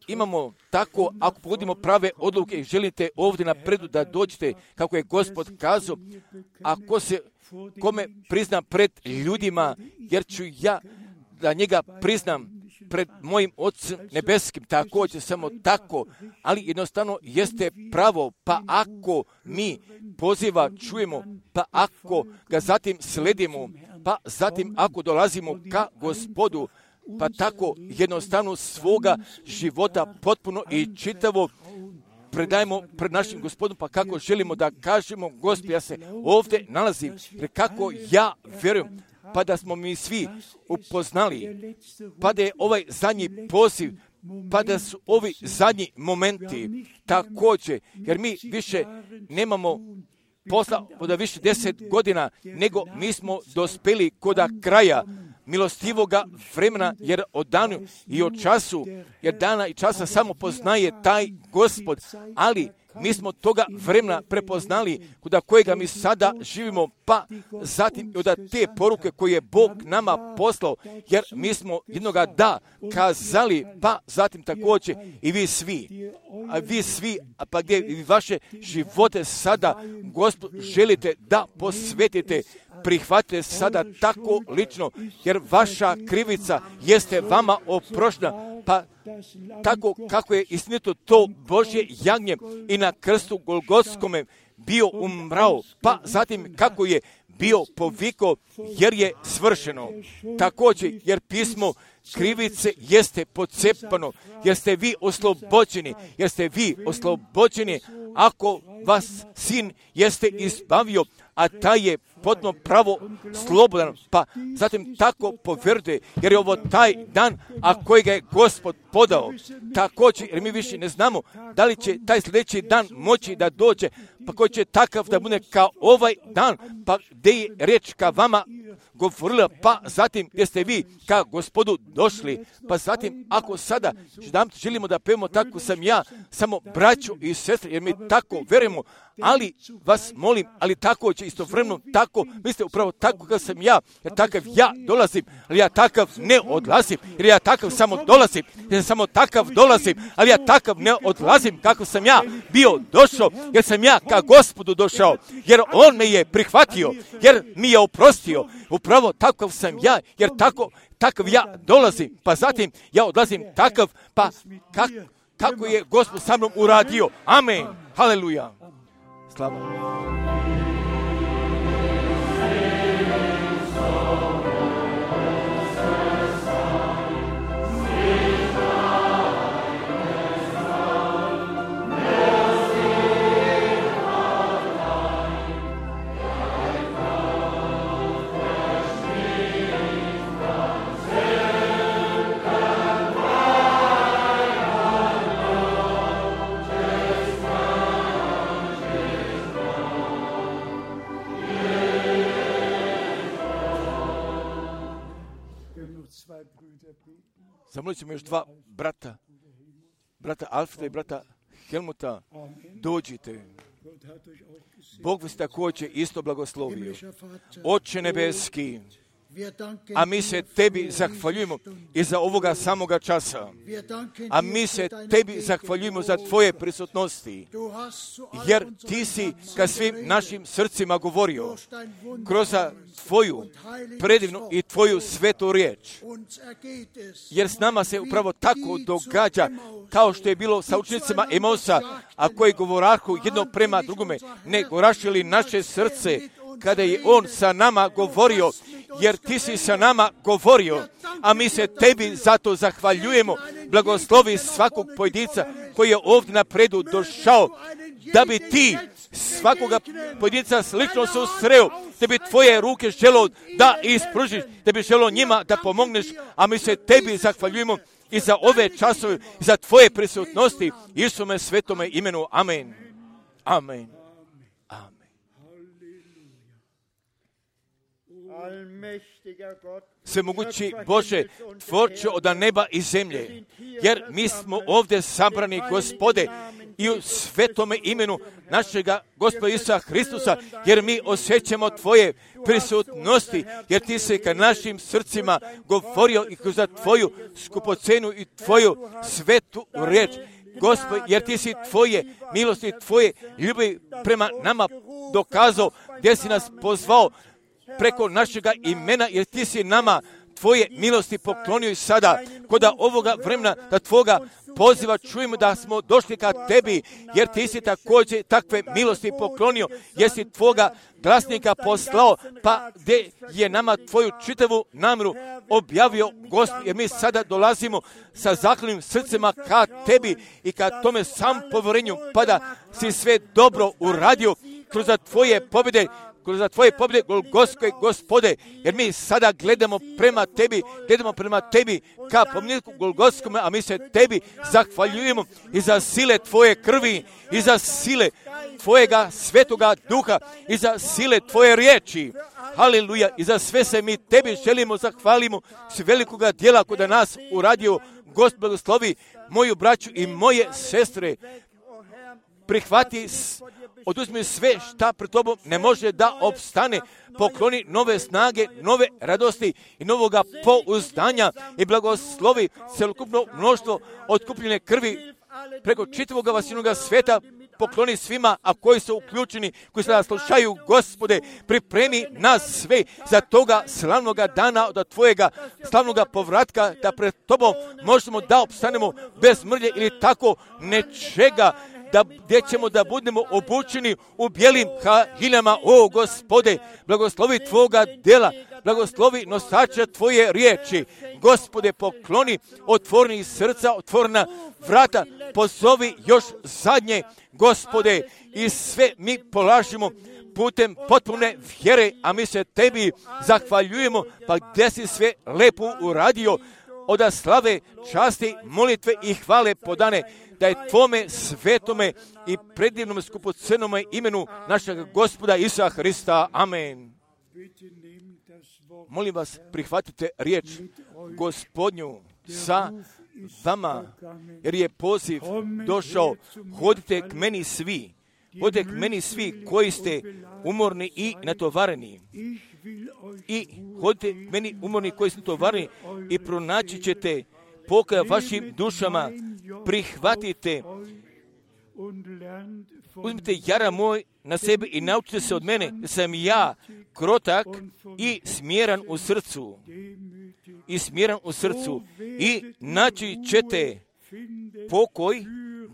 imamo tako, ako pogodimo prave odluke i želite ovdje napredu da dođete, kako je Gospod kazao, ako se kome prizna pred ljudima, jer ću ja da njega priznam pred mojim Otcem nebeskim, također samo tako, ali jednostavno jeste pravo, pa ako mi poziva čujemo, pa ako ga zatim sledimo, pa zatim ako dolazimo ka Gospodu, pa tako jednostavno svoga života potpuno i čitavo predajemo pred našim Gospodom, pa kako želimo da kažemo, Gospod, ja se ovdje nalazim, jer kako ja vjerujem, pa da smo mi svi upoznali, pa da je ovaj zadnji poziv, pa da su ovi zadnji momenti također, jer mi više nemamo posla od više 10 godina, nego mi smo dospeli koda kraja milostivoga vremena, jer o danu i o času, jer dana i časa samo poznaje taj Gospod, ali mi smo toga vremena prepoznali kuda kojega mi sada živimo, pa zatim od te poruke koje je Bog nama poslao, jer mi smo jednoga da kazali, pa zatim također i vi svi, pa gdje i vaše živote sada, Gospod, želite da posvetite, prihvatite sada tako lično, jer vaša krivica jeste vama oproštena, pa tako kako je istinito to Božje jagnje i na krstu Golgotskome bio umrao, pa zatim kako je bio povikao, jer je svršeno. Također, jer pismo krivice jeste pocepano, jer ste vi oslobođeni, ako vas sin jeste izbavio, a taj je potpuno pravo slobodan, pa zatim tako povjerujte, jer je ovo taj dan, a kojega je Gospod podao. Također, jer mi više ne znamo da li će taj sljedeći dan moći da dođe, pa koji će takav da bude kao ovaj dan, pa gdje je riječ ka vama govorila, pa zatim gdje ste vi ka Gospodu došli, pa zatim ako sada želimo da pevamo tako sam ja, samo braćo i sestre, jer mi tako verujemo, ali vas molim, ali tako će istovremeno tako, vi ste upravo tako kao sam ja, jer takav ja dolazim, ali ja takav ne odlazim, jer ja takav samo dolazim, jer samo takav dolazim, ali ja takav ne odlazim kako sam ja bio došao, jer sam ja ka Gospodu došao, jer on me je prihvatio, jer mi je oprostio, upravo takav sam ja, jer takav ja dolazim, pa zatim ja odlazim takav, pa kako je Gospod sa mnom uradio. Amen. Haleluja. Slava. Zamolit ćemo još dva brata Alfreda i brata Helmuta, dođite. Bog vas također isto blagoslovio. Oče nebeski, A mi se tebi zahvaljujemo i za ovoga samoga časa. A mi se tebi zahvaljujemo za tvoje prisutnosti. Jer ti si ka svim našim srcima govorio kroz tvoju predivnu i tvoju svetu riječ. Jer s nama se upravo tako događa kao što je bilo sa učenicima Emausa, a koji govorahu jedno prema drugome, ne gorašili naše srce kada je on sa nama govorio, jer ti si sa nama govorio, a mi se tebi zato zahvaljujemo. Blagoslovi svakog pojedinca koji je ovdje napredu došao, da bi ti svakoga pojedinca slično susreo, da bi tvoje ruke želo da ispružiš, da bi želo njima da pomogneš, a mi se tebi zahvaljujemo i za ove časove, za tvoje prisutnosti, Isume svetome imenu. Amen. Amen. Svemogući Bože, tvorče od neba i zemlje, jer mi smo ovdje sabrani, Gospode, i u svetome imenu našega Gospoda Isusa Hristusa, jer mi osjećamo tvoje prisutnosti, jer ti se ka našim srcima govorio i kroz tvoju skupocenu i tvoju svetu riječ. Gospod, jer ti si tvoje milosti, tvoje ljubavi prema nama dokazao, gdje si nas pozvao preko našega imena, jer ti si nama tvoje milosti poklonio i sada, kod ovoga vremena da tvoga poziva čujemo da smo došli ka tebi, jer ti si također takve milosti poklonio, jer si tvoga glasnika poslao, pa gdje je nama tvoju čitavu namjeru objavio Gospod, jer mi sada dolazimo sa zahvalnim srcima ka tebi i ka tome sam povjerenju, pa da si sve dobro uradio kroz tvoje pobjede, kroz tvoje pobjede Golgotske, Gospode, jer mi sada gledamo prema tebi ka pomniku Golgotskome, a mi se tebi zahvaljujemo i za sile tvoje krvi, i za sile tvojega svetoga duha, i za sile tvoje riječi. Haleluja, i za sve se mi tebi želimo zahvalimo s velikoga djela kod nas uradio. Gospod blagoslovi moju braću i moje sestre, prihvati, oduzmi sve šta pred tobom ne može da opstane, pokloni nove snage, nove radosti i novoga pouzdanja i blagoslovi celokupno mnoštvo otkupljene krvi preko čitavog vasinoga sveta, pokloni svima, a koji su uključeni, koji sada slušaju, Gospode, pripremi nas sve za toga slavnoga dana od tvojega slavnoga povratka, da pred tobom možemo da opstanemo bez mrlje ili tako nečega, gdje ćemo da budemo obučeni u bijelim haljinama. O Gospode, blagoslovi tvoga djela, blagoslovi nosača tvoje riječi. Gospode, pokloni otvornih srca, otvorena vrata, pozovi još zadnje, Gospode, i sve mi polažimo putem potpune vjere, a mi se tebi zahvaljujemo, pa gdje si sve lepo uradio, od slave, časti, molitve i hvale podane, da je tvome svetome i predivnom skupocenome imenu našeg Gospoda Isusa Hrista. Amen. Molim vas, prihvatite riječ Gospodnju sa vama, jer je poziv došao. Hodite k meni svi. Hodite k meni svi koji ste umorni i natovareni. I hodite k meni umorni koji ste natovareni i pronaći ćete pokoj vašim dušama. Prihvatite, uzmite jara moj na sebe i naučite se od mene da sam ja krotak i smjeran u srcu. I naći ćete pokoj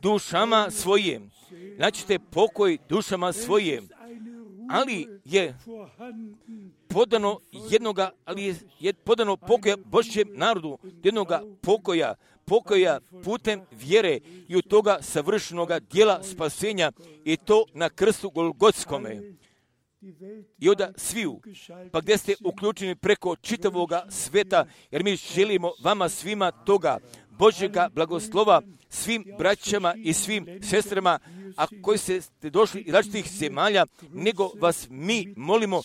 dušama svojim. Ali je podano pokoja Božjem narodu, jednoga pokoja putem vjere i u toga savršenoga djela spasenja, i to na krstu Golgotskome. I onda sviju, pa gdje ste uključeni preko čitavoga sveta, jer mi želimo vama svima toga Božjega blagoslova, svim braćama i svim sestrama, a koji ste došli iz različitih zemalja, nego vas mi molimo,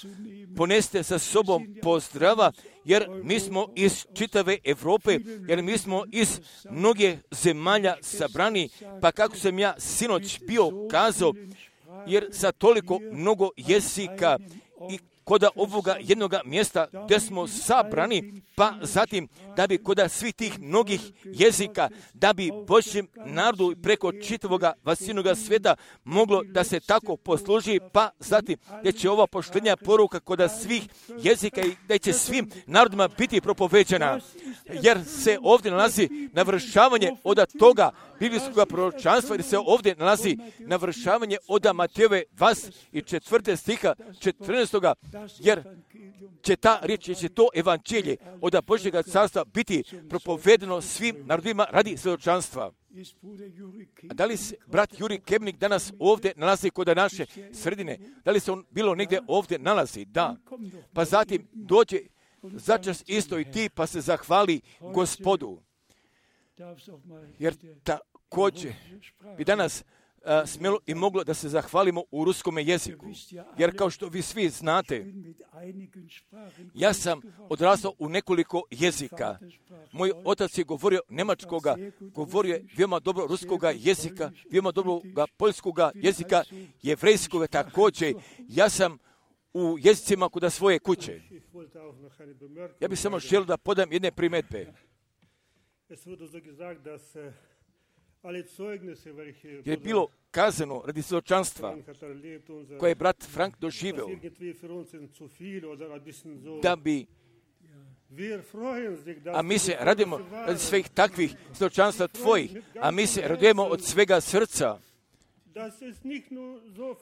poneste sa sobom pozdrava, jer mi smo iz čitave Europe, jer mi smo iz mnoge zemalja sabrani, pa kako sam ja sinoć bio kazao, jer sa toliko mnogo jezika i kod ovoga jednoga mjesta gdje smo sabrani, pa zatim da bi kod svih tih mnogih jezika, da bi Božjem narodu preko čitavoga vasinoga svijeta moglo da se tako posluži, pa zatim da će ova poštenja poruka kod svih jezika i da će svim narodima biti propoveđena, jer se ovdje nalazi navršavanje od toga biblijskog proročanstva, jer se ovdje nalazi navršavanje od Matejove 24. stiha 14. jer će ta riječ, će to evanđelje od Božjega carstva biti propovedeno svim narodima radi svjedočanstva. A da li se brat Juri Kemnik danas ovdje nalazi kod naše sredine? Da li se on bilo negdje ovdje nalazi? Da. Pa zatim dođe začas isto i ti pa se zahvali Gospodu. Jer također bi danas smjelo i moglo da se zahvalimo u ruskome jeziku. Jer kao što vi svi znate, ja sam odrastao u nekoliko jezika. Moj otac je govorio njemačkoga, govorio je veoma dobro ruskoga jezika, veoma dobroga poljskoga jezika, jevrejskoga također. Ja sam u jezicima kod svoje kuće. Ja bih samo želio da podam jedne primjedbe. Je bilo kazano radi svjedočanstva koje je brat Frank doživio, da bi, a mi se radimo radi svih takvih svjedočanstva tvojih, a mi se radujemo od svega srca.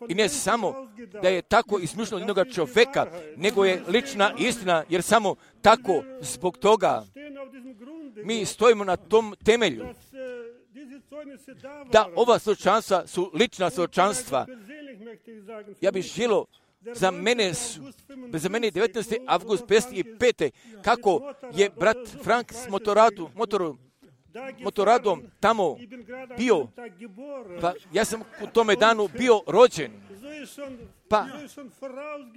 I ne samo da je tako izmišljeno od jednoga čovjeka, nego je lična istina, jer samo tako zbog toga mi stojimo na tom temelju. Da ova svjedočanstva su lična svjedočanstva. Ja bih želio, za mene je 19. avgust 55. kako je brat Frank s motoradom tamo bio, pa ja sam u tome danu bio rođen. Pa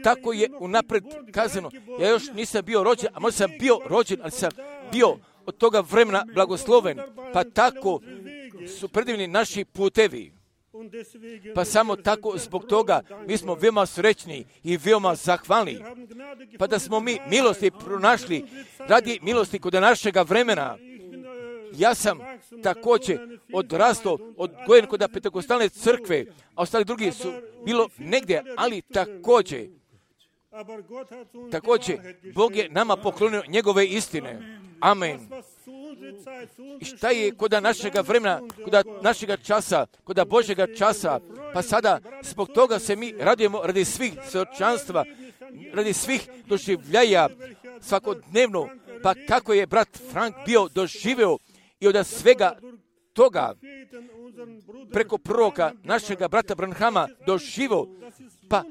tako je unapred kazano, ja još nisam bio rođen, a možda sam bio rođen, ali sam bio od toga vremena blagosloven. Pa tako su predivni naši putevi. Pa samo tako zbog toga mi smo veoma srećni i veoma zahvalni. Pa da smo mi milosti pronašli radi milosti kod našega vremena. Ja sam također odrastao, odgojen kod Pentekostalne crkve, a ostali drugi su bilo negdje, ali također Bog je nama poklonio njegove istine. Amen. I šta je kod našega vremena, kod našega časa, kod Božjega časa, pa sada zbog toga se mi radujemo radi svih svjedočanstva, radi svih doživljaja svakodnevno, pa kako je brat Frank bio doživio i od svega toga preko proroka našega brata Branhama doživio, pa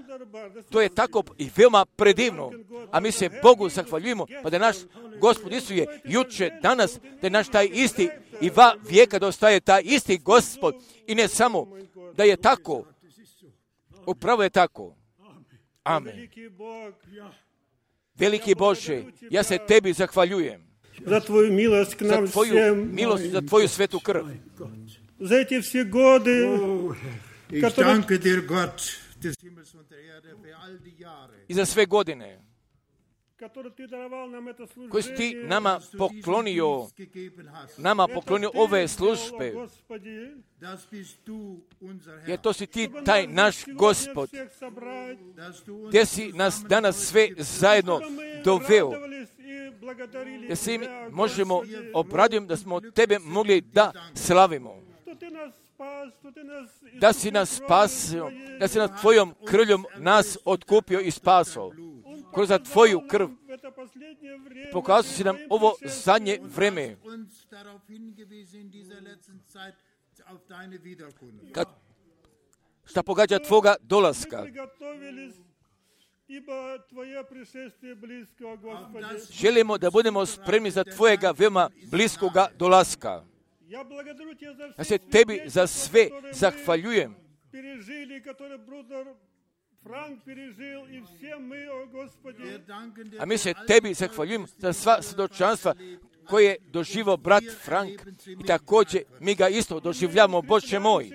to je tako i veoma predivno, a mi se Bogu zahvaljujemo, pa da naš Gospod Isus je juče, danas, da je naš taj isti i va vijeka da ostaje taj isti Gospod, i ne samo da je tako, upravo je tako. Amen. Veliki Bože, ja se tebi zahvaljujem za tvoju milost k nam svem, za tvoju svetu krv. Za eti vsi gode, i za sve godine koje si ti nama poklonio ove službe, jer to si ti taj naš Gospod, gdje si nas danas sve zajedno doveo, jer si možemo obraditi da smo tebe mogli da slavimo, da si nas spasio, da si nas tvojom krvljom nas otkupio i spasio. Kroz tvoju krv pokazao si nam ovo zadnje vreme. Šta pogađa tvoga dolaska. Želimo da budemo spremni za tvojega veoma bliskoga dolaska. Ja se tebi za sve zahvaljujem. A mi se tebi zahvaljujemo za sva svjedočanstva koje je doživio brat Frank, i također mi ga isto doživljamo, Bože moj.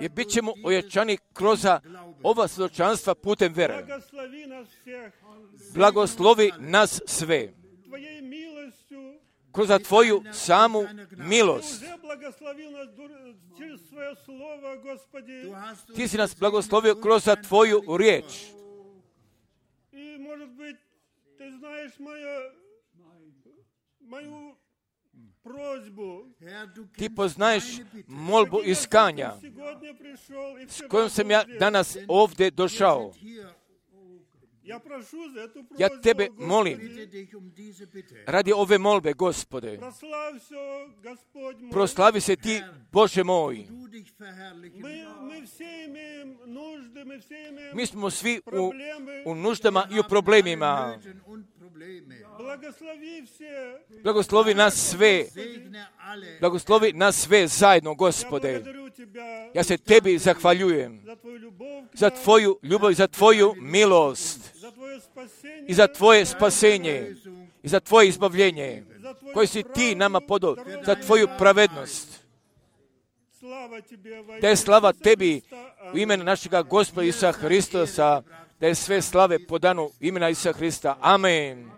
Jer bit ćemo ojačani kroz ova svjedočanstva putem vere. Blagoslovi nas sve. Kroz Tvoju samu milost. Ti si nas blagoslovio kroz Tvoju riječ. Ti poznaješ molbu iskanja s kojom sam ja danas ovdje došao. Ja Tebe molim, radi ove molbe, Gospode, proslavi se Ti, Bože moj. Mi smo svi u nuždama i u problemima. Blagoslovi nas sve. Blagoslovi nas sve zajedno, Gospode. Ja se Tebi zahvaljujem za Tvoju ljubav i za Tvoju milost i za Tvoje spasenje i za Tvoje izbavljenje koje si Ti nama podao, za Tvoju pravednost. Da je slava Tebi u imenu našega Gospoda Isusa Hristosa, da je sve slave podano u imena Isusa Hrista. Amen.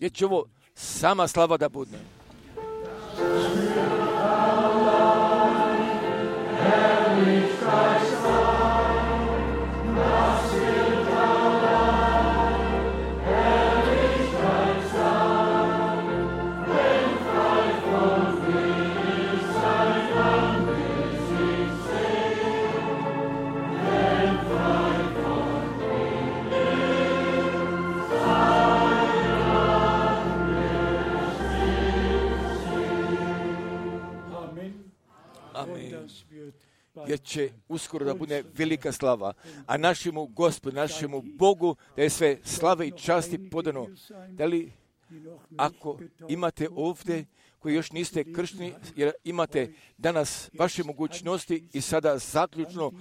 Jer će ovo sama slava da bude. Jer će uskoro da bude velika slava. A našemu Gospodu, našemu Bogu, da je sve slave i časti podano. Da li, ako imate ovdje, koji još niste kršteni, jer imate danas vaše mogućnosti i sada zaključno,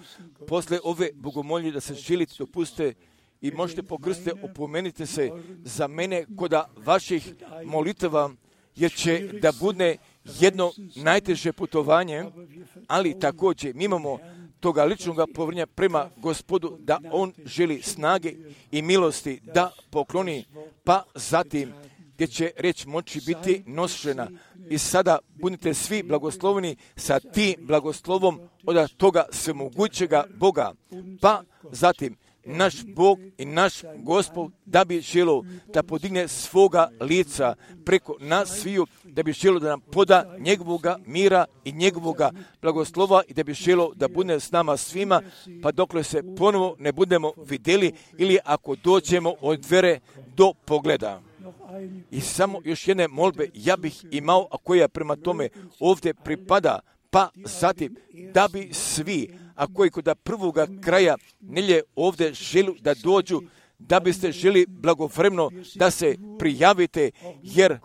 posle ove bogomolje da se želite, dopustite i možete pokrstiti, opomenite se za mene kod vaših molitava, jer će da bude jedno najteže putovanje, ali također mi imamo toga ličnog povjerenja prema Gospodu da On želi snage i milosti da pokloni, pa zatim gdje će reč moći biti nošena. I sada budite svi blagosloveni sa tim blagoslovom od toga svemogućega Boga, pa zatim naš Bog i naš Gospod da bi želio da podigne svoga lica preko nas sviju, da bi želio da nam poda njegovoga mira i njegovoga blagoslova i da bi želio da bude s nama svima, pa dokle se ponovo ne budemo vidjeli ili ako dođemo od vere do pogleda. I samo još jedne molbe ja bih imao, a koja prema tome ovdje pripada, pa zatim da bi svi, a koji kod prvoga kraja nelje ovdje želi da dođu, da biste želi blagovremeno da se prijavite, jer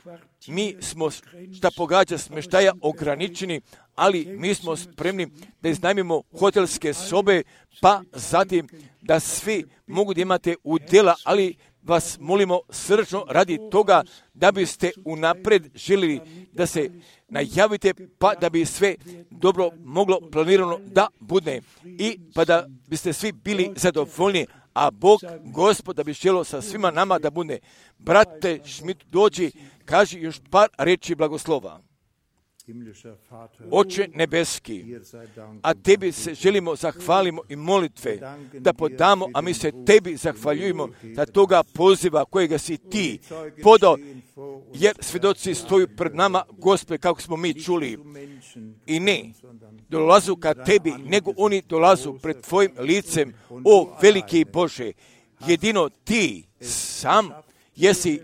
mi smo, šta pogađa smještaja, ograničeni, ali mi smo spremni da iznajmimo hotelske sobe, pa zatim da svi mogu da imate udjela, ali vas molimo srčno radi toga da biste unapred željeli da se najavite, pa da bi sve dobro moglo planirano da bude i pa da biste svi bili zadovoljni, a Bog, Gospod, da bi želio sa svima nama da bude. Brate Šmit, dođi, kaži još par reči blagoslova. Oče nebeski, a Tebi se želimo zahvalimo i molitve da podamo, a mi se Tebi zahvaljujemo za toga poziva kojega si Ti podao, jer svjedoci stoju pred nama, Gospode, kako smo mi čuli. I ne dolazu ka Tebi, nego oni dolazu pred Tvojim licem, o veliki Bože, jedino Ti sam jesi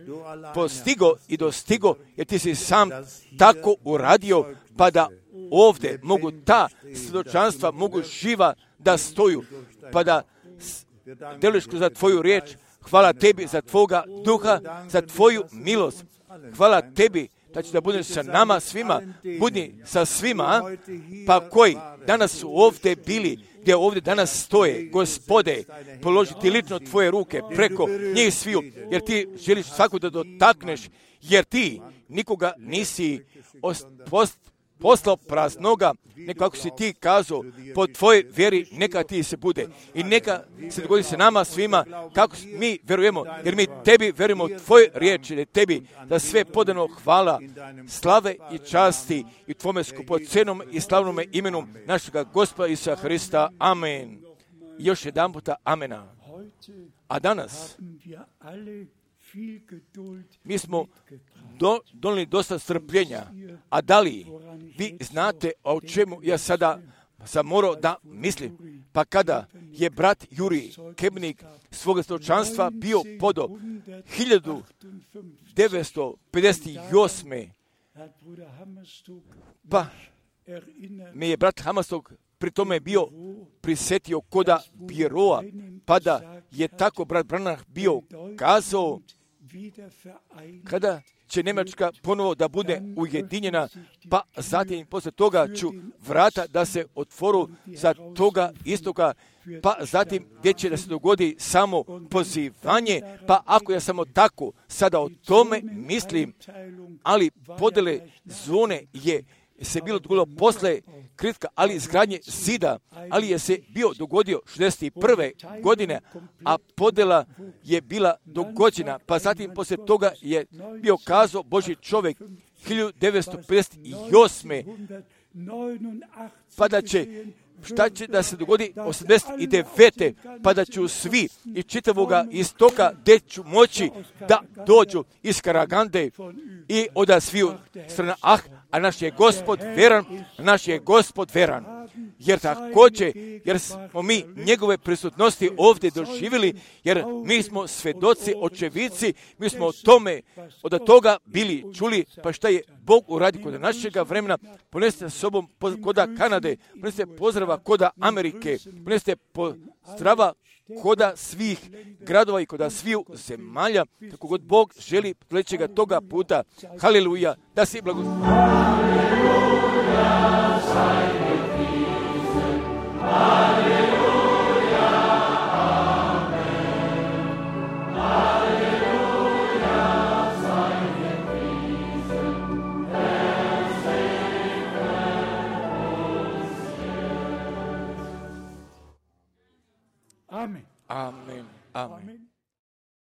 postigo i dostigo, jer Ti si sam tako uradio, pa da ovdje mogu ta svjedočanstva mogu živa da stoju, pa da deliš za Tvoju riječ. Hvala Tebi za Tvoga duha, za Tvoju milost. Hvala Tebi da će da budeš sa nama svima, budi sa svima, pa koji danas su ovdje bili, gdje ovdje danas stoje, Gospode, položiti lično tvoje ruke preko njih sviju, jer ti želiš svaku da dotakneš, jer ti nikoga nisi poslao praznoga, nego ako si ti kazao, po tvojoj vjeri neka ti se bude. I neka se dogodi se nama svima kako mi vjerujemo, jer mi tebi vjerujemo tvoje riječi, da tebi da sve podano hvala, slave i časti i tvome skupocenom i slavnome imenu našega Gospoda Isusa Hrista. Amen. I još jedan puta amena. A danas mi smo donijeli dosta strpljenja, a da li vi znate o čemu ja sada sam morao da mislim? Pa kada je brat Juri Kebnik svoga svjedočanstva bio podo 1958. Pa me je brat Hammerstock pri tome bio prisjetio koda biroa, pa da je tako brat Branham bio kazao kada će Njemačka ponovo da bude ujedinjena, pa zatim poslije toga ću vrata da se otvoru za toga istoka, pa zatim gdje će da se dogodi samo pozivanje, pa ako ja samo tako sada o tome mislim, ali podjele zone je se bilo dogodilo posle kritika, ali izgradnje zida, ali je se bio dogodio 61. godine, a podjela je bila dogođena, pa zatim poslije toga je bio kazao Božji čovjek 1958. pa da će šta će da se dogodi 89. pa da ću svi iz čitavoga istoka gdje ću moći da dođu iz Karagande i od sviju strana. A naš je Gospod veran, naš je Gospod veran. Jer također, jer smo mi njegove prisutnosti ovdje doživjeli, jer mi smo svedoci, očevici, mi smo o tome, od toga bili čuli, pa šta je Bog uradi kod našega vremena, ponesite sa sobom koda Kanade, ponesite pozdrava koda Amerike, ponesite pozdrava koda svih gradova i koda sviju zemalja, kako god Bog želi sledećega toga puta. Haleluja, da si blagoslov.